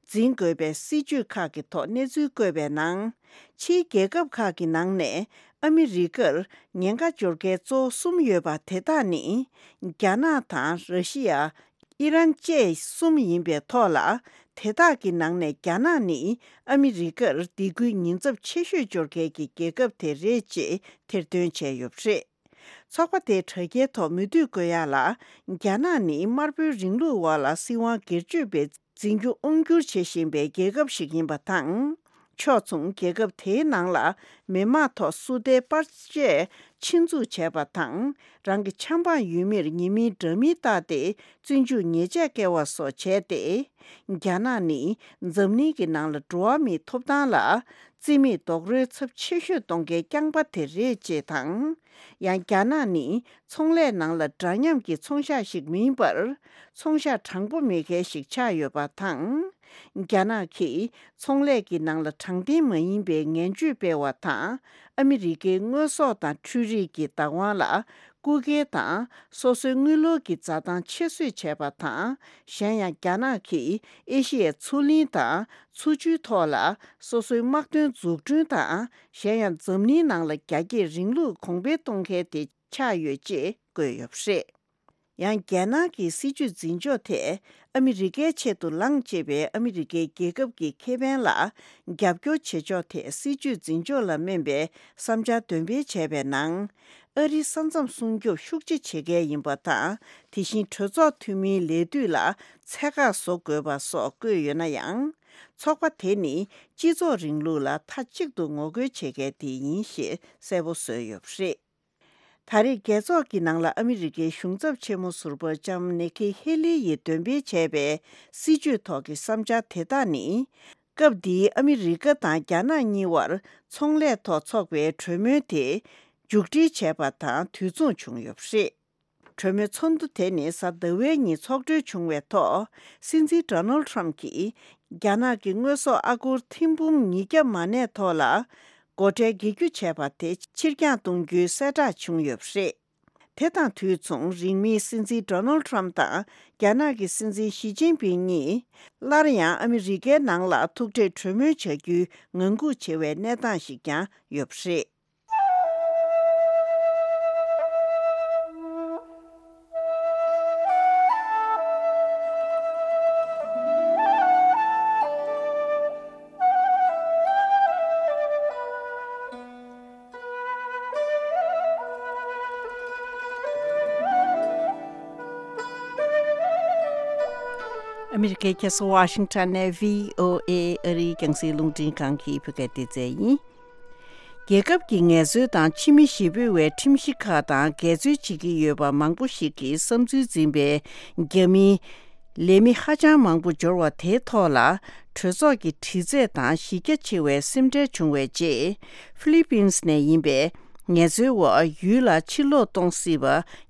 འཛིན་དགོས་པའི་སྲིད་ཇུས་ཁག་གི་ཐོག་གནས་ཚུལ་བཀོད་པའི་ནང་། ཕྱིའི་རྒྱལ་ཁབ་ཁག་གི་ནང་ནས་ཨ་མི་རི་ཀར་ཉེན་ཁ་འབྱོར་མཁན་གཙོ་བོ་གསུམ་ཡོད་པ་དེ་དག་ནི། རྒྱ་ནག་དང་ར་ཤི་ཡ། ཨི་རན་བཅས་གསུམ་ཡིན་པའི་ཐོག་ལ། དེ་དག་གི་ནང་ནས་རྒྱ་ནག་ནི་ཨ་མི་རི་ཀར་སྡིགས་སྐུལ་ཉེན་ཚབས་ཆེ་ཤོས་འབྱོར་མཁན་གྱི་རྒྱལ་ཁབ་དེ་རེད་ཅེས་ཐེར་འདོན་བྱས་ཡོད་པ་རེད། ཚོགས་པ་དེའི་དྲ་རྒྱའི་ཐོག་མུ་མཐུད་བཀོད་ཡག་ལ། རྒྱ་ནག་ནི་དམར་པོའི་རིང་ལུགས་འོག་ལ་སྲིད་དབང་སྒེར་གཅོད་པའི་འཛིན་རྒྱུ་དབང་བསྒྱུར་བྱེད་བཞིན་པའི་རྒྱལ་ཁབ་ཞིག་ཡིན་པ་དང་། ཕྱོགས་མཚུངས་རྒྱལ་ཁབ་དེའི་ནང་ལ་མི་དམངས་ཐོག་སུ་འདྲའི་པར་ཆས་ཆེད་འཛུགས་བྱས་པ་དང་། རང་གི་ཆབ་འབངས་ཡུལ་མིར་ཉེས་མིང་འདྲ་མིན་བཏགས་ཏེ་བཙོན་འཇུག་ཉེས་ཆད་བཀལ་བ་སོགས་བྱས་ཏེ། རྒྱ་ནག་ནི་འཛམ་གླིང་གི་ནང་ལ་འགྲོ་བ་མིའི་ཐོབ་ཐང་ལ་རྩིས་མེད་རྡོག་རོལ་ཚབས་ཆེ་ཤོས་གཏོང་མཁན་རྐྱང་པ་དེ་རེད་ཅེས་དང་། ཡང་རྒྱ་ནག་ནི་ཚོང་ལས་ནང་ལ་འདྲ་མཉམ་གྱི་ཚོང་ཤག་ཞིག་མིན་པར། ཚོང་ཤག་དྲང་པོ་མེད་མཁན་ཞིག་ཆགས་ཡོད་པ་དང་། རྒྱ་ནག་གིས་ཚོང་ལས་ཀྱི་ནང་ལ་དྲང་བདེན་མ་ཡིན་པའི་ངན་བྱུས་སྤེལ་བ་དང་། ཨ་མི་རི་ཀའི་དངོས་ཟོག་དང་འཕྲུལ་རིག་གི་བདག་དབང་ལ་རྐུ་འཁྱེར་དང་། སོ་སོའི་དངུལ་ལོར་གྱི་འཛའ་ཐང་ཆེད་བཟོས་བྱས་པ་དང་། གཞན་ཡང་རྒྱ་ནག་གིས་ཨེ་ཤི་ཡའི་མཚོ་གླིང་དང་མཚོ་ཆུའི་ཐོག་ལ་སོ་སོའི་དམག་དོན་འཛུགས་སྐྲུན་དང་། གཞན་ཡང་འཛམ་གླིང་ནང་ལ་རྒྱ་སྐྱེད་རིང་ལུགས་གོང་འཕེལ་གཏོང་མཁན་དེ་ཆགས་ཡོད་ཅེས་བཀོད་ཡོད་པ་རེད། ཡང་རྒྱལ་ནང་གི་སྲིད་ཇུས་འཛིན་ཕྱོགས་དེ་ཨ་མི་རི་ཀའི་ཆེད་དུ་ལངས་ཅེས་པའི་ཨ་མི་རི་ཀའི་རྒྱལ་ཁབ་ཀྱི་ཁེ་ཕན་ལ་རྒྱབ་སྐྱོར་བྱེད་ཕྱོགས་དེ་སྲིད་ཇུས་འཛིན་ཕྱོགས་ལ་སྨན་པའི་བསམ་འཆར་འདོན་སྤེལ་བྱས་པའི་ནང་། ཨ་རིའི་ས་མཚམས་སྲུང་སྐྱོབ་ཤུགས་ཆེ་བྱེད་མཁན་ཡིན་པ་དང་། དེ་བཞིན་གྲོས་ཚོགས་འཐུས་མིའི་ལས་དུས་ལ་ཚད་བཀག་བཟོ་དགོས་པ་སོགས་བཀོད་ཡོད་ན་ཡང་། ཚོགས་པ་དེ་ནི་སྤྱི་ཚོགས་རིང་ལུགས་ལ་མཐའ་གཅིག་ཏུ་ངོ་རྒོལ་བྱེད་མཁན་དེ་ཡིན་ཞེས་གསལ་པོ་བཟོས་ཡོད་པ་རེད། ད་རེས་རྒྱལ་ཚོགས་ཀྱི་ནང་ལ་ཨ་མི་རི་ཀའི་གཞུང་ཚབ་ཆེན་མོ་ཟུར་པ་ལྕམ་ནེ་ཁི་ཧེ་ལི་ཡིས་འདོན་སྤེལ་བྱས་པའི་སྲིད་ཇུས་ཐོག་གི་བསམ་འཆར་དེ་དག་ནི། སྐབས་འདིའི་ཨ་མི་རི་ཀ་དང་རྒྱ་ནག་གཉིས་བར་ཚོང་ལས་ཐོག་ཚོགས་པའི་གྲོས་མོལ་དེ་མཇུག་སྒྲིལ་བྱས་པ་དང་དུས་མཚུངས་བྱུང་ཡོད་པ་རེད། གྲོས་མོལ་ཚོགས་འདུ་དེ་ནི་གཟའ་ཟླ་བའི་ཉིན་ཚོགས་གྲོལ་བྱུང་བའི་ཐོག་སྲིད་འཛིན་ཌོ་ནལ་ཁྲམ་གྱིས་རྒྱ་ནག་གི་དངོས་ཟོག་ཨ་སྒོར་ཐེར་འབུམ་ཉིས་བརྒྱ་མ་གནས་ཐོག་ལ་སྒོ་ཁྲལ་འགེལ་རྒྱུ་བྱས་པ་དེ་ཕྱིར་འགྱངས་གཏོང་རྒྱུའི་གསལ་བསྒྲགས་བྱུང་ཡོད་པ་རེད། དེ་དང་དུས་མཚུངས་རིང་མིན་སྲིད་འཛིན་ཌོ་ནལ་ཁྲམ་དང་རྒྱ་ནག་གི་སྲིད་འཛིན་ཞི་ཅིན་ཕིང་གཉིས་སླར་ཡང་ཨ་མི་རི་ཀའི་ནང་ལ་ཐུག་འཕྲད་གྲོས་མོལ་བྱ་རྒྱུའི་ངང་སྒུག་བྱེད་པའི་གནས་སྟངས་ཤིག་ཀྱང་ཡོད་པ་རེད། ཨ་མི་རི་ཀའི་རྒྱལ་ས་ཝ་ཤིང་ཊོན་ནས་བྷི་ཨོ་ཨེ་ཨ་རིའི་རྒྱང་སྲིང་རླུང་འཕྲིན་ཁང་གི་བོད་སྐད་སྡེ་ཚན་ཡིན། རྒྱལ་ཁབ་ཀྱི་ངལ་རྩོལ་དང་ཕྱི་མི་གཞིས་སྤོས་པའི་ཁྲིམས་གཞི་ཁག་དང་འགལ་འཛོལ་བྱེད་ཀྱི་ཡོད་པ་མང་པོ་ཞིག་གི་བསམ་ཚུལ་འཛིན་པའི་རྒྱ་མིའི་ལས་མི་ཧ་ཅང་མང་པོ་འབྱོར་བ་དེའི་ཐོག་ལ་གྲོས་ཚོགས་ཀྱི་དྲི་རྩད་དང་གཞི་རྒྱ་ཆེ་བའི་སེམས་ཁྲལ་བྱུང་བའི་རྗེས། ཧྥི་ལི་པིན་ནས་ཡིན་པའི་ངལ་རྩོལ་བ་ཡུལ་ལ་ཕྱིར་ལོག་གཏོང་སྲིད་པ་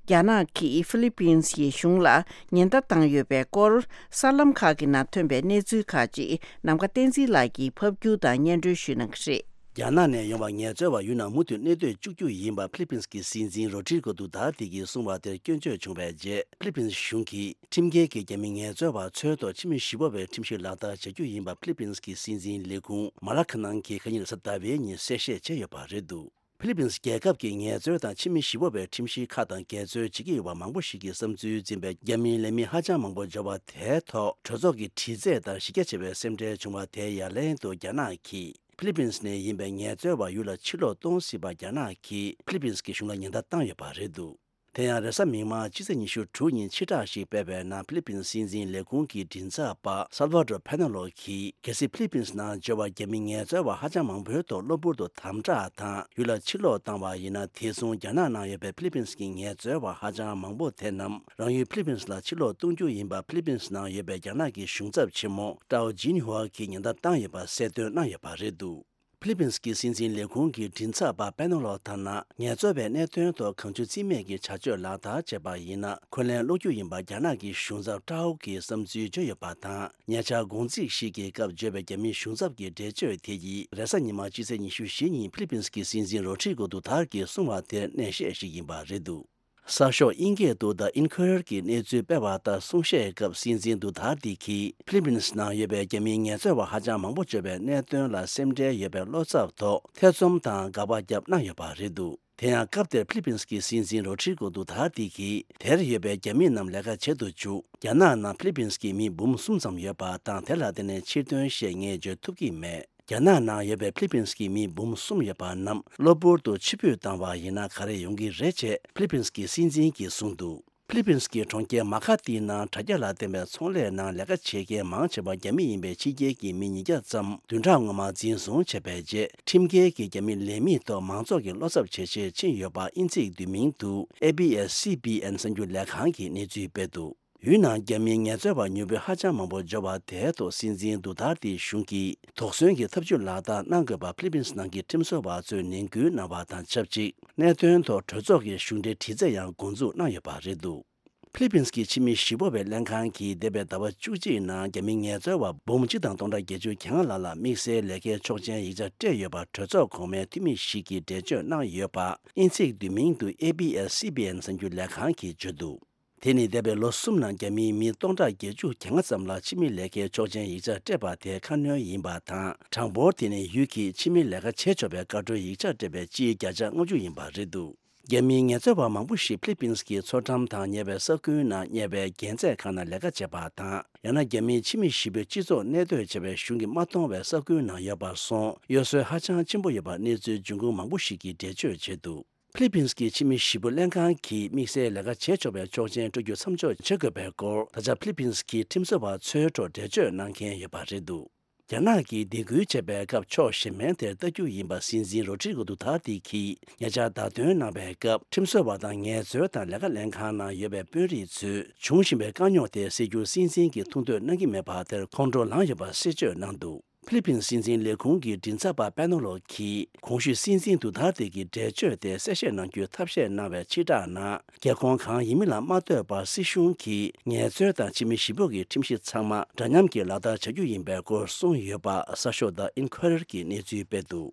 རྒྱ་ནག་གིས་ཧྥི་ལི་པིན་ཡི་གཞུང་ལ་ཉེན་བརྡ་བཏང་ཡོད་པའི་སྐོར། གསར་ལམ་ཁག་གི་ནང་ཐོན་པའི་གནས་ཚུལ་ཁག་ཅིག་ནམ་མཁའ་བསྟན་འཛིན་ལགས་ཀྱིས་ཕབ་སྒྱུར་དང་སྙན་སྒྲོན་ཞུ་གནང་གི་རེད། རྒྱ་ནག་ནས་ཡོང་བའི་ངལ་རྩོལ་བ་ཡུལ་ནང་མུ་མཐུད་གནས་སྡོད་བཅུག་རྒྱུ་ཡིན་པ་ཧྥི་ལི་པིན་གྱི་སྲིད་འཛིན་རོ་ཌི་རི་གོ་ཌུ་ཏར་ཏེ་གིས་གསུངས་པ་དེར་སྐྱོན་བརྗོད་བྱུང་བའི་རྗེས། ཧྥི་ལི་པིན་གཞུང་གིས་ཁྲིམས་འགལ་གྱི་རྒྱ་མི་ངལ་རྩོལ་བ་འཚོལ་ཐོག་ཕྱི་མི་གཞིས་སྤོ་བའི་ཁྲིམས་གཞི་ལག་བསྟར་བྱ་རྒྱུ་ཡིན་པ་ཧྥི་ལི་པིན་གྱི་སྲིད་འཛིན་ལས་ཁུངས་མ་ལ་ཁ་ནང་གིས་ཁ་ཉིན་གཟའ་ཟླ་བའི་ཉིན་གསལ་བཤད་བྱས་ཡོད་པ་རེད་འདུག་ཧྥི་ལི་པིན་རྒྱལ་ཁབ་ཀྱི་ངལ་རྩོལ་དང་ཕྱི་མི་གཞིས་སྤོ་བའི་ཁྲིམས་གཞི་ཁག་དང་འགལ་འཛོལ་བྱེད་ཀྱི་ཡོད་པ་མང་པོ་ཞིག་གི་བསམ་ཚུལ་འཛིན་པའི་རྒྱ་མིའི་ལས་མི་ཧ་ཅང་མང་པོ་འབྱོར་བ་དེའི་ཐོག་གྲོས་ཚོགས་ཀྱི་དྲི་རྩད་དང་གཞི་རྒྱ་ཆེ་བའི་སེམས་ཁྲལ་བྱུང་བ་དེའི་ཡ་ལན་དུ་རྒྱ་ནག་གིས་ཧྥི་ལི་པིན་ནས་ཡིན་པའི་ངལ་རྩོལ་བ་ཡུལ་ལ་ཕྱིར་ལོག་གཏོང་སྲིད་པ་རྒྱ་ནག་གིས་ཧྥི་ལི་པིན་གྱི་གཞུང་ལ་ཉེན་བརྡ་བཏང་ཡོད་པ་རེད་འདུག་དེ་ཡང་རེས་གཟའ་མིག་དམར་སྤྱི་ཚེས་ཉི་ཤུ་དྲུག་ཉིན་ཕྱིར་བསྒྲགས་ཤིག་སྤེལ་བའི་ནང་ཧྥི་ལི་པིན་སྲིད་འཛིན་ལས་ཁུངས་ཀྱི་མགྲིན་ཚབ་པ་སལ་ཝ་ཏོར་ཕེ་ནོ་ལོ་གིས་གལ་སྲིད་ཧྥི་ལི་པིན་ནང་འབྱོར་བ་རྒྱ་མི་ངལ་རྩོལ་བ་ཧ་ཅང་མང་པོའི་ཐོག་གློ་བུར་དུ་དམ་དྲག་དང་ཡུལ་ལ་ཕྱིར་ལོག་བཏང་བ་ཡིན་ན། དེ་མཚུངས་རྒྱ་ནག་ནང་ཡོད་པའི་ཧྥི་ལི་པིན་གྱི་ངལ་རྩོལ་བ་ཧ་ཅང་མང་པོ་དེ་རྣམས་རང་ཡུལ་ཧྥི་ལི་པིན་ལ་ཕྱིར་ལོག་གཏོང་རྒྱུ་ཡིན་པ་ཧྥི་ལི་པིན་ནང་ཡོད་པའི་རྒྱ་ནག་གི་གཞུང་ཚབ་ཆེན་མོ་ཀྲའོ་ཇིན་ཧུའ་གིས་ཉེན་བརྡ་བཏང་ཡོད་པ་གསལ་སྟོན་གནང་ཡོད་པ་རེད་འདུག་ཧྥི་ལི་པིན་གྱི་སྲིད་འཛིན་ལས་ཁུངས་ཀྱི་མགྲིན་ཚབ་པ་པེ་ནོ་ལོ་ལྟར་ན། ངལ་རྩོལ་བའི་གནད་དོན་ཐོག་གང་བྱུང་རྩིས་མེད་ཀྱི་བྱ་སྤྱོད་ལག་བསྟར་བྱས་པ་ཡིན་ན། འཁོན་ལན་སློག་རྒྱུ་ཡིན་པ་རྒྱ་ནག་གི་གཞུང་ཚབ་ཀྲའོ་གིས་བསམ་ཚུལ་བརྗོད་ཡོད་པ་དང་། ཉེ་ཆར་དགོང་ཚིགས་ཤིག་གི་སྐབས་བརྗོད་པའི་རྒྱ་མིའི་གཞུང་ཚབ་ཀྱི་འགྲེལ་བརྗོད་དེ་ཡིས་རེས་གཟའ་ཉི་མ་སྤྱི་ཚེས་ཉི་ཤུ་བཞི་ཉིན་ཧྥི་ལི་པིན་གྱི་སྲིད་འཛིན་རོ་ཌི་རི་གོ་ཌུ་ཏར་གྱིས་གསུངས་པ་དེར་གནས་བཤད་ཞིག་ཡིན་པ་རེད་འདུག་གསར་ཤོག་དབྱིན་སྐད་དུ་The Inquirer གྱིས་གནས་ཚུལ་སྤེལ་བ་ལྟར། གསུང་བཤད་སྐབས་སྲིད་འཛིན་ཌུ་ཐར་ཏི་གིས་ཧྥི་ལི་པིན་ནང་ཡོད་པའི་རྒྱ་མིའི་ངལ་རྩོལ་བ་ཧ་ཅང་མང་པོ་འབྱོར་བའི་གནད་དོན་ལ་སེམས་ཁྲལ་ཡོད་པའི་བློ་འཚབ་ཐོག་ཐེ་ཚོམ་དང་དགག་པ་བརྒྱབ་གནང་ཡོད་པ་རེད་འདུག་དེ་ཡང་སྐབས་དེར་ཧྥི་ལི་པིན་གྱི་སྲིད་འཛིན་རོ་ཌི་རི་གོ་ཌུ་ཐར་ཏི་གིས། དེར་ཡོད་པའི་རྒྱ་མི་རྣམས་ལས་ཀ་བྱེད་དུ་བཅུག་རྒྱ་ནག་ནང་ཧྥི་ལི་པིན་གྱི་མི་འབུམ་གསུམ་ཙམ་ཡོད་པ་དང་། དེ་ལ་བརྟེན་ནས་ཕྱིར་ཐོན་ཞེས་ངས་བརྗོད་ཐུབ་ཀྱི་མེད། རྒྱ་ནག་ནང་ཡོད་པའི་ཧྥི་ལི་པིན་གྱི་མི་འབུམ་གསུམ་ཡོད་པ་རྣམས་གློ་བུར་དུ་ཕྱིར་འབུད་བཏང་བ་ཡིན་ན་ག་རེ་ཡོང་གི་རེད་ཅེས་ཧྥི་ལི་པིན་གྱི་སྲིད་འཛིན་གྱིས་གསུངས་འདུག་ཧྥི་ལི་པིན་གྱི་གྲོང་ཁྱེར་མ་ཁ་ཏི་ནང་དྲ་རྒྱ་ལ་བརྟེན་པའི་ཚོང་ལས་ནང་ལས་ཀ་བྱེད་མཁན་མང་ཆེ་བ་རྒྱ་མི་ཡིན་པའི་ཕྱི་རྒྱལ་གྱི་མི་ཉིས་བརྒྱ་ཙམ་བདུན་ཕྲག་སྔོན་མ་འཛིན་བཟུང་བྱས་པའི་རྗེས། ཁྲིམས་འགལ་གྱི་རྒྱ་མི་ལས་མིའི་ཐོག་མང་ཚོགས་ཀྱི་བློ་འཚབ་ཇེ་ཆེར་ཕྱིན་ཡོད་པ་དབྱིན་ཚིག་བསྡུས་མིང་དུ་ཨེ་བྷི་ཨེས་སི་བྷི་ཨེན་གསར་འགྱུར་ལས་ཁང་གིས་གནས་ཚུལ་སྤེལ་འདུག་ཡུལ་ནང་རྒྱ་མིའི་ངལ་རྩོལ་བ་མྱུར་པོའི་ཧ་ཅང་མང་པོ་འབྱོར་བ་དེའི་ཐོག་སྲིད་འཛིན་ཌུ་ཐར་ཏིའི་གཞུང་གིས་དོགས་ཟོན་གྱི་ཐབས་ཇུས་ལག་བསྟར་གནང་དགོས་པ་ཧྥི་ལི་པིན་ནང་གི་ཁྲིམས་བཟོ་བ་ཚོས་ནན་སྐུལ་གནང་བ་དང་ཆབས་ཅིག་གནད་དོན་ཐོག་གྲོས་ཚོགས་ཀྱི་གཞུང་འབྲེལ་དྲི་རྩད་ཡང་འགོ་འཛུགས་གནང་ཡོད་པ་རེད་འདུག་ཧྥི་ལི་པིན་གྱི་ཕྱི་མི་གཞིས་སྤོ་བའི་ལྷན་ཁང་གིས་འདས་པའི་ཟླ་བ་བཅུ་གཅིག་ནང་རྒྱ་མི་ངལ་རྩོལ་བ་འབུམ་གཅིག་དང་སྟོང་ཕྲག་བརྒྱད་ཅུ་གྱ་ལྔ་ལྷག་ལ་དམིགས་བསལ་ལས་ཀའི་ཆོག་མཆན་ཡིག་ཆ་སྤྲད་ཡོད་པ་གྲོས་ཚོགས་གོང་མའི་འཐུས་མི་ཞིག་གིས་འགྲེལ་བརྗོད་གནང་ཡོད་པ་དབྱིན་ཚིག་བསྡུས་མིང་དུ་ཨེ་བྷི་ཨེས་སི་བྷི་ཨེན་གསར་འགྱུར་ལས་ཁང་གིས་བརྗོད་འདུག་དེ་ནི་འདས་པའི་ལོ་གསུམ་ནང་རྒྱ་མིའི་མི་སྟོང་ཕྲག་བརྒྱད་ཅུ་གྱ་ལྔ་ཙམ་ལ་ཕྱི་མི་ལས་ཀའི་ཆོག་མཆན་ཡིག་ཆ་སྤྲད་པ་དེ་ཁ་སྣོན་ཡིན་པ་དང་། གྲངས་འབོར་དེ་ནི་ཡུལ་གྱིས་ཕྱི་མི་ལས་ཀ་བྱེད་ཆོག་པའི་བཀའ་འཁྲོལ་ཡིག་ཆ་སྤྲད་པའི་སྤྱིའི་བརྒྱ་ཆ་ལྔ་བཅུ་ཡིན་པ་རེད་འདུག་རྒྱ་མིའི་ངལ་རྩོལ་བ་མང་པོ་ཞིག་ཕི་ལི་པིན་གྱི་མཚོ་འགྲམ་དང་ཉེ་བའི་ས་ཁུལ་ནང་གཉེར་བའི་རྒྱལ་རྩེད་ཁང་ནང་ལས་ཀ་བྱེད་པ་དང་། ཡང་ན་རྒྱ་མིའི་ཕྱི་མི་གཞིས་སྤོས་སྤྱི་ཚོགས་གནས་སྡོད་བྱ་བའི་གཞུང་གིས་མ་གཏོང་བའི་ས་ཁུལ་ནང་ཡོད་པར་སོང་གཡོ་ཟོལ་ཧ་ཅང་ཆེན་པོ་ཡོད་པ་གནས་ཚུལ་འབྱུང་ཁུངས་མང་པོ་ཞིག་གིས་འགྲེལ་བརྗོད་བྱས་འདུག་ཕི་ལི་པིན་གྱི་ཕྱི་མི་གཞིས་སྤོས་ལྷན་ཁང་གིས་དམིགས་བསལ་ལས་ཀ་བྱེད་ཆོག་པའི་ཆོག་མཆན་སྤྲོད་རྒྱུ་མཚམས་འཇོག་བྱེད་དགོས་པའི་སྐོར་ད་ཆ་ཕི་ལི་པིན་གྱི་ཁྲིམས་བཟོ་བ་ཚོའི་ཐོག་འགྲེལ་བརྗོད་གནང་མཁན་ཡོད་པ་རེད་འདུག་རྒྱ་ནག་གིས་སྡིགས་སྐུལ་བྱས་པའི་སྐབས་ཕྱོགས་གཞན་ཕན་དེར་ལྟ་རྒྱུ་ཡིན་པ་སྲིད་འཛིན་རོ་ཌི་རི་གོ་དུ་ཐར་ཏི་གིས་ཉེ་ཆར་བརྡ་སྟོན་གནང་བའི་སྐབས། ཁྲིམས་བཟོ་བ་དང་ངལ་རྩོལ་དང་ལས་ཀ་ལེན་ཁང་ནང་ཡོད་པའི་དཔོན་རིགས་ཚོས་འབྱུང་བཞིན་པའི་དཀའ་རྙོག་དེ་སེལ་རྒྱུར་སྲིད་འཛིན་གྱིས་ཐུགས་འདོད་གནང་གི་མེད་པ་དེར་ཁོང་ཁྲོ་ལངས་ཡོད་པ་གསལ་བརྗོད་གནང་འདུག་ཕི་ལི་པིན་སྲིད་འཛིན་ལས་ཁུངས་ཀྱི་མགྲིན་ཚབ་པ་པེ་ནོ་ལོ་གིས་གོང་ཞུས་སྲིད་འཛིན་དུ་ཐར་ཏེ་གི་འགྲེལ་བརྗོད་དེ་གསལ་བཤད་གནང་རྒྱུའི་ཐབས་ཤེས་གནང་བའི་ཕྱིར་བསྒྲགས་ནང་། རྒྱལ་ཁོངས་གང་ཡིན་མིན་ལ་མ་ལྟོས་པར་སྲིད་གཞུང་གིས་ངལ་རྩོལ་དང་ཕྱི་མི་གཞིས་སྤོས་ཀྱི་ཁྲིམས་གཞི་ཚང་མ་འདྲ་མཉམ་གྱིས་ལག་བསྟར་བྱ་རྒྱུ་ཡིན་པའི་སྐོར་གསུངས་ཡོད་པ་གསར་ཤོག་The Inquirer་གྱིས་གནས་ཚུལ་སྤེལ་འདུག་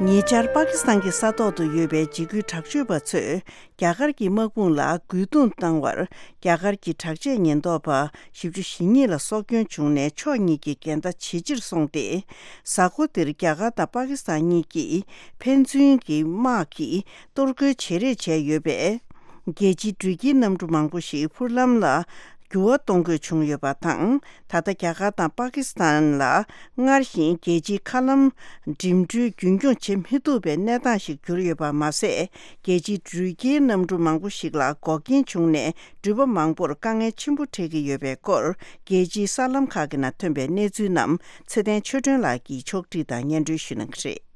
ཉེ་ཆར་པ་ཀི་སི་ཐན་གྱི་ས་ཐོག་ཏུ་ཡོད་པའི་འཇིགས་སྐུལ་དྲག་སྤྱོད་པ་ཚོས་རྒྱ་གར་གྱི་དམག་དཔུང་ལ་རྒོལ་རྡུང་བཏང་བར། རྒྱ་གར་གྱི་དྲག་ཆས་ཉེན་རྟོག་པ་བཞི་བཅུ་ཞེ་གཉིས་ལ་སྲོག་སྐྱོན་བྱུང་ནས་ཕྱོགས་གཉིས་ཀྱི་འགལ་ཟླ་ཇེ་ཆེར་སོང་སྟེ། གཟའ་འཁོར་འདིར་རྒྱ་གར་དང་པ་ཀི་སི་ཐན་གཉིས་ཀྱིས་ཕན་ཚུན་གྱི་དམག་གིས་གཏོར་རྒོལ་བྱེད་རེས་བྱས་ཡོད་པས། རྒྱལ་སྤྱིའི་འགྲུལ་སྐྱེལ་གནམ་གྲུ་མང་པོ་ཞིག་འཕུར་ལམ་ལ་འགྱུར་བ་གཏོང་དགོས་བྱུང་ཡོད་པ་དང་། ད་ལྟ་རྒྱ་གར་དང་པ་ཀི་སི་ཐན་ལ་སྔར་བཞིན་རྒྱལ་སྤྱིའི་མཁའ་ལམ་འགྲིམ་འགྲུལ་རྒྱུན་འཁྱོངས་བྱེད་མི་ཐུབ་པའི་གནས་སྟངས་ཤིག་གྱུར་ཡོད་པ་མ་ཟད། རྒྱལ་སྤྱིའི་འགྲུལ་སྐྱེལ་གནམ་གྲུ་མང་པོ་ཞིག་ལ་འགོག་རྐྱེན་བྱུང་ནས། འགྲུལ་པ་མང་པོར་དཀའ་ངལ་ཆེན་པོ་འཕྲད་ཀྱི་ཡོད་པའི་སྐོར། རྒྱལ་སྤྱིའི་གསར་ལམ་ཁག་གི་ནང་ཐོན་པའི་གནས་ཚུལ་རྣམས་ཚེ་བརྟན་ཆོས་སྒྲོན་ལགས་ཀྱིས་ཕྱོགས་བསྒྲིགས་དང་སྙན་སྒྲོན་ཞུ་གནང་གི་རེད།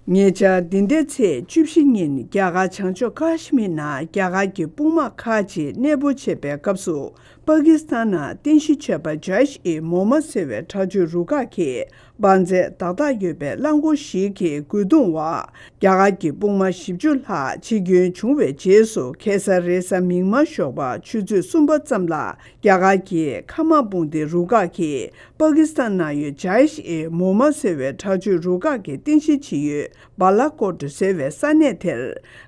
ཉེ་ཆར་འདི་ཟླའི་ཚེས་བཅུ་བཞི་ཉིན་རྒྱ་གར་བྱང་ཕྱོགས་ཀ་ཤི་མིར་ནང་རྒྱ་གར་གྱི་དཔུང་དམག་ཁག་ཅིག་གནས་སྤོ་བྱེད་པའི་སྐབས་སུ། པ་ཀི་སི་ཐན་ནང་རྟེན་གཞི་བྱས་པ་ཇཱིཤ་ཨི་མོ་མ་ཟེར་བའི་དྲག་སྤྱོད་རུ་ཁག་གི་དབང་མཛད་བརྡ་རྟགས་ཡོད་པའི་རླངས་འཁོར་ཞིག་གི་རྒོལ་རྡུང་འོག་རྒྱ་གར་གྱི་དཔུང་དམག་བཞི་བཅུ་ལྷག་འཆི་སྐྱོན་བྱུང་བའི་རྗེས་སུ། ཁ་སང་རེས་གཟའ་མིག་དམར་ཞོགས་པ་ཆུ་ཚོད་གསུམ་པ་ཙམ་ལ། རྒྱ་གར་གྱི་མཁའ་དམག་དཔུང་སྡེ་རུ་ཁག་གིས་པ་ཀི་སི་ཐན་ནང་ཡོད་ཇཱིཤ་ཨི་མོ་མ་ཟེར་བའི་དྲག་སྤྱོད་རུ་ཁག་གི་རྟེན་གཞི་བྱེད་ཡུལ་བཱ་ལ་ཀོཊ་ཟེར་བའི་ས་གནས་དེར་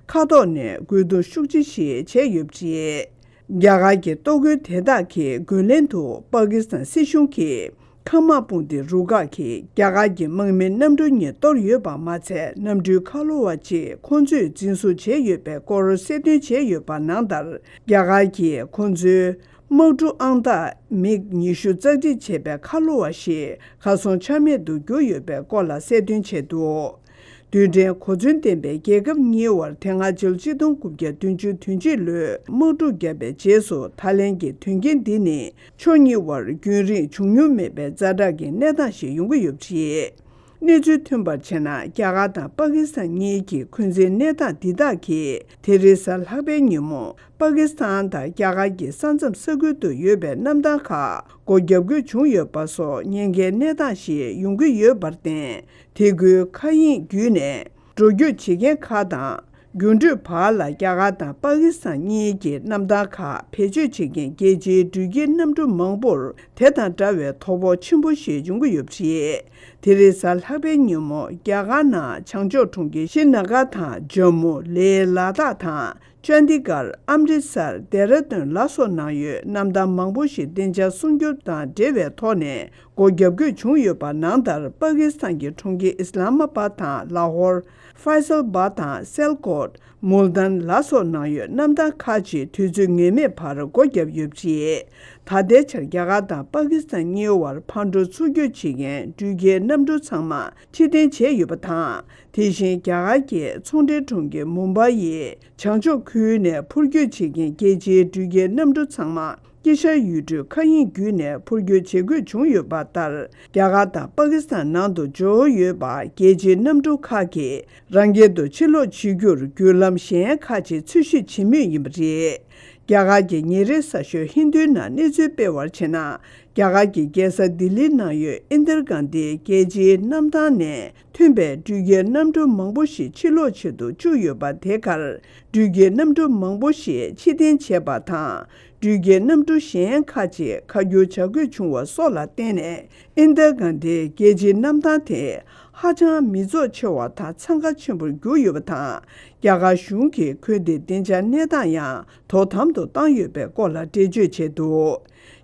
མཁའ་ཐོག་ནས་རྒོལ་རྡུང་ཤུགས་ཆེ་ཞིག་བྱས་ཡོད་པ་རེད། རྒྱ་གར་གྱི་གཏོར་རྒོལ་དེ་དག་གི་རྒོལ་ལན་དུ་པ་ཀི་སི་ཐན་སྲིད་གཞུང་གིས། མཁའ་དམག་དཔུང་སྡེ་རུ་ཁག་གིས་རྒྱ་གར་གྱི་དམག་མི་གནམ་གྲུ་གཉིས་གཏོར་ཡོད་པ་མ་ཚད། གནམ་གྲུའི་ཁ་ལོ་བ་གཅིག་ཁོང་ཚོས་འཛིན་བཟུང་བྱས་ཡོད་པའི་སྐོར་གསལ་སྟོན་བྱས་ཡོད་པ་ནང་ལྟར། རྒྱ་གར་གྱིས་ཁོང་ཚོའི་དམག་གྲུ་ཨང་རྟགས་མིག་ཉི་ཤུ་རྩ་གཅིག་བྱས་པའི་ཁ་ལོ་བ་ཞིག་གར་སོང་ཆ་མེད་དུ་གྱུར་ཡོད་པའི་སྐོར་ལ་གསལ་སྟོན་བྱས་འདུག་རྡུལ་ཕྲན་གོ་མཚོན་ལྡན་པའི་རྒྱལ་ཁབ་གཉིས་དབར་དེ་སྔ་ཕྱི་ལོ་ཆིག་སྟོང་དགུ་བརྒྱ་བདུན་ཅུ་དོན་གཅིག་ལོའི་དམག་འཁྲུག་བརྒྱབ་པའི་རྗེས་སུ། ད་ལན་གྱི་དོན་རྐྱེན་འདི་ནི་ཕྱོགས་གཉིས་དབར་རྒྱུན་རིང་བྱུང་མྱོང་མེད་པའི་ཛ་དྲག་གི་གནས་སྟངས་ཤིག་ཡོང་གི་ཡོད་པ་རེད། གནས་ཚུལ་ཐོན་པར་བྱས་ན། རྒྱ་གར་དང་པ་ཀི་སི་ཐན་གཉིས་ཀྱི་འཁོན་འཛིན་གནས་སྟངས་འདི་དག་གིས། དེ་རིང་གཟའ་ལྷག་པའི་ཉིན་མོ། པ་ཀི་སི་ཐན་དང་རྒྱ་གར་གྱི་ས་མཚམས་ས་ཁུལ་དུ་ཡོད་པའི་གནམ་ཐང་ཁག་སྒོ་བརྒྱབ་དགོས་བྱུང་ཡོད་པ་སོགས་ཉེན་ཁའི་གནས་སྟངས་ཤིག་ཡོང་གི་ཡོད་པར་བརྟེན། དེ་ཁུལ་མཁའ་དབྱིངས་བརྒྱུད་ནས་འགྲོ་སྐྱོད་བྱེད་མཁན་ཁག་དང་། རྒྱུན་འགྲུལ་བར་ལ་རྒྱ་གར་དང་པ་ཀི་སི་ཐན་གཉིས་ཀྱི་གནམ་ཐང་ཁག་བེད་སྤྱོད་བྱེད་མཁན་རྒྱལ་སྤྱིའི་འགྲུལ་སྐྱེལ་གནམ་གྲུ་མང་པོར་དེ་དང་འདྲ་བའི་དོ་ཕོག་ཆེན་པོ་ཞིག་འབྱུང་གི་ཡོད་པ་རེད། དེ་རིང་གཟའ་ལྷག་པའི་ཉིན་མོ། རྒྱ་གར་ནང་བྱང་ཕྱོགས་གྲོང་ཁྱེར་ཤྲི་ན་གར་དང་། ཇམ་མུ། ལེ། ལ་དྭགས་དང་། ཅན་དི་གར། ཨམ་རི་སར། ལྡེ་ར་ལྡུན་ལ་སོགས་ནང་ཡོད་གནམ་ཐང་མང་པོ་ཞིག་བདེ་འཇགས་སྲུང་སྐྱོབ་དང་འབྲེལ་བའི་ཐོག་ནས་སྒོ་བརྒྱབ་དགོས་བྱུང་ཡོད་པ་ནང་ལྟར། པ་ཀི་སི་ཐན་གྱི་གྲོང་ཁྱེར་ཨི་སི་ལ་མ་པཱད་དང་། ལ་ཧོར། ཧྥའི་སལ་བཱད་དང་། སེལ་ཀོཊ། མུལ་ཏན་ལ་སོགས་ནང་ཡོད་གནམ་ཐང་ཁག་ཅིག་དུས་ཚོད་ངེས་མེད་བར་སྒོ་བརྒྱབ་ཡོད་པ་རེད། ད་ལྟའི་ཆར་རྒྱ་གར་དང་པ་ཀི་སི་ཐན་གཉིས་དབར་ཕར་འགྲོ་ཚུར་སྐྱོད་བྱེད་མཁན་འགྲུལ་སྐྱེལ་གནམ་གྲུ་ཚང་མ་ཕྱིར་འཐེན་བྱས་ཡོད་པ་དང་། དེ་བཞིན་རྒྱ་གར་གྱི་ཚོང་འབྲེལ་གྲོང་ཁྱེར་མུམ་བྷའི་ཡི་བྱང་ཕྱོགས་ཁུལ་ནས་འཕུར་སྐྱོད་བྱེད་མཁན་རྒྱལ་སྤྱིའི་འགྲུལ་སྐྱེལ་གནམ་གྲུ་ཚང་མ། དཀྱིལ་ཤར་ཡུལ་གྲུའི་མཁའ་དབྱིངས་བརྒྱུད་ནས་འཕུར་སྐྱོད་བྱེད་དགོས་བྱུང་ཡོད་པ་ལྟར། རྒྱ་གར་དང་པ་ཀི་སི་ཐན་ནང་དུ་འབྱོར་ཡོད་པ་རྒྱལ་སྤྱིའི་གནམ་གྲུ་ཁག་གིས་རང་རྒྱལ་དུ་ཕྱིར་ལོག་བྱེད་རྒྱུར་བརྒྱུད་ལམ་གཞན་ཁག་ཅིག་འཚོལ་ཞིབ་བྱེད་མུས་ཡིན་པ་རེད། རྒྱ་གར་གྱི་ཉིན་རེའི་གསར་ཤོག་ཧིན་དུའི་ནང་གནས་ཚུལ་སྤེལ་བར་བྱས་ན། རྒྱ་གར་གྱི་རྒྱལ་ས་ལྡི་ལིའི་ནང་ཡོད་ཨིན་དིར་གྷན་དྷི་རྒྱལ་སྤྱིའི་གནམ་ཐང་ནས་ཐོན་པའི་འགྲུལ་སྐྱེལ་གནམ་གྲུ་མང་པོ་ཞིག་ཕྱིར་ལོག་བྱེད་དུ་བཅུག་ཡོད་པ། དེ་གར་འགྲུལ་སྐྱེལ་གནམ་གྲུ་མང་པོ་ཞིག་ཕྱིར་འཐེན་བྱས་པ་དང་། འགྲུལ་སྐྱེལ་གནམ་གྲུ་གཞན་ཁག་ཅིག་ཁ་བསྒྱུར་བྱ་དགོས་བྱུང་བ་སོགས་ལ་བརྟེན་ནས། ཨིན་དིར་གྷན་དྷི་རྒྱལ་སྤྱིའི་གནམ་ཐང་དེ་ ཧ་ཅང་མི་ཚོགས་ཆེ་བ་དང་འཚང་ཁ་ཆེན་པོར་གྱུར་ཡོད་པ་དང་། རྒྱ་གར་གཞུང་གིས་ཁུལ་དེའི་བདེ་འཇགས་གནས་སྟངས་ཡང་དོ་དམ་དུ་བཏང་ཡོད་པའི་སྐོར་ལ་འགྲེལ་བརྗོད་བྱས་འདུག་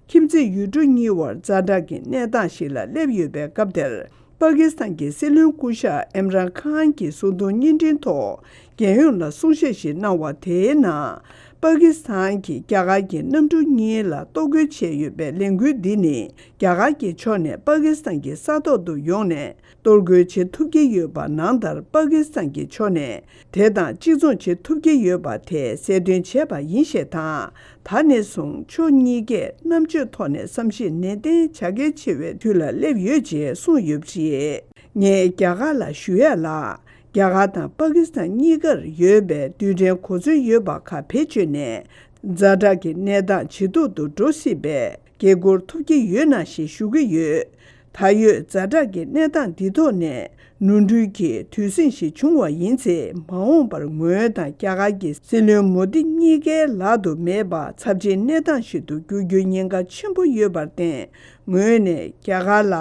ཁྱིམ་མཚེས་ཡུལ་གྲུ་གཉིས་བར་ཛ་དྲག་གི་གནས་སྟངས་ཤིག་ལ་སླེབས་ཡོད་པའི་སྐབས་དེར། པ་ཀི་སི་ཐན་གྱི་སྲིད་བློན་སྐུ་ཞབས་ཨིམ་རན་ཁཱན་གྱིས་གསུང་དོན་བརྙན་འཕྲིན་ཐོག་རྒྱལ་ཡོངས་ལ་གསུང་བཤད་ཞིག་གནང་བ་དེའི་ནང་། པ་ཀི་སི་ཐན་གྱིས་རྒྱ་གར་གྱི་གནམ་གྲུ་གཉིས་ལ་གཏོར་རྒོལ་བྱས་ཡོད་པའི་ལས་འགུལ་འདི་ནི། རྒྱ་གར་གྱི་ཕྱོགས་ནས་པ་ཀི་སི་ཐན་གྱི་ས་ཐོག་ཏུ་ཡོང་ནས་གཏོར་རྒོལ་བྱེད་ཐུབ་ཀྱི་ཡོད་པ། ནང་ལྟར་པ་ཀི་སི་ཐན་གྱི་ཕྱོགས་ནས་དེ་དང་གཅིག་མཚུངས་བྱེད་ཐུབ་ཀྱི་ཡོད་པ་དེ་གསལ་སྟོན་བྱས་པ་ཡིན་ཞེས་དང་། ད་ནས་བཟུང་ཕྱོགས་གཉིས་ཀས་རྣམ་དཔྱོད་ཐོག་ནས་བསམ་གཞིག་ནན་ཏན་བྱ་གལ་ཆེ་བའི་དུས་ལ་སླེབས་ཡོད་ཅེས་གསུངས་ཡོད་པ་རེད། ངས་རྒྱ་གར་ལ་ཞུ་ཡས་ལ། རྒྱ་གར་དང་པ་ཀི་སི་ཐན་གཉིས་ཀར་ཡོད་པའི་རྡུལ་ཕྲན་གོ་མཚོན་ཡོད་པ་ཁག་བེད་སྤྱོད་ནས། ཛ་དྲག་གི་གནས་སྟངས་ཇེ་སྡུག་ཏུ་འགྲོ་སྲིད་པའི་འགན་འཁུར་ཐུབ་ཀྱི་ཡོད་ན་ཞེས་ཞུ་གི་ཡོད། ད་ཡོད་ཛ་དྲག་གི་གནས་སྟངས་འདི་ཐོག་ནས་ནོར་འཁྲུལ་གྱི་དུས་ཟིང་ཞིག་བྱུང་བ་ཡིན་ཚེ། མ་འོངས་པར་ངོས་དང་རྒྱ་གར་གྱི་སྲིད་བློན་མོ་དི་གཉིས་ཀའི་ལག་ཏུ་མེད་པ་ཚབས་ཆེའི་གནས་སྟངས་ཤིག་ཏུ་འགྱུར་རྒྱུའི་ཉེན་ཁ་ཆེན་པོ་ཡོད་པར་བརྟེན། ངོས་ནས་རྒྱ་གར་ལ་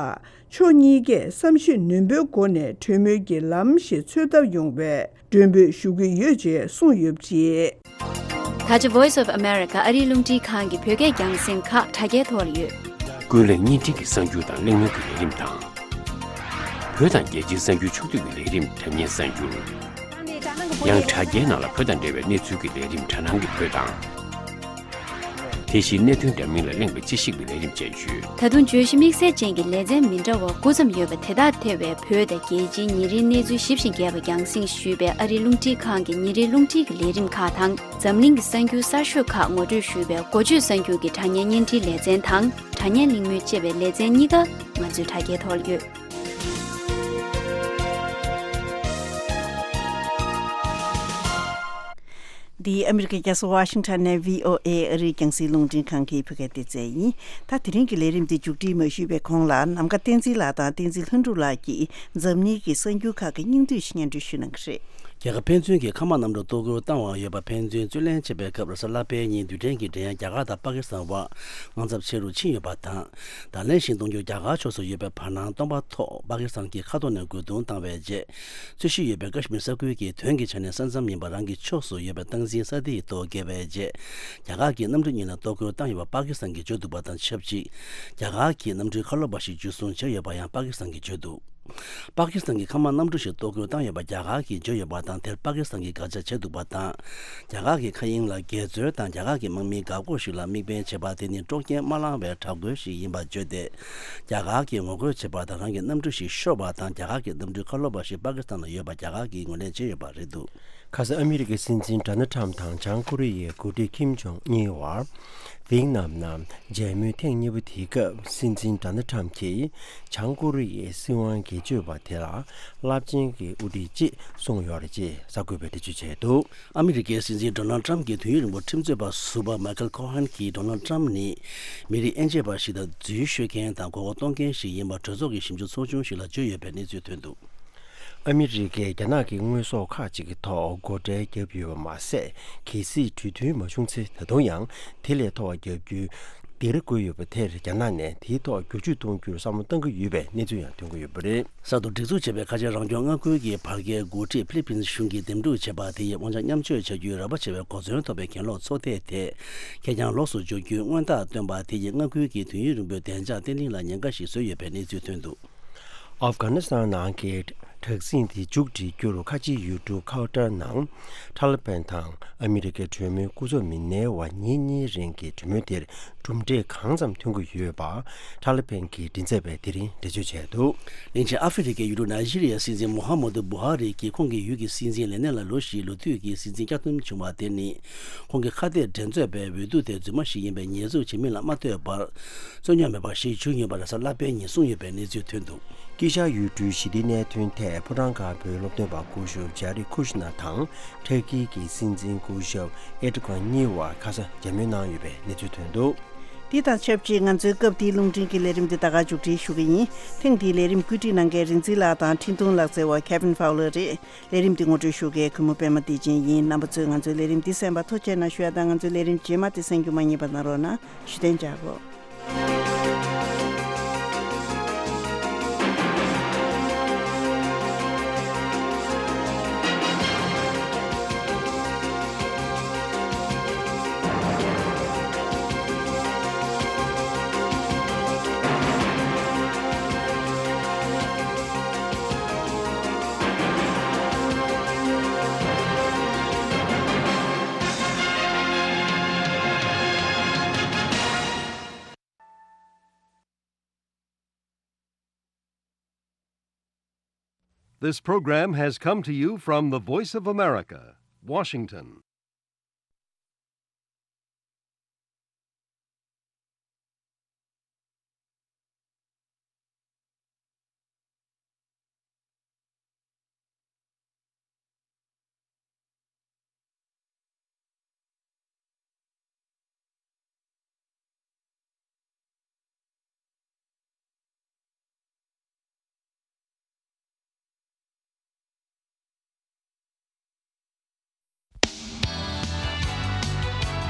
ཕྱོགས་གཉིས་ཀས་བསམ་ཤེས་ནན་པོའི་སྒོ་ནས་གྲོས་མོལ་གྱི་ལམ་ཞིག་འཚོལ་ཐབས་ཡོང་བའི་མགྲོན་འབོད་ཞུ་གི་ཡོད་ཅེས་གསུངས་ཡོད་པ་རེད། ད་ཆ་Voice of America ཨ་རིའི་རླུང་འཕྲིན་ཁང་གི་བོད་སྐད་རྒྱང་སྲིང་ཁག་དྲ་རྒྱའི་ཐོག་ལ་ཡོད། ཀུན་གླེང་བརྙན་འཕྲིན་གྱི་གསར་འགྱུར་དང་གླེང་མོལ་གྱི་ལས་རིམ་དང་། བོད་དང་རྒྱལ་སྤྱིའི་གསར་འགྱུར་ཕྱོགས་བསྡུས་ཀྱི་ལས་རིམ་དྲ་བརྙན་གསར་འགྱུར། ཡང་དྲ་རྒྱའི་ནང་ལ་བོད་དང་འབྲེལ་བའི་གནས་ཚུལ་གྱི་ལས་རིམ་དྲ་སྣང་གི་བོད་དང་། དེ་བཞིན་གནད་དོན་འདྲ་མིན་ལ་གླེང་བའི་དཔྱད་ཞིབ་ཀྱི་ལས་རིམ་བཅས་ཡོད། ད་དུང་བརྗོད་གཞི་དམིགས་བསལ་ཅན་གྱི་ལེ་ཚན་མི་འདྲ་བ་དགུ་ཙམ་ཡོད་པ་དེ་དག་ཐེ་བའི་བོད་དང་རྒྱལ་སྤྱིའི་ཉིན་རེའི་གནས་ཚུལ་ཞིབ་ཅིང་རྒྱས་པ་རྒྱང་སྲིང་ཞུས་པའི་ཨ་རིའི་རླུང་འཕྲིན་ཁང་གི་ཉིན་རེའི་རླུང་འཕྲིན་གྱི་ལས་རིམ་ཁག་དང་། འཛམ་གླིང་གི་གསར་འགྱུར་གསར་ཤོས་ཁག་ངོ་སྤྲོད་ཞུས་པའི་འགོ་བརྗོད་གསར་འགྱུར་གྱི་དྲ་བརྙན་བརྙན་འཕྲིན་ལེ་ཚན་དང་། དྲ་བརྙན་གླེང་མོལ་ཅེས་པའི་ལེ་ཚན་གཉིས་ཀ་ང་ཚོའི་དྲ་རྒྱའི་ཐོག་ལ་ཡོད། འདི་ཨ་མི་རི་ཀའི་རྒྱལ་ས་ཝ་ཤིང་ཊོན་ནས་བྷི་ཨོ་ཨེ་ཨ་རིའི་རྒྱང་སྲིང་རླུང་འཕྲིན་ཁང་གི་བོད་སྐད་སྡེ་ཚན་ཡིན། ད་དེ་རིང་གི་ལས་རིམ་འདི་མཇུག་སྒྲིལ་མ་ཞུས་པའི་གོང་ལ། ནམ་མཁའ་བསྟན་འཛིན་ལགས་དང་བསྟན་འཛིན་ལྷུན་གྲུབ་ལགས་ཀྱིས་འཛམ་གླིང་གི་གསར་འགྱུར་ཁག་གི་སྙིང་བསྡུས་ཤིག་སྙན་སྒྲོན་ཞུ་གནང་གི་རེད། རྒྱ་གར་ཕན་ཚུན་གྱི་མཁའ་དམག་གནམ་གྲུ་གཏོར་རྒོལ་བཏང་བ་ཡོད་པ་ཕན་ཚུན་རྩོད་གླེང་བྱས་པའི་སྐབས། རེས་གཟའ་ལྷག་པའི་ཉིན་རྡུལ་ཕྲན་གྱི་འགྲན་ཡ་རྒྱ་གར་དང་པ་ཀི་སི་ཐན་བར་དངངས་འཚབ་ཆེ་རུ་ཕྱིན་ཡོད་པ་དང་། ད་ལན་ཞིག་གཏོང་རྒྱུ་རྒྱ་གར་ཕྱོགས་སུ་ཡོད་པའི་བར་སྣང་སྟོང་པ་ཐོག་པ་ཀི་སི་ཐན་གྱི་ཁ་ཐོག་ནས་རྒོལ་རྡུང་བཏང་བའི་རྗེས། རྩོད་གཞི་ཡོད་པའི་ཀ་ཤི་མིར་ས་ཁུལ་གྱི་དོན་གྱི་ཆ་ནས་ས་མཚམས་ཡིན་པ་རང་གི་ཕྱོགས་སུ་ཡོད་པའི་སྟངས་འཛིན་ས་དེའི་ཐོག་བཀལ་བའི་རྗེས། རྒྱ་གར་གྱིས་གནམ་གྲུ་གཉིས་ལ་གཏོར་རྒོལ་བཏང་ཡོད་པ་པ་ཀི་སི་ཐན་གྱིས་བརྗོད་འདུག་པ་དང་ཆབས་ཅིག་རྒྱ་གར་གྱིས་གནམ་གྲུའི་ཁ་ལོ་པ་ཞིག་འཇུ་བཟུང་བྱས་ཡོད་པ་ཡང་པ་ཀི་སི་ཐན་གྱིས་བརྗོད་འདུག་པ་ཀི་སི་ཐན་གྱི་མཁའ་དམག་གནམ་གྲུ་ཞིག་གཏོར་རྒོལ་བཏང་ཡོད་པ་རྒྱ་གར་གྱིས་བརྗོད་ཡོད་པ་དང་། དེར་པ་ཀི་སི་ཐན་གྱིས་དགག་བྱ་བྱས་འདུག་པ་དང་། རྒྱ་གར་གྱི་མཁའ་དབྱིངས་ལ་འགལ་འཛོལ་དང་། རྒྱ་གར་གྱི་དམག་མིའི་འགག་སྒོ་ཞིག་ལ་དམིགས་འབེན་བྱས་པ་དེ་ནི་དཀྲོག་རྐྱེན་མ་བསླངས་པའི་དྲག་རྒོལ་ཞིག་ཡིན་པར་བརྗོད་དེ། རྒྱ་གར་གྱིས་ངོ་རྒོལ་བྱས་པ་དང་། རང་གི་གནམ་གྲུ་ཞིག་ཤོར་བ་དང་། རྒྱ་གར་གྱི་གནམ་གྲུའི་ཁ་ལོ་པ་ཞིག་པ་ཀི་སི་ཐན་ལ་ཡོད་པ་རྒྱ་གར་གྱིས་ངོས་ལེན་བྱས་ཡོད་པ་རེད་འདུག་ཁ་སང་ཨ་མི་རི་ཀའི་སྲིད་འཛིན་ཌོ་ནལ་ཊམ་དང་བྱང་ཀོ་རི་ཡའི་འགོ་ཁྲིད་ཁིམ་ཇོང་ཨུན་བར་ཝིའེ་ནམ་ནང་མཇལ་མོལ་ཐེངས་གཉིས་པ་དེའི་སྐབས། སྲིད་འཛིན་ཌོ་ནལ་ཊམ་གྱིས་བྱང་ཀོ་རི་ཡའི་སྲིད་དབང་སྒེར་གཅོད་པ་དེ་ལ་རླབས་ཆེན་གྱི་དབུ་ཁྲིད་ཅེས་གསུངས་ཡོད་རེད་ཅེས་གསར་འགོད་པས་འགྲེལ་བརྗོད་བྱས་འདུག་ཨ་མི་རི་ཀའི་སྲིད་འཛིན་ཌོ་ནལ་ཊམ་གྱི་དུས་ཡུན་རིང་པོ་ཁྲིམས་རྩོད་པ་ཟུར་པ་མའི་ཁལ་ཁོ་ཧན་གྱིས། ཌོ་ནལ་ཊམ་ནི་མི་རིགས་དབྱེ་འབྱེད་པ་ཞིག་དང་། རྫུན་ཤོད་མཁན་དང་མགོ་སྐོར་གཏོང་མཁན་ཞིག་ཡིན་པ་གྲོས་ཚོགས་ཀྱི་ཞིབ་འཇུག་ཚོགས་ཆུང་ཞིག་ལ་བརྗོད་ཡོད་པའི་གནས་ཚུལ་ཐོན་འདུག་ཨ་མི་རི་ཀས་རྒྱ་ནག་གི་དངོས་ཟོག་ཁག་ཅིག་གི་ཐོག་སྒོ་ཁྲལ་བརྒྱབ་ཡོད་པ་མ་ཟད། གལ་སྲིད་གྲོས་མཐུན་མ་བྱུང་ཚེ། ད་དུང་ཡང་དེ་ལས་མཐོ་བ་བརྒྱབ་རྒྱུའི་སྡིགས་ར་བསྐུལ་ཡོད་པ་དེར། རྒྱ་ནག་ནས་དེའི་ཐོག་བསྒྱུར་བཅོས་གཏོང་རྒྱུར་བསམ་བློ་གཏང་གི་ཡོད་པའི་གནས་ཚུལ་ཡང་ཐོན་གྱི་ཡོད་པ་རེད། གསར་དུ་སྒྲིག་འཛུགས་བྱས་པའི་ཁ་ཆེ་རང་སྐྱོང་མངའ་ཁུལ་གྱི་བར་བརྒལ་འགོ་ཁྲིད་ཕི་ལི་པིན་གཞུང་གིས་འདེམས་སྒྲུག་བྱས་པ་དེ་ཡིས་དབང་ཆ་མཉམ་སྤྱོད་བྱ་རྒྱུའི་རགས་པ་ཆེ་བའི་གོ་མཚོན་ཐོབ་པའི་གྱེན་ལོག་ཚོགས་སྡེ་དེ་ཁེར་རྐྱང་ལོགས་སུ་འཇོག་རྒྱུའི་སྔོན་རྟགས་བཏོན་པ་དེ་ཡིས་མངའ་ཁུལ་གྱི་དུས་ཡུན་རིང་པོའི་བདེ་འཇགས་བརྟན་ལྷིང་ལ་ཉེན་ཁ་ཞིག་བཟོས་ཡོད་པའི་གནས་ཚུལ་ཐོན་འདུག་ཨབ་གྷ་ནི་སི་ཐན་ནང་གི་དྲག་ཟིང་དེ་མཇུག་སྒྲིལ་རྒྱུར། ཁ་ཆེའི་ཡུལ་གྲུ་ཁའོ་ཏར་ནང་ཐ་ལི་བན་དང་ཨ་མི་རི་ཀའི་གྲོས་མོལ་སྐུ་ཚབ་མི་སྣའི་དབར་ཉིན་གཉིས་རིང་གི་གྲོས་མོལ་དེར་གྲུབ་འབྲས་གང་ཙམ་ཐོན་གྱི་ཡོད་པ་ཐ་ལི་བན་གྱི་མགྲིན་ཚབ་པས་དེ་རིང་འགྲེལ་བརྗོད་བྱས་འདུག་ལན་ཆེན་ཨ་ཧྥེ་རི་ཁའི་ཡུལ་གྲུ་ནཱི་ཇི་རི་ཡའི་སྲིད་འཛིན་མུ་ཧམ་མད་བུ་ཧ་རི་གིས་ཁོང་གི་ཡུལ་གྱི་སྲིད་འཛིན་ལས་གནས་ལ་ལོ་བཞིའི་ལོ་དུས་ཀྱི་སྲིད་འཛིན་བསྐྱར་འདེམས་བྱུང་བ་དེ་ནི། ཁོང་གི་ཁ་གཏད་འགྲན་རྩོད་པའི་འོས་བསྡུ་དེ་རྫུན་མ་ཞིག་ཡིན་པའི་ཉེས་འཛུགས་བྱེད་མིན་ལ་མ་ལྟོས་པར། རྩོད་རྙོག་མེད་པ་ཞིག་བྱུང་ཡོད་པ་རེས་གཟའ་ལྷག་པའི་ཉིན་གསུངས་ཡོད་པའི་གནས་ཚུལ་ཐོན་འདུག་དཀྱིལ་ཤར་ཡུལ་གྲུའི་ཞི་བདེའི་གནད་དོན་ཐད་ཕོ་བྲང་དཀར་པོའི་སློབ་སྟོན་པ་སྐུ་ཞབས་ཇཱ་རེད་ཁུ་ཤི་ནར་དང་ཐར་ཀི་གི་སྲིད་འཛིན་སྐུ་ཞབས་ཨེར་ཏོ་གྷན་གཉིས་བར་ཁ་སང་མཇལ་མོལ་གནང་ཡོད་པའི་གནས་ཚུལ་ཐོན་འདུག་འདི་དང་ཆབས་ཅིག་ང་ཚོའི་སྐབས་འདིའི་རླུང་འཕྲིན་གྱི་ལས་རིམ་འདི་ད་ག་མཇུག་སྒྲིལ་ཞུ་གི་ཡིན། ཐེངས་འདིའི་ལས་རིམ་བཀོད་སྒྲིག་གནང་མཁན་རིག་འཛིན་ལགས་དང་འཕྲིན་གཏོང་ལག་རྩལ་བ་Kevin Fowler་རེད། ལས་རིམ་འདི་ངོ་སྤྲོད་ཞུ་མཁན་གུས་མོ་པད་མ་བདེ་ཆེན་ཡིན། རྣམ་པ་ཚོས་ང་ཚོའི་ལས་རིམ་འདི་གསན་པར་ཐུགས་རྗེ་གནང་ཞུ་ཡ་དང་། ང་ཚོའི་ལས་རིམ་རྗེས་མ་དེ་གསན་རྒྱུ་མ་བསྙེལ་བ་གནང་རོགས་གནང་། བཞུགས་གདན་འཇགས་སྒོ། This program has come to you from the Voice of America, Washington.